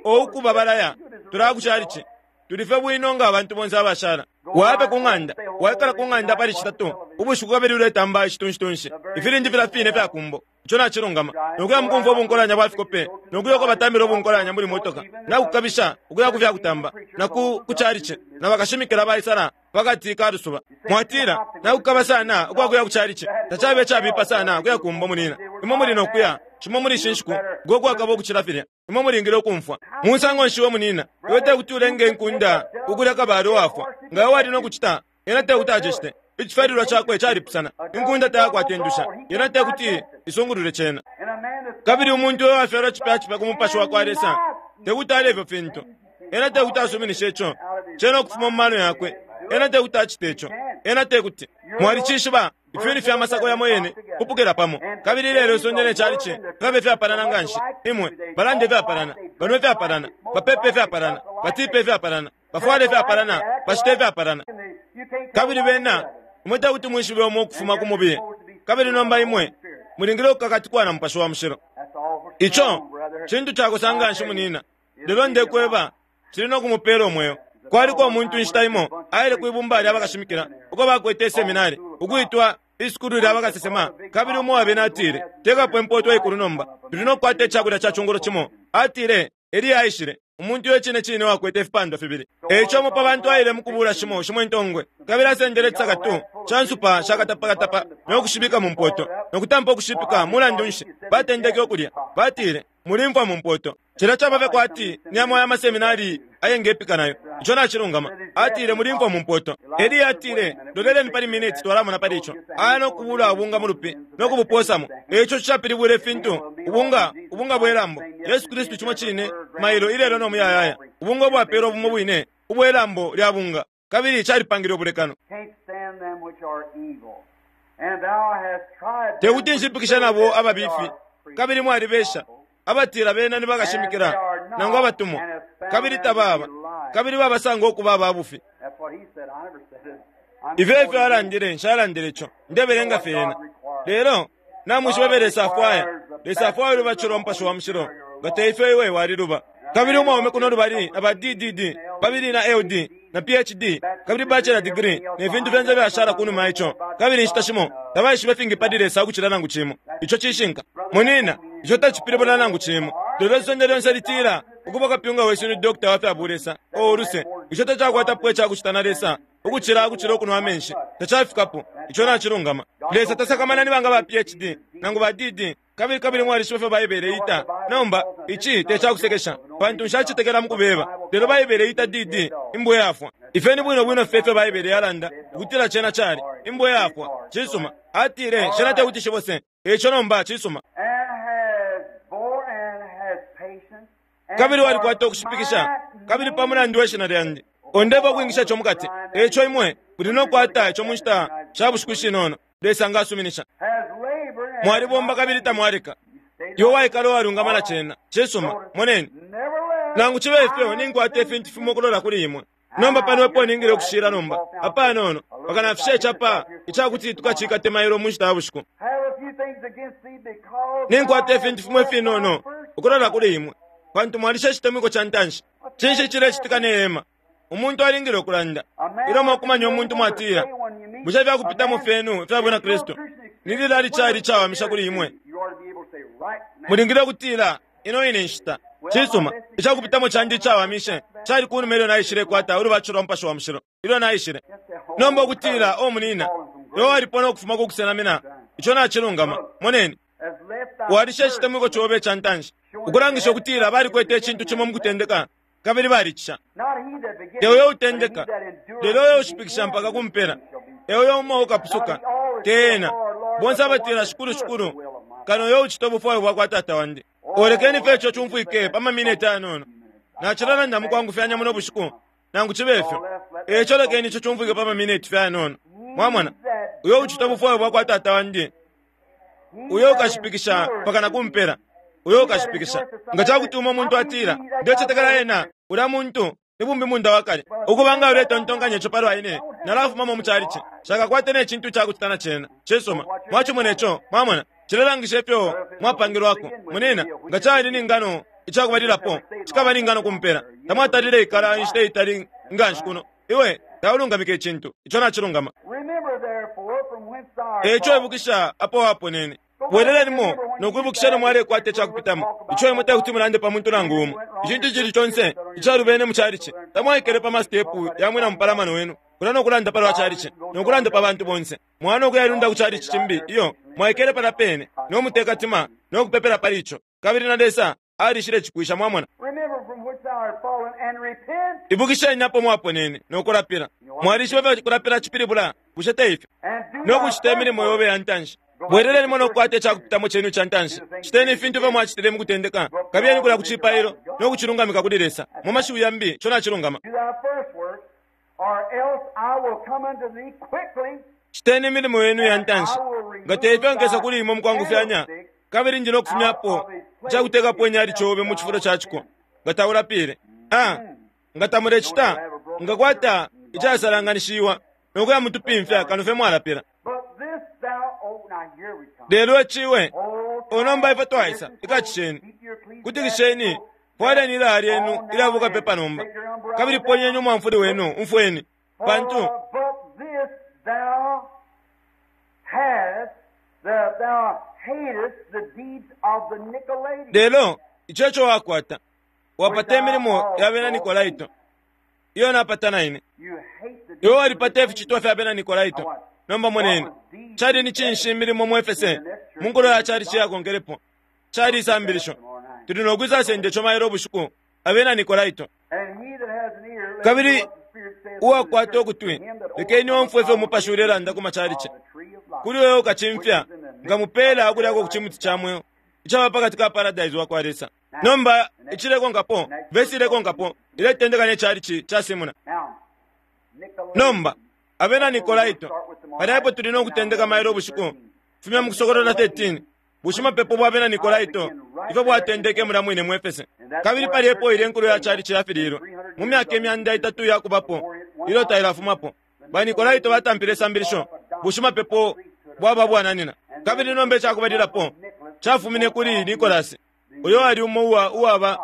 o ukuba balaya, tulaya ku calici. Tuli fye bwino nga abantu bonse abashala. Wayape ku ng'anda, waikala ku ng'anda pali Citatu ubushiku kabili uletamba icitunshitunshi, ifilindi filya fine ifya kumbo. Ico nacilungama. No kuya mukumfwa ubunkolanya bwa fikope, no kuya uko batambila ubunkolanya muli motoka, na kukabisha ukuya ku fya kutamba, na ku, ku calici, na bakashimikila baisala pakati ka lusuba. Mwatila, nakukaba sana ukwa kuya ku calici. Tacabe icabipa sana ukuya kumbo, munina. Imwe muli no kuya, cimo muli ishi nshiku, ngo kwakaba ukucila filya. Imwe mulingile ukumfwa. Musango nshi we munina, iwe tekuti ulenge inkunda ukulya kabale uwafwa. Nga iwe wali no kucita, ena tekuti acicite. Icifyalilwa cakwe calipusana. Inkunda tayakwata indusha. Yena tekuti isungulule cena. Kabili umuntu uyo wafyalwa cipya cipya ku Mupashi wakwa Lesa, tekuti alye ifyo fintu. Ena tekuti asuminishe ico. Cena ukufuma mu mano yakwe. Ena tekuti acite ico. Ena tekuti. Mwalicishiba, ifyuni fya masako yamo yene kupukila pamo. Kabili ilelo isonde ne calici filabe ifyapalana nganshi. Imwe, balanda ifyapalana, banwa ifyapalana, bapepa ifyapalana, batipa ifyapalana, bafwala ifyapalana, bacita ifyapalana. Kabili bena, imwe tekuti mwishibe umo ukufuma ku mubiye. Kabili nomba imwe mulingile ukukakatikwa na Mupashi wa Mushilo. Ico cintu cakosa nganshi, munina. Lelo ndekweba, cili no kumupela umweo. Kwaliko umuntu inshita imo aile kwi bumba lya bakashimikila uko bakwete iseminari ukwitwa isukulu lya bakasesema, kabili umo wabena atile, Tekapo impoto ikulu nomba, tuli no kukwata icakulya ca cungulo cimo. Atile, Eliya aishile, umuntu uyo cine cine wakwete ifipandwa fibili. E ico umo pa bantu aile mu kubuula shimo shimo intongwe, kabili asendele icisakatu ca nsupa sha katapakatapa no kushibika mu mpoto, no kutampa ukushipika. Mulandu nshi, batendeke ukulya. Batile, Muli mfwa mu mpoto. Cilya caba fye kwati ni yamo aya maseminari ayengepika nayo. Ico nacilungama. Atile, Muli mfwa mu mpoto. Eliya atile, Loleleni pali miniti, twalamona pali ico. Aya no kubuula ubunga mu lupi no kubupoosamo. E ico cishapilibwile ifintu, ubunga, ubunga bwe lambo. Yesu Kristu cimo cine, mailo, ilelo no muyayaya. Ubunga ubwapelwa bumo bwine, ubwe lambo lya bunga. Kabili calipangile ubulekano. Te kuti nshipikishe nabo ababifi, kabili mwalibesha, abatila bena ni bakashimikila nangu abatumwa, kabili tababa, kabili babasanga ukuba aba bufi. Ifyo efyo alandile, nshalandile ico, ndebelenga fye yena. Lelo namwishiba ifyo Lesa afwaya. Lesa afwaya ulubatisho lwa Mupashi wa Mushilo, nga te ifyo iwe waliluba. Kabili umwaume kuno lubali na ba DDD, babili na LD, na PhD, kabili bachelor degree, ne fintu fyonse fyashala kunuma ya ico, kabili inshita shimo tabaishiba ifingi pali Lesa ukucila nangu cimo. Ico cishinka. Munina, ico tacipilibula nangu cimo. Lelo isonde lyonse litila, Ukuba kapyunga wesu ni doctor wa fya bulesa. Oh, uluse. Ico tacakwatapo icakucita na Lesa, ukucila, ukucila ukunwa amenshi. Tacafikapo. Ico nacilungama. Lesa tasakamana ni banga ba PhD, nangu ba DD, Kabili, kabili mwalishiba ifyo Baibele ita. Nomba, ici te ca kusekesha, pantu nshacetekela mu kubeba. Lelo Baibele ita D.D. imbwa iyafwa. Ifyo ni bwino bwino fye ifyo Baibele yalanda ukutila cena cali, imbwa iyafwa. Cisuma. Atile, Shena tekuti shibose. Eico nomba, cisuma. Kabili walikwata ukushipikisha, kabili pa mulandu we Shina Lyandi. Ondepo ukwingisha ico mukati. Eico imwe muli no kukwata ico mu nshita sha bushiku ishinono, Lesa nga asuminisha. Mwalibomba kabili tamwaleka. Iwe waikala uwalungama na cena. Cisuma. Moneni. Nangu cibe ifyo, ninkwata ifintu fimo ukulola kuli imwe. Nomba pano epo ningile ukushila nomba, apanono, mpaka nafisha icapa icakuti tukacikate mailo mu nshita ya bushiku. Ninkwata ifintu fimo ifinono ukulola kuli imwe, pantu mwalisha icitemwiko ca ntanshi. Cinshi icilecitika ne hema? Umuntu alingile ukulanda. Ilyo mwakumanya umuntu mwatila, Bushe ifya kupitamo fyenu ifya Bwina Kristu ni lilali cali icawamisha kuli imwe? Mulingile ukutila, Ino ine nshita. Cisuma, ica kupitamo candi icawamishe cali ku numa ilyo naishilekwata ulubatisho lwa Mupashi wa Mushilo, ilyo naishile. Nomba ukutila, O munina, iwe walipona ukufuma ku kusenamina, ico nacilungama. Moneni. Walisha icitemwiko cobe ica ntanshi, ukulangisha ukutila balikwete icintu cimo mukutendeka, kabili balicisha. Te uyo utendeka, lelo uyo ushipikisha mpaka ku mpela, e uyo umo ukapusuka, te ena. Bonse abatila, Shikulu, Shikulu, kano uyo ucita ubufwayo bwa kwa Tata wandi. O lekeni fye ico cumfwike pa mamineti ayanono. Nacilalanda mukwangufyanya muno bushiku, nangu cibe fyo. E ico lekeni ico cumfwike pa mamineti fye ayanono. Mwamona, uyo ucita ubufwayo bwakwa Tata wandi, uyo ukashipikisha mpaka na kumpela, uyo ukashipikisha. Nga cakuti umo muntu atila, Ndecetekela ena, ulya muntu ni bumbi munda wakale. Ukuba nga uletontonkanya ico palwa ine, nalafumamo mu chalichi. Nshakakwate ne cintu icakucita na cena. Cisuma. Mwacimona ico, mwamona. Cilelangisha ifyo mwapangilwako. Munina, nga cali ni ngano icakubalilapo, cikaba ni ngano kumpela. Tamwatalile ikala inshita itali nganshi kuno. Iwe taulungamika icintu. Ico nacilungama. Eico ibukisha apo waponene. Bwelelenimo no kwibukisha ilyo mwalekwata icakupitamo. Ico imwe tekuti mulande pa muntu nangu umo. Icintu icili conse icalubene mu chalichi. Tamwaikele pa masitepu ya mwina mupalamano wenu kulya no kulanda palwa chalichi no kulanda pa bantu bonse. Mwaya no kuyailunda ku chalichi cimbi. Iyo, mwaikele palya pene no mutekatima no kupepela pali ico. Kabili na Lesa alishile cipwisha, mwamona. Ibukisheni apo mwaponene no kulapila. Mwalishiba ifyo kulapila cipilibula, bushe te ifyo? No kucita imilimo yobe ya ntanshi. Bwelelenimo no kukwata icakupitamo cenu ica ntanshi. Citeni ifintu ifyo mwacitile mu kutendeka. Kabiyeni kulya ku cipailo no kucilungamika kuli Lesa. Mu mashiwi yambi, ico nacilungama. Citeni imilimo yenu ya ntanshi. Nga te ifyo nkesa kuli imwe mukwangufyanya, kabili ndi no kufumyapo icakutekapo inyali cobe mu cifulo ca ciko, nga taulapile. Ah, nga tamulecita, nkakwata icasalanganishiwa no kuya mutupimfya kano fye mwalapila. Lelo iciwe, o nomba ifwe twaisa, ikacisheni, kutikisheni, fwaleni ilaya lyenu ilya bukapepa nomba, kabili ponyeni umwamfuli wenu, umfweni, pantu lelo ico eco wakwata, wapata imilimo ya bena Nikolaito, iyo napata na ine. Iwe walipata ificitwa fya bena Nikolaito. Nomba moneni, cali ni cinshi imilimo mu Efese, mu nkulo ya calici iyakonkelepo? Cali isambilisho. Tuli no kwisasenda ico mailo ubushiku, abena Nikolaito. Kabili uwakwata ukutwi, lekeni omfwe ifyo Umupashi ulelanda ku macalici. Kuli uyo ukacimfya, nkamupeela ukulyako ku cimuti ca mweo, icaba pakati ka paradise wakwa Lesa. Nomba icilekonkapo, vesi ilekonkapo, iletendeka ne calici ca Simuna. Nomba, abena Nikolaito, palya epo tuli no kutendeka mailo ubushiku, fumya mu Kusokolola 13, bushimapepo bwa bena Nikolaito, ifyo bwatendeke mulya mwine mu Efese. Kabili palya epo ilya inkulo ya calici yafililwe, mu myaka imyanda itatu iyakubapo, ilyo tailafumapo. Ba Nikolaito batampile isambilisho, bushimapepo bwaba bwananina. Kabili nomba icakubalilapo, cafumine kuli Nikolasi, uyo ali umo uwa, uwaba,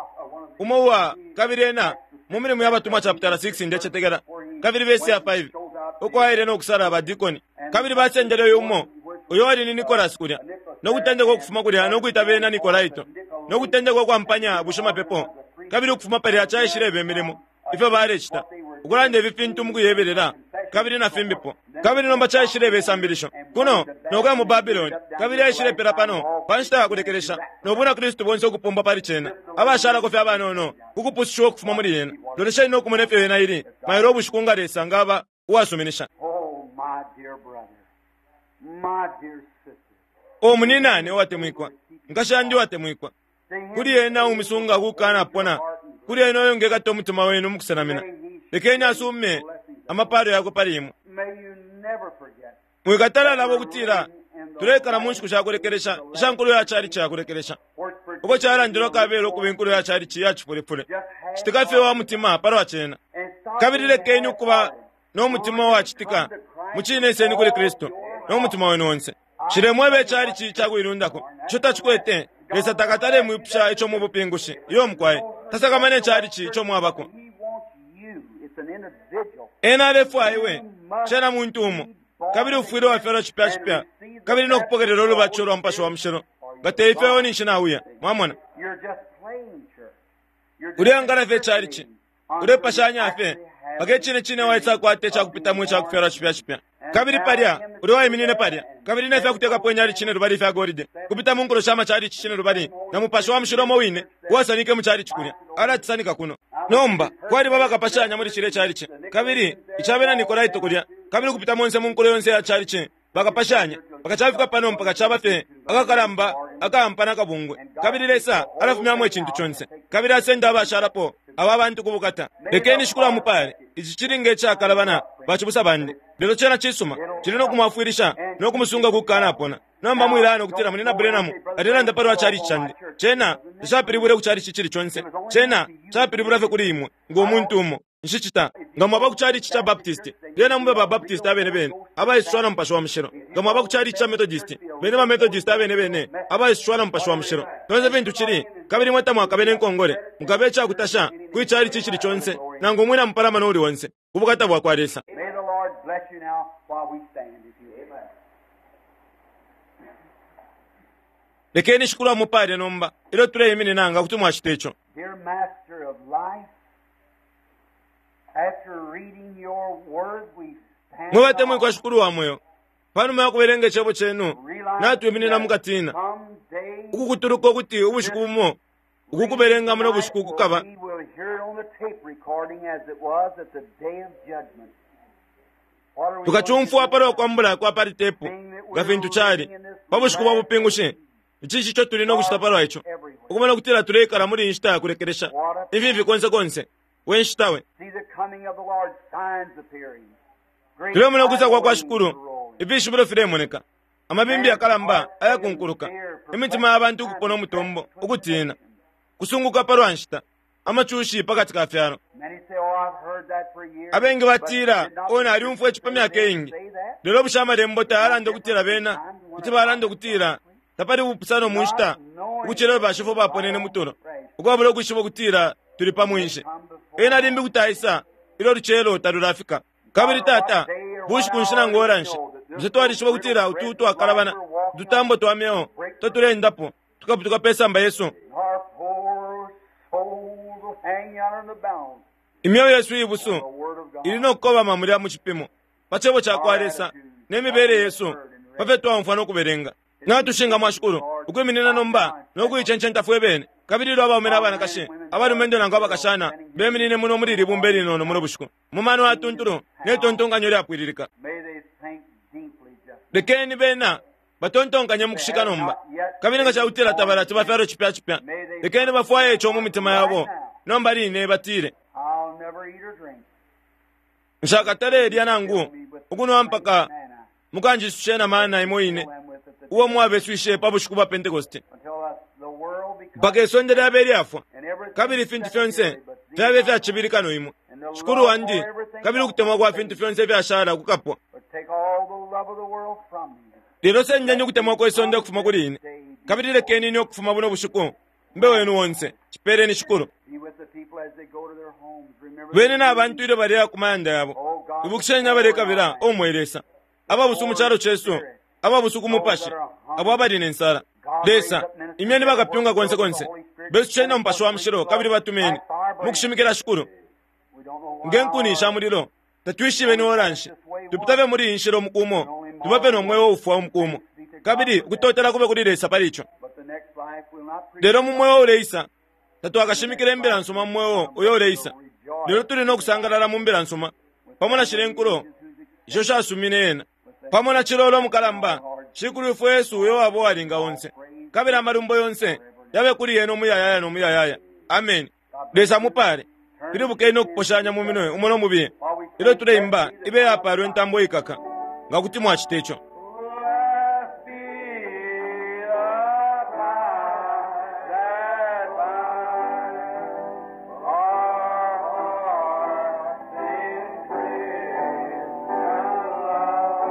umo uwa, kabili ena, mu milimo ya batumwa chapitala 6 ndecetekela, kabili vesi ya 5, uko aile no kusala ba dikoni. Kabili basendele uyu umo, uyo ali ni Nikolasi kulya, no kutendeka ukufuma kulya no kwita bena Nikolaito, no kutendeka ukwampanya bushimapepo. Kabili ukufuma palya caishileba imilimo, ifyo balecita, ukulanda ifi fintu mukuyebelela, kabili na fimbipo. Kabili nomba caishileba isambilisho kuno nokuya mu Babiloni, kabili yaishilepela pano pa nshita ya kulekelesha, no buna Kristu bonse ukupumbwa pali cena, abashalako fye abanono kukupusushiwa ukufuma muli yena. Lolesheni no kumona ifyo yena ili mailo ubushiku nga Lesa ngaba uwasuminisha. O muninane uwatemwikwa, nkashi yandi uwatemwikwa, kuli ena umisunga kukanapona, kuli ena uyo ngekata umutima wenu mukusenamina, lekeni asume amapalo yakwe pali imwe. Mwikatala labo ukutila tulekala mu nshiku shakulekelesha isha nkulo ya calici yakulekelesha, uko calandilwa kabela ukuba inkulo ya calici ya cifulepfule. Citika fye wa mutima palwa cena. Kabili lekeni ukuba no mutima uwacitika mucine iseni kuli Kristu no mutima wenu onse. Shilemweba icalici cakuilundako ico tacikwete. Lesa takatale mwipusha ico mu bupingushi. Iyo mukwai, tasakamana icalici ico mwabako. Ena alefwaya iwe, cena muntu umo, kabili ufwile wafyalwa cipya cipya, kabili no kupokelela ulubatisho lwa Mupashi wa Mushilo. Nga te ifyo iwe ninshi nauya. Mwamona? Uleangala fye icalici, ulepashanya fye, mpaka icine cine waisakwata icakupitamo icakufyalwa cipya cipya. Kabili palya, uli waiminine palya, kabili ne fyakutekapo inyali cine lubali ifya golide, kupita mu nkulo sha macalici cine lubali, na Mupashi wa Mushilo umo wine uwasanike mu calici kulya, alatisanika kuno. Nomba, kwaliba bakapashanya muli cilya calici, kabili ica bena Nikolaito kulya, kabili ukupita monse mu nkulo yonse ya calici, bakapashanya, mpaka cafika pano mpaka caba fye akakalamba akaampana akabungwe. Kabili Lesa alafumyamo icintu conse, kabili asenda abashalapo aba bantu ku bukata. Lekeni Shikulu amupale. Ici cili nge cakalabana, bacibusa bandi, lelo cena cisuma. Cili no kumwafwilisha no kumusunga ku kukanapona. Nomba mwilaya ukutila Munyina Branham alelanda palwa chalichi candi. Cena tacapilibwile ku chalichi icili conse. Cena capilibula fye kuli imwe, ngo muntu umo. Nshicita. Nga mwaba ku chalichi ca Baptist, lyena mube ba Baptist abene bene, abaisushwa na Mupashi wa Mushilo. Nga mwaba ku chalichi ca Methodist, beni ba Methodist abene bene, abaisushwa na Mupashi wa Mushilo. Fyonse fintu cili, kabili imwe tamwakabe ne nkongole, mukabe icakutasha kwi chalichi icili conse, nangu umwina mupalamano uuli onse, ku bukata bwakwa Lesa. May the Lord bless you now while we stand, if you will. Lekeni Shikulu amupale nomba ilyo tuleiminina nga kuti mwacita ico. Dear Master of life, after reading your word, we stand Mwe batemwikwa Shikulu wa mweo, panuma ya kubelenga icebo cenu, natwiminina mu katina, someday ukukutuluka ukuti ubushiku bumo ukukubelenga muno bushiku kukaba we will hear it on the tape recording as it was at the day of judgment. What are we tukacumfwa going to palwa kwambula kwa pali tepu nga fintu cali pa bushiku bwa bupingushi. Ici ico tuli no kucita palwa ico, ukumona ukutila tuleikala muli inshita ya kulekelesha, imfimfi konse konse, we nshita we. see the coming of the Lord, signs appearing. Great Tulemona ukwisa kwa kwa tidal Shikulu, waves rolling. ifishibilo filemoneka, amabimbi yakalamba ayakunkuluka, imitima ya bantu ukupona umutombo, ukutina, kusunguka palwa nshita, amacushi pakati ka fyalo. Many say, oh, I've heard that for years. Abengi batila, But did not o nalyumfwa ici pa myaka iingi. say that? Lelo bushe amalembo tayalanda ukutila bena kuti balanda ukutila tapali ubupusano mu nshita ukucila bashifo baponene mutulo, ukwabula ukwishiba ukutila tuli pa mwinshi. Ena limbi kuti aisa ilyo lucelo talulafika. Kabili tata, bushiku nshi nangu ora nshi, bushe twalishiba ukutila utu twakalabana, ututambo twa myeo totulendapo tukaputuka pe samba yesu. Our poor souls will hang out in the balance Imyeo yesu ibusu of the Word of God. ili no kukobama mulya mu cipimo pa cebo ca kwa Lesa ne mibele yesu pa fyo twaumfwa no kubelenga. Natushinga mwa Shikulu ukwiminina nomba no kuicencenta fwe bene, kabili ilyo abaume na banakashi, abalumendo nangu abakashana beminine muno muli ili bumba ilinono muno bushiku, mu mano atuntulu ne tontonkanyo lyapwililika. May they think deeply just Lekeni bena batontonkanye mu kushika nomba, kabili nga cakutila tabalati bafyalo cipya cipya, lekeni bafwaye ico mu mitima yabo nomba line batile, I'll never eat or drink. nshakatalelya nangu ukunwa mpaka Manna. mukanjisushe na mana imo ine Them with it uo mwabeswishe pa bushiku bwa Pentekoste, until the world becomes mpaka isonde lyabe lyafwa, and everything kabili ifintu fyonse secondary but thee fyabe fyacibili kano imwe, Shikulu wandi, kabili ukutemwa kwa fintu fyonse ifyashala kukapwa. But take all the love of the world from me. Lelo sendeni ukutemwa kwe sonde ukufuma kuli ine, kabili lekeni ine ukufuma buno bushiku mbe wenu wonse. Cipeeleni Shikulu. Be with the people as they go to their homes. Remember Bene the na bantu ilyo baleya ku mayanda yabo, ibukisheni abalekabila, o mwe Lesa, ababusu mu calo cesu, ababusu ku mupashi, abo abali ne nsala. Lesa, imyeni bakapyunga konse konse, besusheni na Mupashi wa Mushilo, kabili batumeni mukushimikila Shikulu We don't know why nge nkuni sha mulilo. Tatwishibe ni ora nshi tupitabe muli iyi nshila umukumo, tubape no mweo ufwa umukumo, kabili ukutotela kube kuli Lesa pali ico. But the next life will not preach. Lelo mu mweo uleisa tatwakashimikila imbila nsuma mu mweo uyo uleisa, lelo tuli no kusangalala mu mbila nsuma pamo na shile nkulo isho shasumine ena, pamo na cilolo mukalamba Shikulu ifwe Yesu uyo wabo walinga onse, kabili amalumbo yonse yabe kuli yena umuyayaya no muyayaya. Amen. Lesa mupale. Pilibukeni no kuposhanya mu minwe umo no mubiye ilyo tuleimba ibe yapalwe intambo ikaka, nga kuti mwacita ico. Blessed be the tie that binds our hearts in Christian love.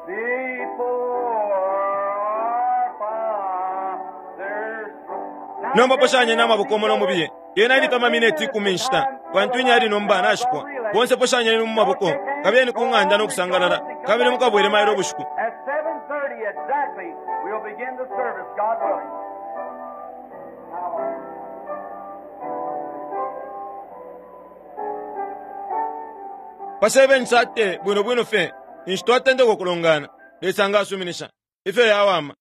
The Before our Father's throne. Nomba poshanya n'amaboko umo no mubiye. Yena ili pa mamineti 10 nshita, pantu inyali nomba nashipwa. Bonse poshanyeni mu maboko, kabiyeni ku ng'anda no kusangalala, kabili mukabwele mailo ubushiku. At 7:30 exactly, we'll begin the service, God willing. Pa 7:30 bwino bwino fye, ninshi twatendeka ukulongana. Lesa nga asuminisha, ifyo yawama.